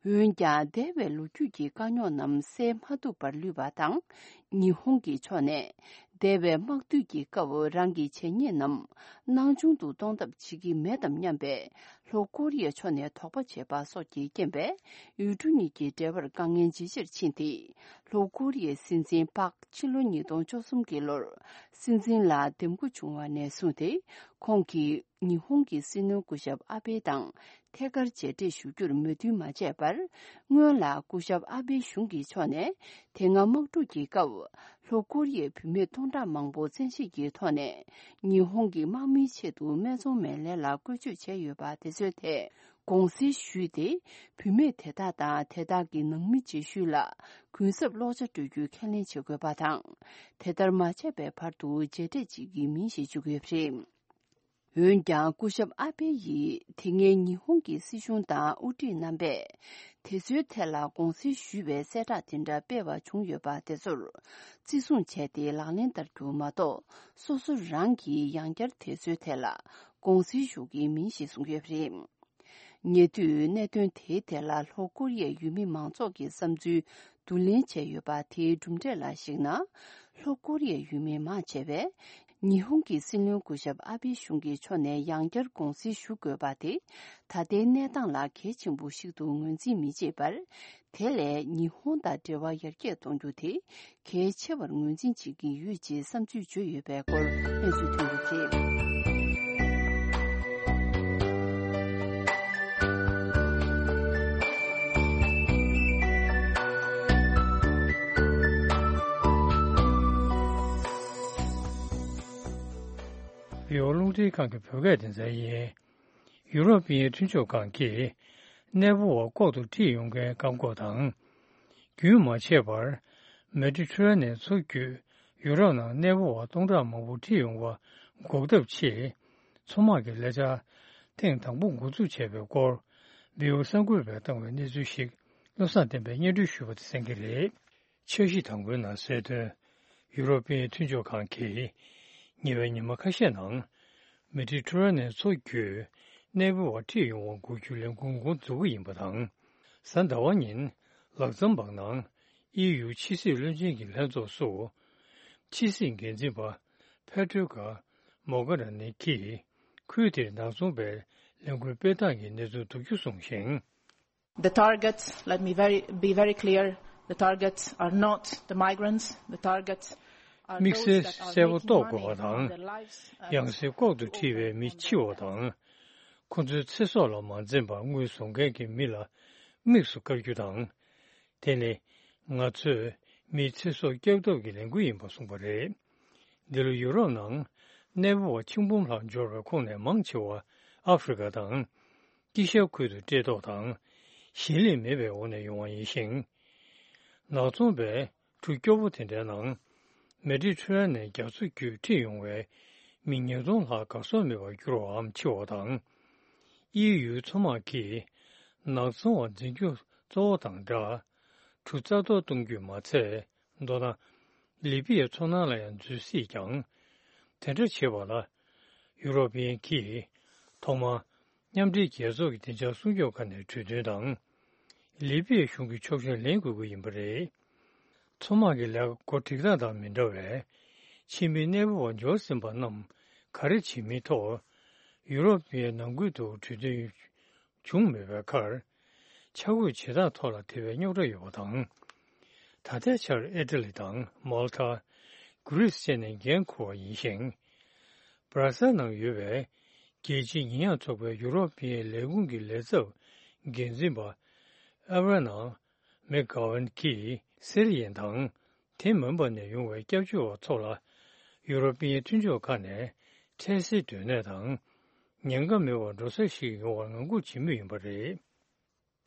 འོན་ཀྱང་འདས་པའི་ལོ་རྒྱུས་ཀྱི་དཀའ་རྙོག་རྣམས་སེལ་མ་ཐུབ་པར་ལུས་པ་དང་། ཉི་ཧོང་གི་ཕྱོགས་ནས་འདས་པའི་དམག་དུས་ཀྱི་སྐབས་རང་གི་བྱས་ཉེས་རྣམས་ནང་ཆུང་དུ་གཏོང་ཐབས་བྱེད་ཀྱི་མེད་དམ་སྙམ་པའི་ལྷོ་ཀོ་རི་ཡའི་ཕྱོགས་ནས་དོགས་པ་བྱས་པ་སོགས་ཀྱི་རྐྱེན་པས་ཡུལ་གྲུ་གཉིས་ཀྱི་འབྲེལ་བར་དཀའ་ངལ་ཇེ་ཆེར་ཕྱིན་ཏེ། ལྷོ་ཀོ་རི་ཡའི་སྲིད་འཛིན་པག་ཕྱི་ལོ་ཉིས་སྟོང་བཅུ་གསུམ་གྱི་ལོར་སྲིད་འཛིན་ལ་འདེམས་བསྐོ་བྱུང་བ་ནས་བཟུང་སྟེ་ཁོང་གིས། ཉི་ཧོང་གི་སྲིད་བློན་སྐུ་ཞབས་ཨ་བྷེ་དང་ཐད་ཀར་མཇལ་འཕྲད་ཞུ་རྒྱུར་མོས་མཐུན་མ་བྱས་པར། སྔོན་ལ་སྐུ་ཞབས་ཨ་བྷེ་གཞུང་གི་ཕྱོགས་ནས་དེ་སྔ་དམག་འཁྲུག་གི་སྐབས་ལྷོ་ཀོ་རི་ཡའི་བུད་མེད་སྟོང་ཕྲག་མང་པོ་བཙན་ཤེད་ཀྱི་ཐོག་ནས་ཉི་ཧོང་གི་དམག་མིའི་ཆེད་དུ་སྨད་འཚོང་མའི་ལས་ལ་བཀོལ་སྤྱོད་བྱས་ཡོད་པ་དེ་ཚོའི་ཐད་དགོངས་སེལ་ཞུས་ཏེ། བུད་མེད་དེ་དག་དང་དེ་དག་གི་ནང་མི་རྗེས་ཤུལ་ལ་གུན་གསབ་སློག་བྱ་སྤྲོད་རྒྱུའི་ཁས་ལེན་བྱེད་དགོས་པ་དང་། དེ་ལྟར་མ་བྱས་པའི་བར་དུ་མཇལ་འཕྲད་བྱེད་ཀྱི་མིན་ཞེས་བརྗོད་ཀྱི་ཡོད་པ་རེད། འོན་ཀྱང་སྐུ་ཞབས་ཨ་བྷེ་ཡིས་དེ་སྔའི་ཉི་ཧོང་གི་སྲིད་གཞུང་དང་དབུ་ཁྲིད་རྣམ་པས་དེ་ཚོའི་ཐད་ལ་དགོངས་སེལ་ཞུས་པའི་གསལ་བསྒྲགས་དེ་འདྲ་སྤེལ་བ་བྱུང་ཡོད་པ་དེ་ཚོར་བརྩི་སྲུང་བྱས་ཏེ་ལག་ལེན་བསྟར་རྒྱུ་མ་གཏོགས། སོ་སོ་རང་གིས་ཡང་བསྐྱར་དེ་ཚོའི་ཐད་ལ་དགོངས་སེལ་ཞུ་གི་མིན་ཞེས་གསུངས་ཡོད་པ་རེད། ཉེ་དུས་གནད་དོན་དེའི་ཐད་ལ་ལྷོ་ཀོ་རི་ཡའི་ཡུལ་མི་མང་ཚོགས་ཀྱི་བསམ་ཚུལ་བསྡུ་ལེན་བྱས་ཡོད་པ། དེའི་གྲུབ་འབྲས་ལ་གཞིགས་ན། ལྷོ་ཀོ་རི་ཡའི་ཡུལ་མི་མང་ཆེ་བས་ཉི་ཧོང་གི་སྲིད་བློན་སྐུ་ཞབས་ཨ་བྷེ་གཞུང་གི་ཕྱོགས་ནས་ཡང་བསྐྱར་དགོངས་སེལ་ཞུ་དགོས་པ་དེ་ད་ལྟའི་གནས་སྟངས་ལ་གལ་ཆེན་པོ་ཞིག་ཏུ་ངོས་འཛིན་མི་བྱེད་པར། དེ་ལས་ཉི་ཧོང་དང་འབྲེལ་བ་ཡར་རྒྱས་གཏོང་རྒྱུ་དེ་གལ་ཆེ་བར་ངོས་འཛིན་བྱེད་ཀྱི་ཡོད་ཅེས་བསམ་ཚུལ་བརྗོད་ཡོད་པའི་སྐོར་གནས་ཚུལ་ཐོན་ཡོད་པ་རེད། བི་ཨོ་རླུང་འཕྲིན་ཁང་གི་བོད་སྐད་སྡེ་ཚན་ཡིན། ཡུ་རོབ་པའི་མཐུན་ཕྱོགས་ཁང་གིས་གནས་སྤོ་བ་ལྐོག་ཏུ་ཁྲིད་ཡོང་མཁན་བཀག་འགོག་དང་། རྒྱུན་མ་ཆད་པར་མེ་ཌི་ཊེ་རེ་ནེན་མཚོ་བརྒྱུད་ཡུ་རོབ་ནང་གནས་སྤོ་བ་སྟོང་ཕྲག་མང་པོ་ཁྲིད་ཡོང་བ་འགོག་ཐབས་ཆེད། མཚོ་དམག་གི་ལས་འཆར་ཐེངས་དང་པོ་འགོ་འཛུགས་བྱས་པའི་སྐོར། བི་ཨོ་གསར་འགོད་པས་བཏང་བའི་གནས་ཚུལ་ཞིག་བློ་བཟང་བསྟན་པས་སྙན་སྒྲོན་ཞུས་པ་དེ་གསན་གྱི་རེད། འཆར་གཞི་དང་པོའི་ནང་གསལ་དོན། ཡུ་རོབ་པའི་མཐུན་ཕྱོགས་ཁང་གིས་ཉེ་བའི་ཉི་མ་ཁ་ཤས་ནང་མེ་ཌི་ཊེ་རེ་ནེན་མཚོ་བརྒྱུད་གནས་སྤོ་བ་ཁྲིད་ཡོང་བ་འགོག་རྒྱུའི་ལས་འགུལ་འགོ་འཛུགས་ཀྱི་ཡིན་པ་དང་། གཟའ་ཟླ་བ་ཉིན་ལག་ཚམ་བག་ནང་ཨི་ཡུ་ཕྱི་སྲིད་བློན་ཆེན་གྱི་ལྷན་ཚོགས་སུ། ཕྱི་སྲིད་འགན་འཛིན་པ་ཕེ་ཏྲོ་ཀ་མོ་གྷ་ར་ནི་གིས་ཁུལ་དེར་ནག་ཚོང་པའི་ལས་འགུལ་སྤེལ་སྟངས་ཀྱི་གནས་ཚུལ་བསྡུ་རྒྱུ་གསུངས་ཤིང་། The targets, let me very, be very clear, the targets are not the migrants, the targets are དམིགས་བསལ་གསལ་པོ་རྟོགས་དགོས་པ་དང་། ཡང་སྲིད་ལྐོག་ཏུ་ཁྲིད་པའི་མི་འཆི་བ་དང་། ཁོ་ཚོའི་ཚེ་སྲོག་ལ་མ་འཛེམས་པར་དངུལ་བཟོ་མཁན་གྱི་མི་ལ་དམིགས་སུ་བཀར་རྒྱུ་དང་། དེ་ནི་ང་ཚོས་མིའི་ཚེ་སྲོག་སྐྱོབ་ཐབས་ཀྱི་ལས་འགུལ་ཡིན་པ་གསུངས་པ་རེད། འདི་ལོ་ཡུ་རོབ་ནང་གནས་སྤོ་བ་ཆིག་འབུམ་ལྷག་འབྱོར་བའི་ཁོངས་ནས་མང་ཆེ་བ་ཨ་ཧྥེ་རི་ཀ་དང་། དཀྱིལ་ཤར་ཁུལ་དུ་བཀྲེས་ལྟོགས་དང་ཞིང་ལས་མེད་པའི་འོག་ནས་ཡོང་བ་ཡིན་ཞིང་། ནག་ཚོང་པས་གྲུ་སྐྱོ་པོ་དེ་འདྲའི་ནང་མེ་ཌི་ཊེ་རེ་ནེན་རྒྱ་མཚོ་བརྒྱུད་ཁྲིད་ཡོང་བའི་མི་ཉིས་སྟོང་ལྷག་གར་སོང་མེད་པར་གྱུར་བའམ་འཆི་བ་དང་། ཨི་ཡུའི་མཚོ་དམག་གིས་ནག་ཚོང་བ་འཛིན་རྒྱུ་གཙོ་བོ་དང་སྦྲགས། གྲུ་རྩ་གཏོར་གཏོང་རྒྱུས་མ་ཚད། མདོར་ན། ལི་པི་ཡའི་མཚོ་ནང་ལ་ཡང་འཛུལ་སྲིད་ཀྱང་། དེ་འདྲ་བྱེད་པ་ལ། ཡུ་རོབ་པ་གིས་ཐོག་མར་མཉམ་འབྲེལ་རྒྱལ་ཚོགས་ཀྱི་བདེ་འཇགས་སྲུང་སྐྱོབ་ཁང་ནས་གྲོས་མཐུན་དང་། ལི་པི་ཡའི་གཞུང་གི་ཕྱོགས་ཞེན་ལེན་དགོས་ཀྱི་ཡིན་པ་རེད། མཚོ་དམག་གི་ལས་ཀ་འགོ་འགྲིག་སྟངས་དང་མི་འདྲ་བའི་ཕྱི་མི་གནས་སྤོ་བ་འབྱོར་ཟིན་པ་རྣམས་ག་རེ་བྱེད་མིན་ཐོག་ཡུ་རོབ་པའི་ནང་ཁུལ་དུ་གྲོས་མཐུན་བྱུང་མེད་པའི་ཁར། ཆ་བགོས་བྱེད་སྟངས་ཐོག་ལ་དེ་བས་རྙོག་དྲ་ཡོད་པ་དང་། ད་ལྟའི་ཆར་ཨི་ཊ་ལི་དང་མོལ་ཏ། གྷི་རིས་བཅས་ནས་འགན་འཁུར་བ་ཡིན་ཞིང་། སྦྲ་སེལ་ནང་ཡོད་པའི་རྒྱལ་སྤྱིའི་ཉེས་ཡངས་ཚོགས་པའི་ཡུ་རོབ་པའི་ལས་ཁུངས་ཀྱི་ལས་ཚབ་འགན་འཛིན་པ་ཨེ་ཝེ་ན་མེག་གྷ་ཝན་གྱིས་སི་རི་ཡན་དང་དེ་མིན་པ་ནས་ཡོང་བའི་སྐྱབས་བཅོལ་བ་ཚོ་ལ་ཡུ་རོབ་པའི་མཐུན་ཕྱོགས་ཁག་ནས་འཕྲལ་སེལ་སྡོད་གནས་དང་ཉེན་ཁ་མེད་པར་འགྲོ་ས་ཞིག་ཡོང་བར་ངང་སྒུག་བྱེད་མུས་ཡིན་པ་རེད།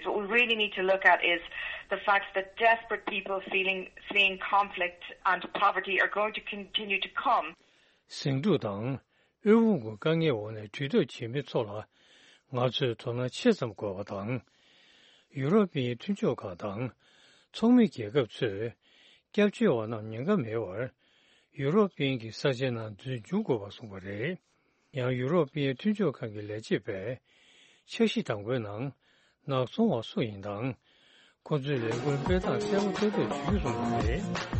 What we really need to look at is the fact that desperate people feeling, fleeing conflict and poverty are going to continue to come. ཟིང་འཁྲུག་དང་དབུལ་ཕོངས་ཀྱི་དཀའ་ངལ་འོག་ནས་གྲོས་བསྡུར་བྱེད་མི་ཚོ་ལ་ང་ཚོས་དོ་སྣང་ཆེ་ཙམ་དགོས་པ་དང་། ཡུ་རོབ་པའི་མཐུན་ཕྱོགས་ཁག་དང་ཚོགས་མི་རྒྱལ་ཁབ་ཚོས་སྐྱབས་བཅོལ་བ་རྣམས་ཉེན་ཁ་མེད་པར་ཡུ་རོབ་པའི་གི་ས་ཆའི་ནང་འཛུལ་འཇུག་དགོས་པ་གསུངས་པ་རེད། ཡང་ཡུ་རོབ་པའི་མཐུན་ཕྱོགས་ཁང་གི་ལས་བྱེད་པས་འཆར་གཞི་དང་པོའི་ནང་ནག་ཚོང་བ་སུ་ཡིན་དང་། ཁོ་ཚོའི་ལས་འགུལ་སྤེལ་སྟངས་གསལ་པོ་ཏོག་ཏོག་བྱེད་རྒྱུ་གསུངས་པ་རེད།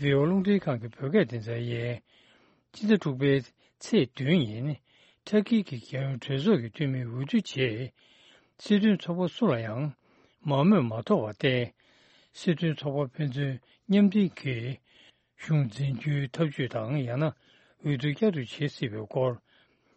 བི་ཨོ་རླུང་འཕྲིན་ཁང་གི་བོད་སྐད་སྡེ་ཚན་ཡིན། སྤྱི་ཟླ་དྲུག་པའི་ཚེས་བདུན་ཉིན། ཏུར་ཀི་གི་རྒྱལ་ཡོངས་གྲོས་ཚོགས་ཀྱི་འཐུས་མིའི་འོས་བསྡུ་རྗེས། སྲིད་དོན་ཚོགས་པ་སུ་ལ་ཡང་མང་མོས་མ་ཐོབ་པར་བརྟེན། སྲིད་དོན་ཚོགས་པ་ཕན་ཚུན་མཉམ་མཐུན་གྱིས་གཞུང་འཛིན་རྒྱུའི་ཐབས་ཇུས་དང་། ཡང་ན་འོས་བསྡུ་བསྐྱར་དུ་བྱེད་སྲིད་པའི་སྐོར།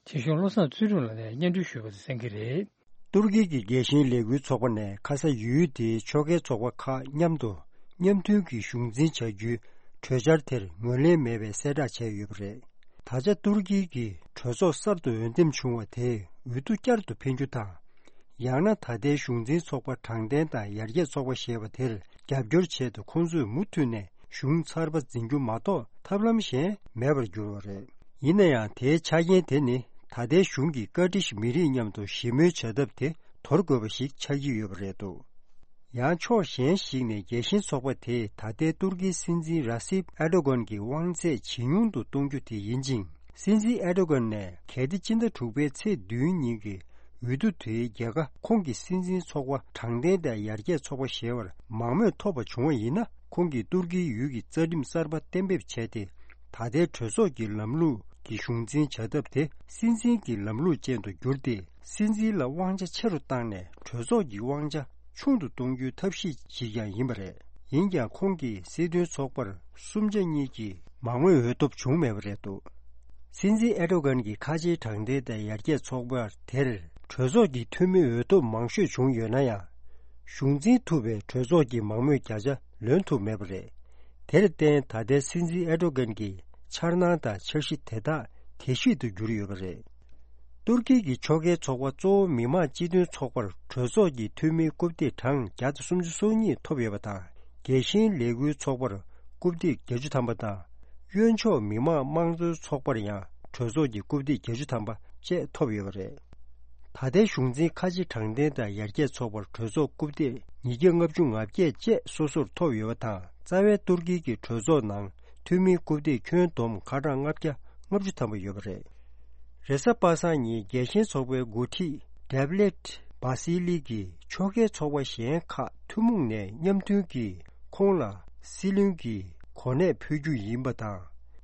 ཆེ་ཞུང་བློ་བཟང་ཚུལ་ཁྲིམས་ལགས་ནས་སྙན་སྒྲོན་ཞུས་པ་དེ་གསན་གྱི་རེད། ཏུར་ཀི་གི་རྒྱལ་ཞེན་ལས་འགུལ་ཚོགས་པ་ནས་ཁ་ས་ཡུལ་དེའི་ཕྱོགས་འགལ་ཚོགས་པ་ཁག་མཉམ་དུ་མཉམ་མཐུན་གྱིས་གཞུང་འཛིན་བྱ་རྒྱུའི་གྲོས་འཆར་དེར་ངོས་ལེན་མེད་པའི་གསལ་བསྒྲགས་བྱས་ཡོད་པ་རེད། ད་ཆ་ཏུར་ཀི་གིས་གྲོས་ཚོགས་གསར་དུ་འོས་འདེམས་བྱུང་བ་དེས་འོས་བསྡུ་བསྐྱར་དུ་འཕེན་རྒྱུ་དང་། ཡང་ན་ད་ལྟའི་གཞུང་འཛིན་ཚོགས་པ་དྲང་བདེན་དང་ཡར་རྒྱས་ཚོགས་པ་ཞེས་པ་དེར་རྒྱབ་སྐྱོར་ཆེད་དུ་ཁོང་ཚོས་མུ་མཐུད་ནས་གཞུང་ཚར་པ་འཛིན་རྒྱུ་མ་གཏོགས་ཐབས་ལམ་གཞན་མེད་པར་གྱུར་བ་རེད། ཡིན་ན་ཡང་དེའི་ཆ་རྐྱེན་དེ་ནི་ད་ལྟའི་གཞུང་གིས་ཀར་ཏིཤ་མི་རིགས་མཉམ་དུ་ཞི་མོལ་བྱ་ཐབས་དེ་དོར་དགོས་པ་ཞིག་ཆགས་ཀྱི་ཡོད་པ་རེད་འདུག་ཡང་ཕྱོགས་གཞན་ཞིག་ནས་རྒྱལ་ཞེན་ཚོགས་པ་དེས་ད་ལྟའི་ཏུར་ཀིའི་སྲིད་འཛིན་ར་སིབ་ཨེར་ཏོ་གྷན་གྱི་དབང་ཚད་ཇེ་ཉུང་དུ་གཏོང་རྒྱུ་དེ་ཡིན་ཅིང་། སྲིད་འཛིན་ཨེར་ཏོ་གྷན་ནས་གལ་ཏེ་སྤྱི་ཟླ་དྲུག་པའི་ཚེས་བདུན་ཉིན་གྱི་འོས་བསྡུ་དེའི་རྒྱལ་ཁ་ཁོང་གི་སྲིད་འཛིན་ཚོགས་པ་དྲང་བདེན་དང་ཡར་རྒྱས་ཚོགས་པ་ཞེས་པར་མང་མོས་ཐོབ་པ་བྱུང་བ་ཡིན་ན། ཁོང་གིས་ཏུར་ཀིའི་ཡུལ་གྱི་རྩ་ཁྲིམས་གསར་པ་གཏན་འབེབས་བྱས་ཏེ། ད་ལྟའི་གྲོས་ཚོགས་ཀྱི་ལམ་ལུགས་ཀྱི་གཞུང་འཛིན་བྱ་ཐབས་དེ་སྲིད་འཛིན་གྱི་ལམ་ལུགས་ཅན་དུ་བསྒྱུར་ཏེ། སྲིད་འཛིན་ལ་དབང་ཆ་ཆེ་རུ་བཏང་ནས་གྲོས་ཚོགས་ཀྱི་དབང་ཆ་ཆུང་དུ་གཏོང་རྒྱུའི་ཐབས་ཤེས་ཤིག་ཀྱང་ཡིན་པ་རེད། ཡིན་ཀྱང་ཁོང་གིས་སྲིད་དོན་ཚོགས་པར་གསུམ་ཆ་གཉིས་ཀྱི་མང་མོས་འོས་ཐོབ་བྱུང་མེད་པ་རེད་འདུག་སྲིད་འཛིན་ཨེར་ཏོ་གྷན་གྱིས་ཁ་ཆེའི་དྲང་བདེན་དང་ཡར་རྒྱས་ཚོགས་པ་དེར་གྲོས་ཚོགས་ཀྱི་འཐུས་མི་འོས་ཐོབ་མང་ཤོས་བྱུང་ཡོད་ན་ཡང་། གཞུང་འཛིན་ཐུབ་པའི་གྲོས་ཚོགས་ཀྱི་མང་མོས་བརྒྱ་ཆ་ལོན་ཐུབ་མེད་པ་རེད། དེར་བརྟེན་ད་ལྟའི་སྲིད་འཛིན་ཨེར་ཏོ་གྷན་གྱི་འཆར་སྣང་དང་འཆར་གཞི་དེ་དག་དལ་བཤིག་ཏུ་གྱུར་ཡོད་པ་རེད། ཏུར་ཀི་གི་ཕྱོགས་འགལ་ཚོགས་པ་གཙོ་བོ་མི་དམངས་སྤྱི་མཐུན་ཚོགས་པར་གྲོས་ཚོགས་ཀྱི་འཐུས་མིའི་རྐུབ་སྟེགས་གྲངས་བརྒྱ་དང་སུམ་ཅུ་སོ་གཉིས་ཐོབ་ཡོད་པ་དང་། རྒྱལ་ཞེན་ལས་འགུལ་ཚོགས་པར་རྐུབ་སྟེགས་བརྒྱད་ཅུ་ཐམ་པ་དང་། གཡོན་ཕྱོགས་མི་དམངས་དམངས་གཙོའི་ཚོགས་པར་ཡང་གྲོས་ཚོགས་ཀྱི་རྐུབ་སྟེགས་བརྒྱད་ཅུ་ཐམ་པ་བཅས་ཐོབ་ཡོད་པ་རེད། ད་ལྟའི་གཞུང་འཛིན་ཁ་ཆེ་དྲང་བདེན་དང་ཡར་རྒྱས་ཚོགས་པར་གྲོས་ཚོགས་རྐུབ་སྟེགས་ཉིས་བརྒྱ་ལྔ་བཅུ་ང་བརྒྱད་བཅས་སོ་སོར་ཐོབ་ཡོད་པ་དང་། རྩ་བའི་ཏུར་ཀི་གི་གྲོས་ཚོགས་ནང་འཐུས་མིའི་རྐུབ་སྟེགས་ཁྱོན་བསྡོམས་ཁ་གྲངས་ལྔ་བརྒྱ་ལྔ་བཅུ་ཐམ་པ་ཡོད་པ་རེད། རེས་གཟའ་པ་སངས་ཉིན་རྒྱལ་ཞེན་ཚོགས་པའི་འགོ་ཁྲིད་ཌེབ་ལེད་བྷ་སི་ལི་གིས་ཕྱོགས་འགལ་ཚོགས་པ་གཞན་ཁག་ཐུན་མོང་ནས་མཉམ་མཐུན་གྱིས་ཁོང་ལ་སྲིད་བློན་གྱི་གོ་གནས་ཕུལ་རྒྱུ་ཡིན་པ་དང་།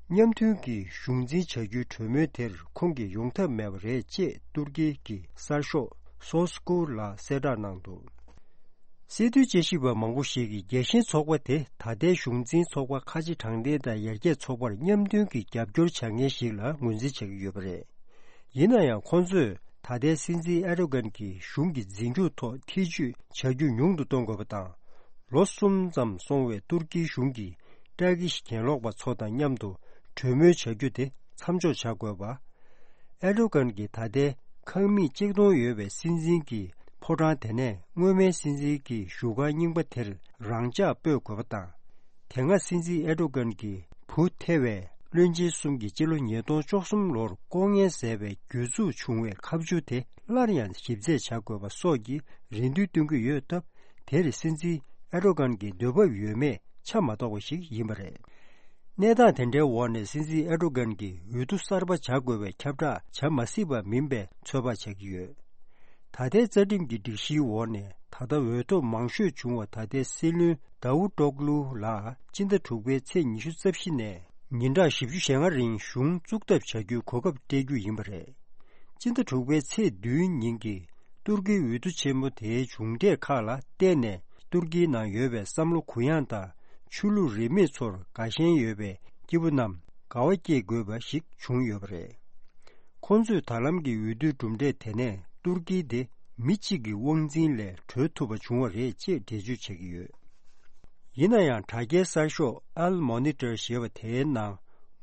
མཉམ་མཐུན་གྱིས་གཞུང་འཛིན་བྱ་རྒྱུའི་གྲོས་མོལ་དེར་ཁོང་གིས་ཡོང་ཐབས་མེད་པ་རེད་ཅེས་ཏུར་ཀི་གི་གསར་ཤོག་སོ་སྐུ་ལ་གསལ་བསྒྲགས་གནང་འདུག་སྲིད་དོན་དཔྱད་ཞིབ་པ་མང་པོ་ཞིག་གིས་རྒྱལ་ཞེན་ཚོགས་པ་དེ་ད་ལྟའི་གཞུང་འཛིན་ཚོགས་པ་ཁ་ཆེ་དྲང་བདེན་དང་ཡར་རྒྱས་ཚོགས་པར་མཉམ་མཐུན་གྱི་རྒྱབ་སྐྱོར་བྱ་མཁན་ཞིག་ལ་ངོས་འཛིན་བྱེད་ཀྱི་ཡོད་པ་རེད། ཡིན་ན་ཡང་ཁོང་ཚོས་ད་ལྟའི་སྲིད་འཛིན་ཨེར་ཏོ་གྷན་གྱི་གཞུང་གི་འཛིན་སྐྱོང་ཐོག་ཐེ་ཇུས་བྱ་རྒྱུ་ཉུང་དུ་གཏོང་དགོས་པ་དང་། ལོ་གསུམ་ཙམ་སོང་བའི་ཏུར་ཀིའི་གཞུང་གིས་ཏྲ་ཀི་ཤི་གྱེན་ལོག་པ་ཚོ་དང་མཉམ་དུ་གྲོས་མོལ་བྱ་རྒྱུ་དེ་མཚམས་འཇོག་བྱ་དགོས་པ། ཨེར་ཏོ་གྷན་གྱིས་ད་ལྟའི་ཁང་མིག་གཅིག་སྟོང་ཡོད་པའི་སྲིད་འཛིན་གྱི་ཕོ་བྲང་དེ་ནས་སྔོན་མའི་སྲིད་འཛིན་གྱི་བཞུགས་སྒར་རྙིང་པ་དེར་རང་འཇགས་སྤོས་དགོས་པ་དང་། དེ་སྔ་སྲིད་འཛིན་ཨེར་ཏོ་གྷན་གྱི་བུ་ཐེ་བའི་བློན་ཆེན་གསུམ་གྱིས་སྤྱི་ལོ་ཉིས་སྟོང་བཅུ་གསུམ་ལོར་ལྐོག་རྔན་བཟས་པའི་གྱོད་འཛུགས་བྱུང་བའི་ཁ་མཆུ་དེ་སླར་ཡང་ཞིབ་རྩད་བྱ་དགོས་པ་སོགས་ཀྱི་རེ་འདུན་བཏོན་གྱི་ཡོད་སྟབས། དེར་སྲིད་འཛིན་ཨེར་ཏོ་གྷན་གྱི་འདོད་འབབ་ཡོད་མེད་ཆ་མ་རྟོགས་པ་ཞིག་ཡིན་པ་རེད། གནས་སྟངས་དེ་འདྲའི་འོག་ནས་སྲིད་འཛིན་ཨེར་ཏོ་གྷན་གྱིས་འོས་བསྡུ་གསར་པ་བྱ་དགོས་པའི་ཁྱབ་བསྒྲགས་བྱ་མ་སྲིད་པ་མིན་པའི་ཚོད་དཔག་བྱ་གི་ཡོད། ད་ལྟའི་རྩ་ཁྲིམས་ཀྱི་སྒྲིག་གཞིའི་འོག་ནས་ད་ལྟ་འོས་ཐོབ་མང་ཤོས་བྱུང་བ་ད་ལྟའི་སྲིད་བློན་དཱ་ཝུ་ཏོག་ལུ་ལ་སྤྱི་ཟླ་དྲུག་པའི་ཚེས་ཉི་ཤུ་རྩ་བཞི་ནས་ཉིན་གྲངས་བཞི་བཅུ་ཞེ་ལྔ་རིང་གཞུང་བཙུགས་ཐབས་བྱ་རྒྱུའི་གོ་སྐབས་སྤྲད་རྒྱུ་ཡིན་པ་རེད། སྤྱི་ཟླ་དྲུག་པའི་ཚེས་བདུན་ཉིན་གྱི་ཏུར་ཀིའི་འོས་བསྡུ་ཆེན་མོ་དེའི་མཇུག་འབྲས་ཁག་ལ་བརྟེན་ནས་ཏུར་ཀིའི་ནང་ཡོད་པའི་བསམ་བློ་གུ་ཡངས་དང་ཆོས་ལུགས་རིས་མེད་ཚོར་དགའ་ཞེན་ཡོད་པའི་སྐྱེས་བུ་རྣམས་དགའ་བ་སྐྱེ་དགོས་པ་ཞིག་བྱུང་ཡོད་པ་རེད། ཁོང་ཚོས་ད་ལམ་གྱི་འོས་བསྡུའི་གྲུབ་འབྲས་དེ་ནས་ཏུར་ཀི་དེ་མི་གཅིག་གི་དབང་འཛིན་ལས་གྲོལ་ཐུབ་པ་བྱུང་བ་རེད་ཅེས་འགྲེལ་བརྗོད་བྱེད་ཀྱི་ཡོད། ཡིན་ན་ཡང་དྲ་རྒྱའི་གསར་ཤོག་ཨལ་མོ་ནི་ཊར་ཞེས་པ་དེའི་ནང་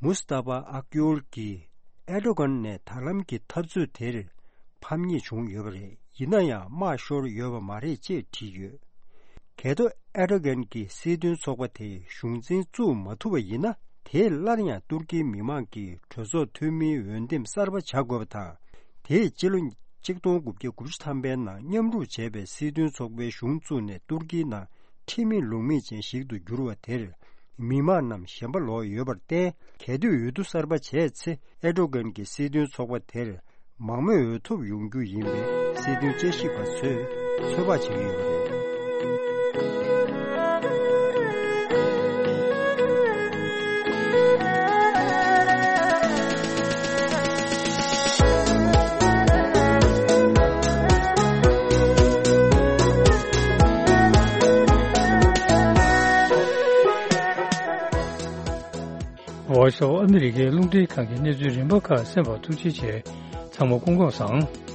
མུ་སྟ་ཕ་ཨག་ཡོལ་གྱིས་ཨེར་ཏོ་གྷན་ནས་ད་ལམ་གྱི་འཐབ་རྩོད་དེར་ཕམ་ཉེས་བྱུང་ཡོད་པ་རེད། ཡིན་ན་ཡང་དམག་ཤོར་ཡོད་པ་མ་རེད་ཅེས་བྲིས་ཡོད། གལ་ཏེ་ཨེར་ཏོ་གྷན་གྱི་སྲིད་དོན་ཚོགས་པ་དེས་གཞུང་འཛིན་བཙུགས་མ་ཐུབ་པ་ཡིན་ན། དེས་སླར་ཡང་ཏུར་ཀིའི་མི་མང་གིས་གྲོས་ཚོགས་འཐུས་མིའི་འོས་འདེམས་གསར་པ་བྱ་དགོས་པ་དང་། དེས་སྤྱི་ལོ་གཅིག་སྟོང་དགུ་བརྒྱ་དགུ་བཅུ་ཐམ་པའི་ནང་མཉམ་རུབ་བྱས་པའི་སྲིད་དོན་ཚོགས་པའི་གཞུང་བཙུགས་ནས་ཏུར་ཀིའི་ནང་ཁྲིམས་མེད་ལུགས་མེད་ཅན་ཞིག་ཏུ་འགྱུར་བ་དེར། མི་མང་རྣམས་ཞེན་པ་ལོག་ཡོད་པར་བརྟེན། གལ་ཏེ་འོས་བསྡུ་གསར་པ་བྱས་ཚེ། ཨེར་ཏོ་གྷན་གྱི་སྲིད་དོན་ཚོགས་པ་དེར་མང་མོས་འོས་ཐོབ་ཡོང་རྒྱུ་ཡིན་པའི་སྲིད་དོན་དཔྱད་ཞིབ་པ་ཚོས་ཚོད་དཔག་བྱེད་ཀྱི་ཡོད་པ་རེད། སོགས་ཨ་མི་རི་ཀའི་རླུང་འཕྲིན་ཁང་གི་གནས་ཚུལ་རིམ་པ་ཁག་གསན་པར་ཐུགས་རྗེ་ཆེ། ཚང་མ་སྐུ་ཁམས་བཟང་།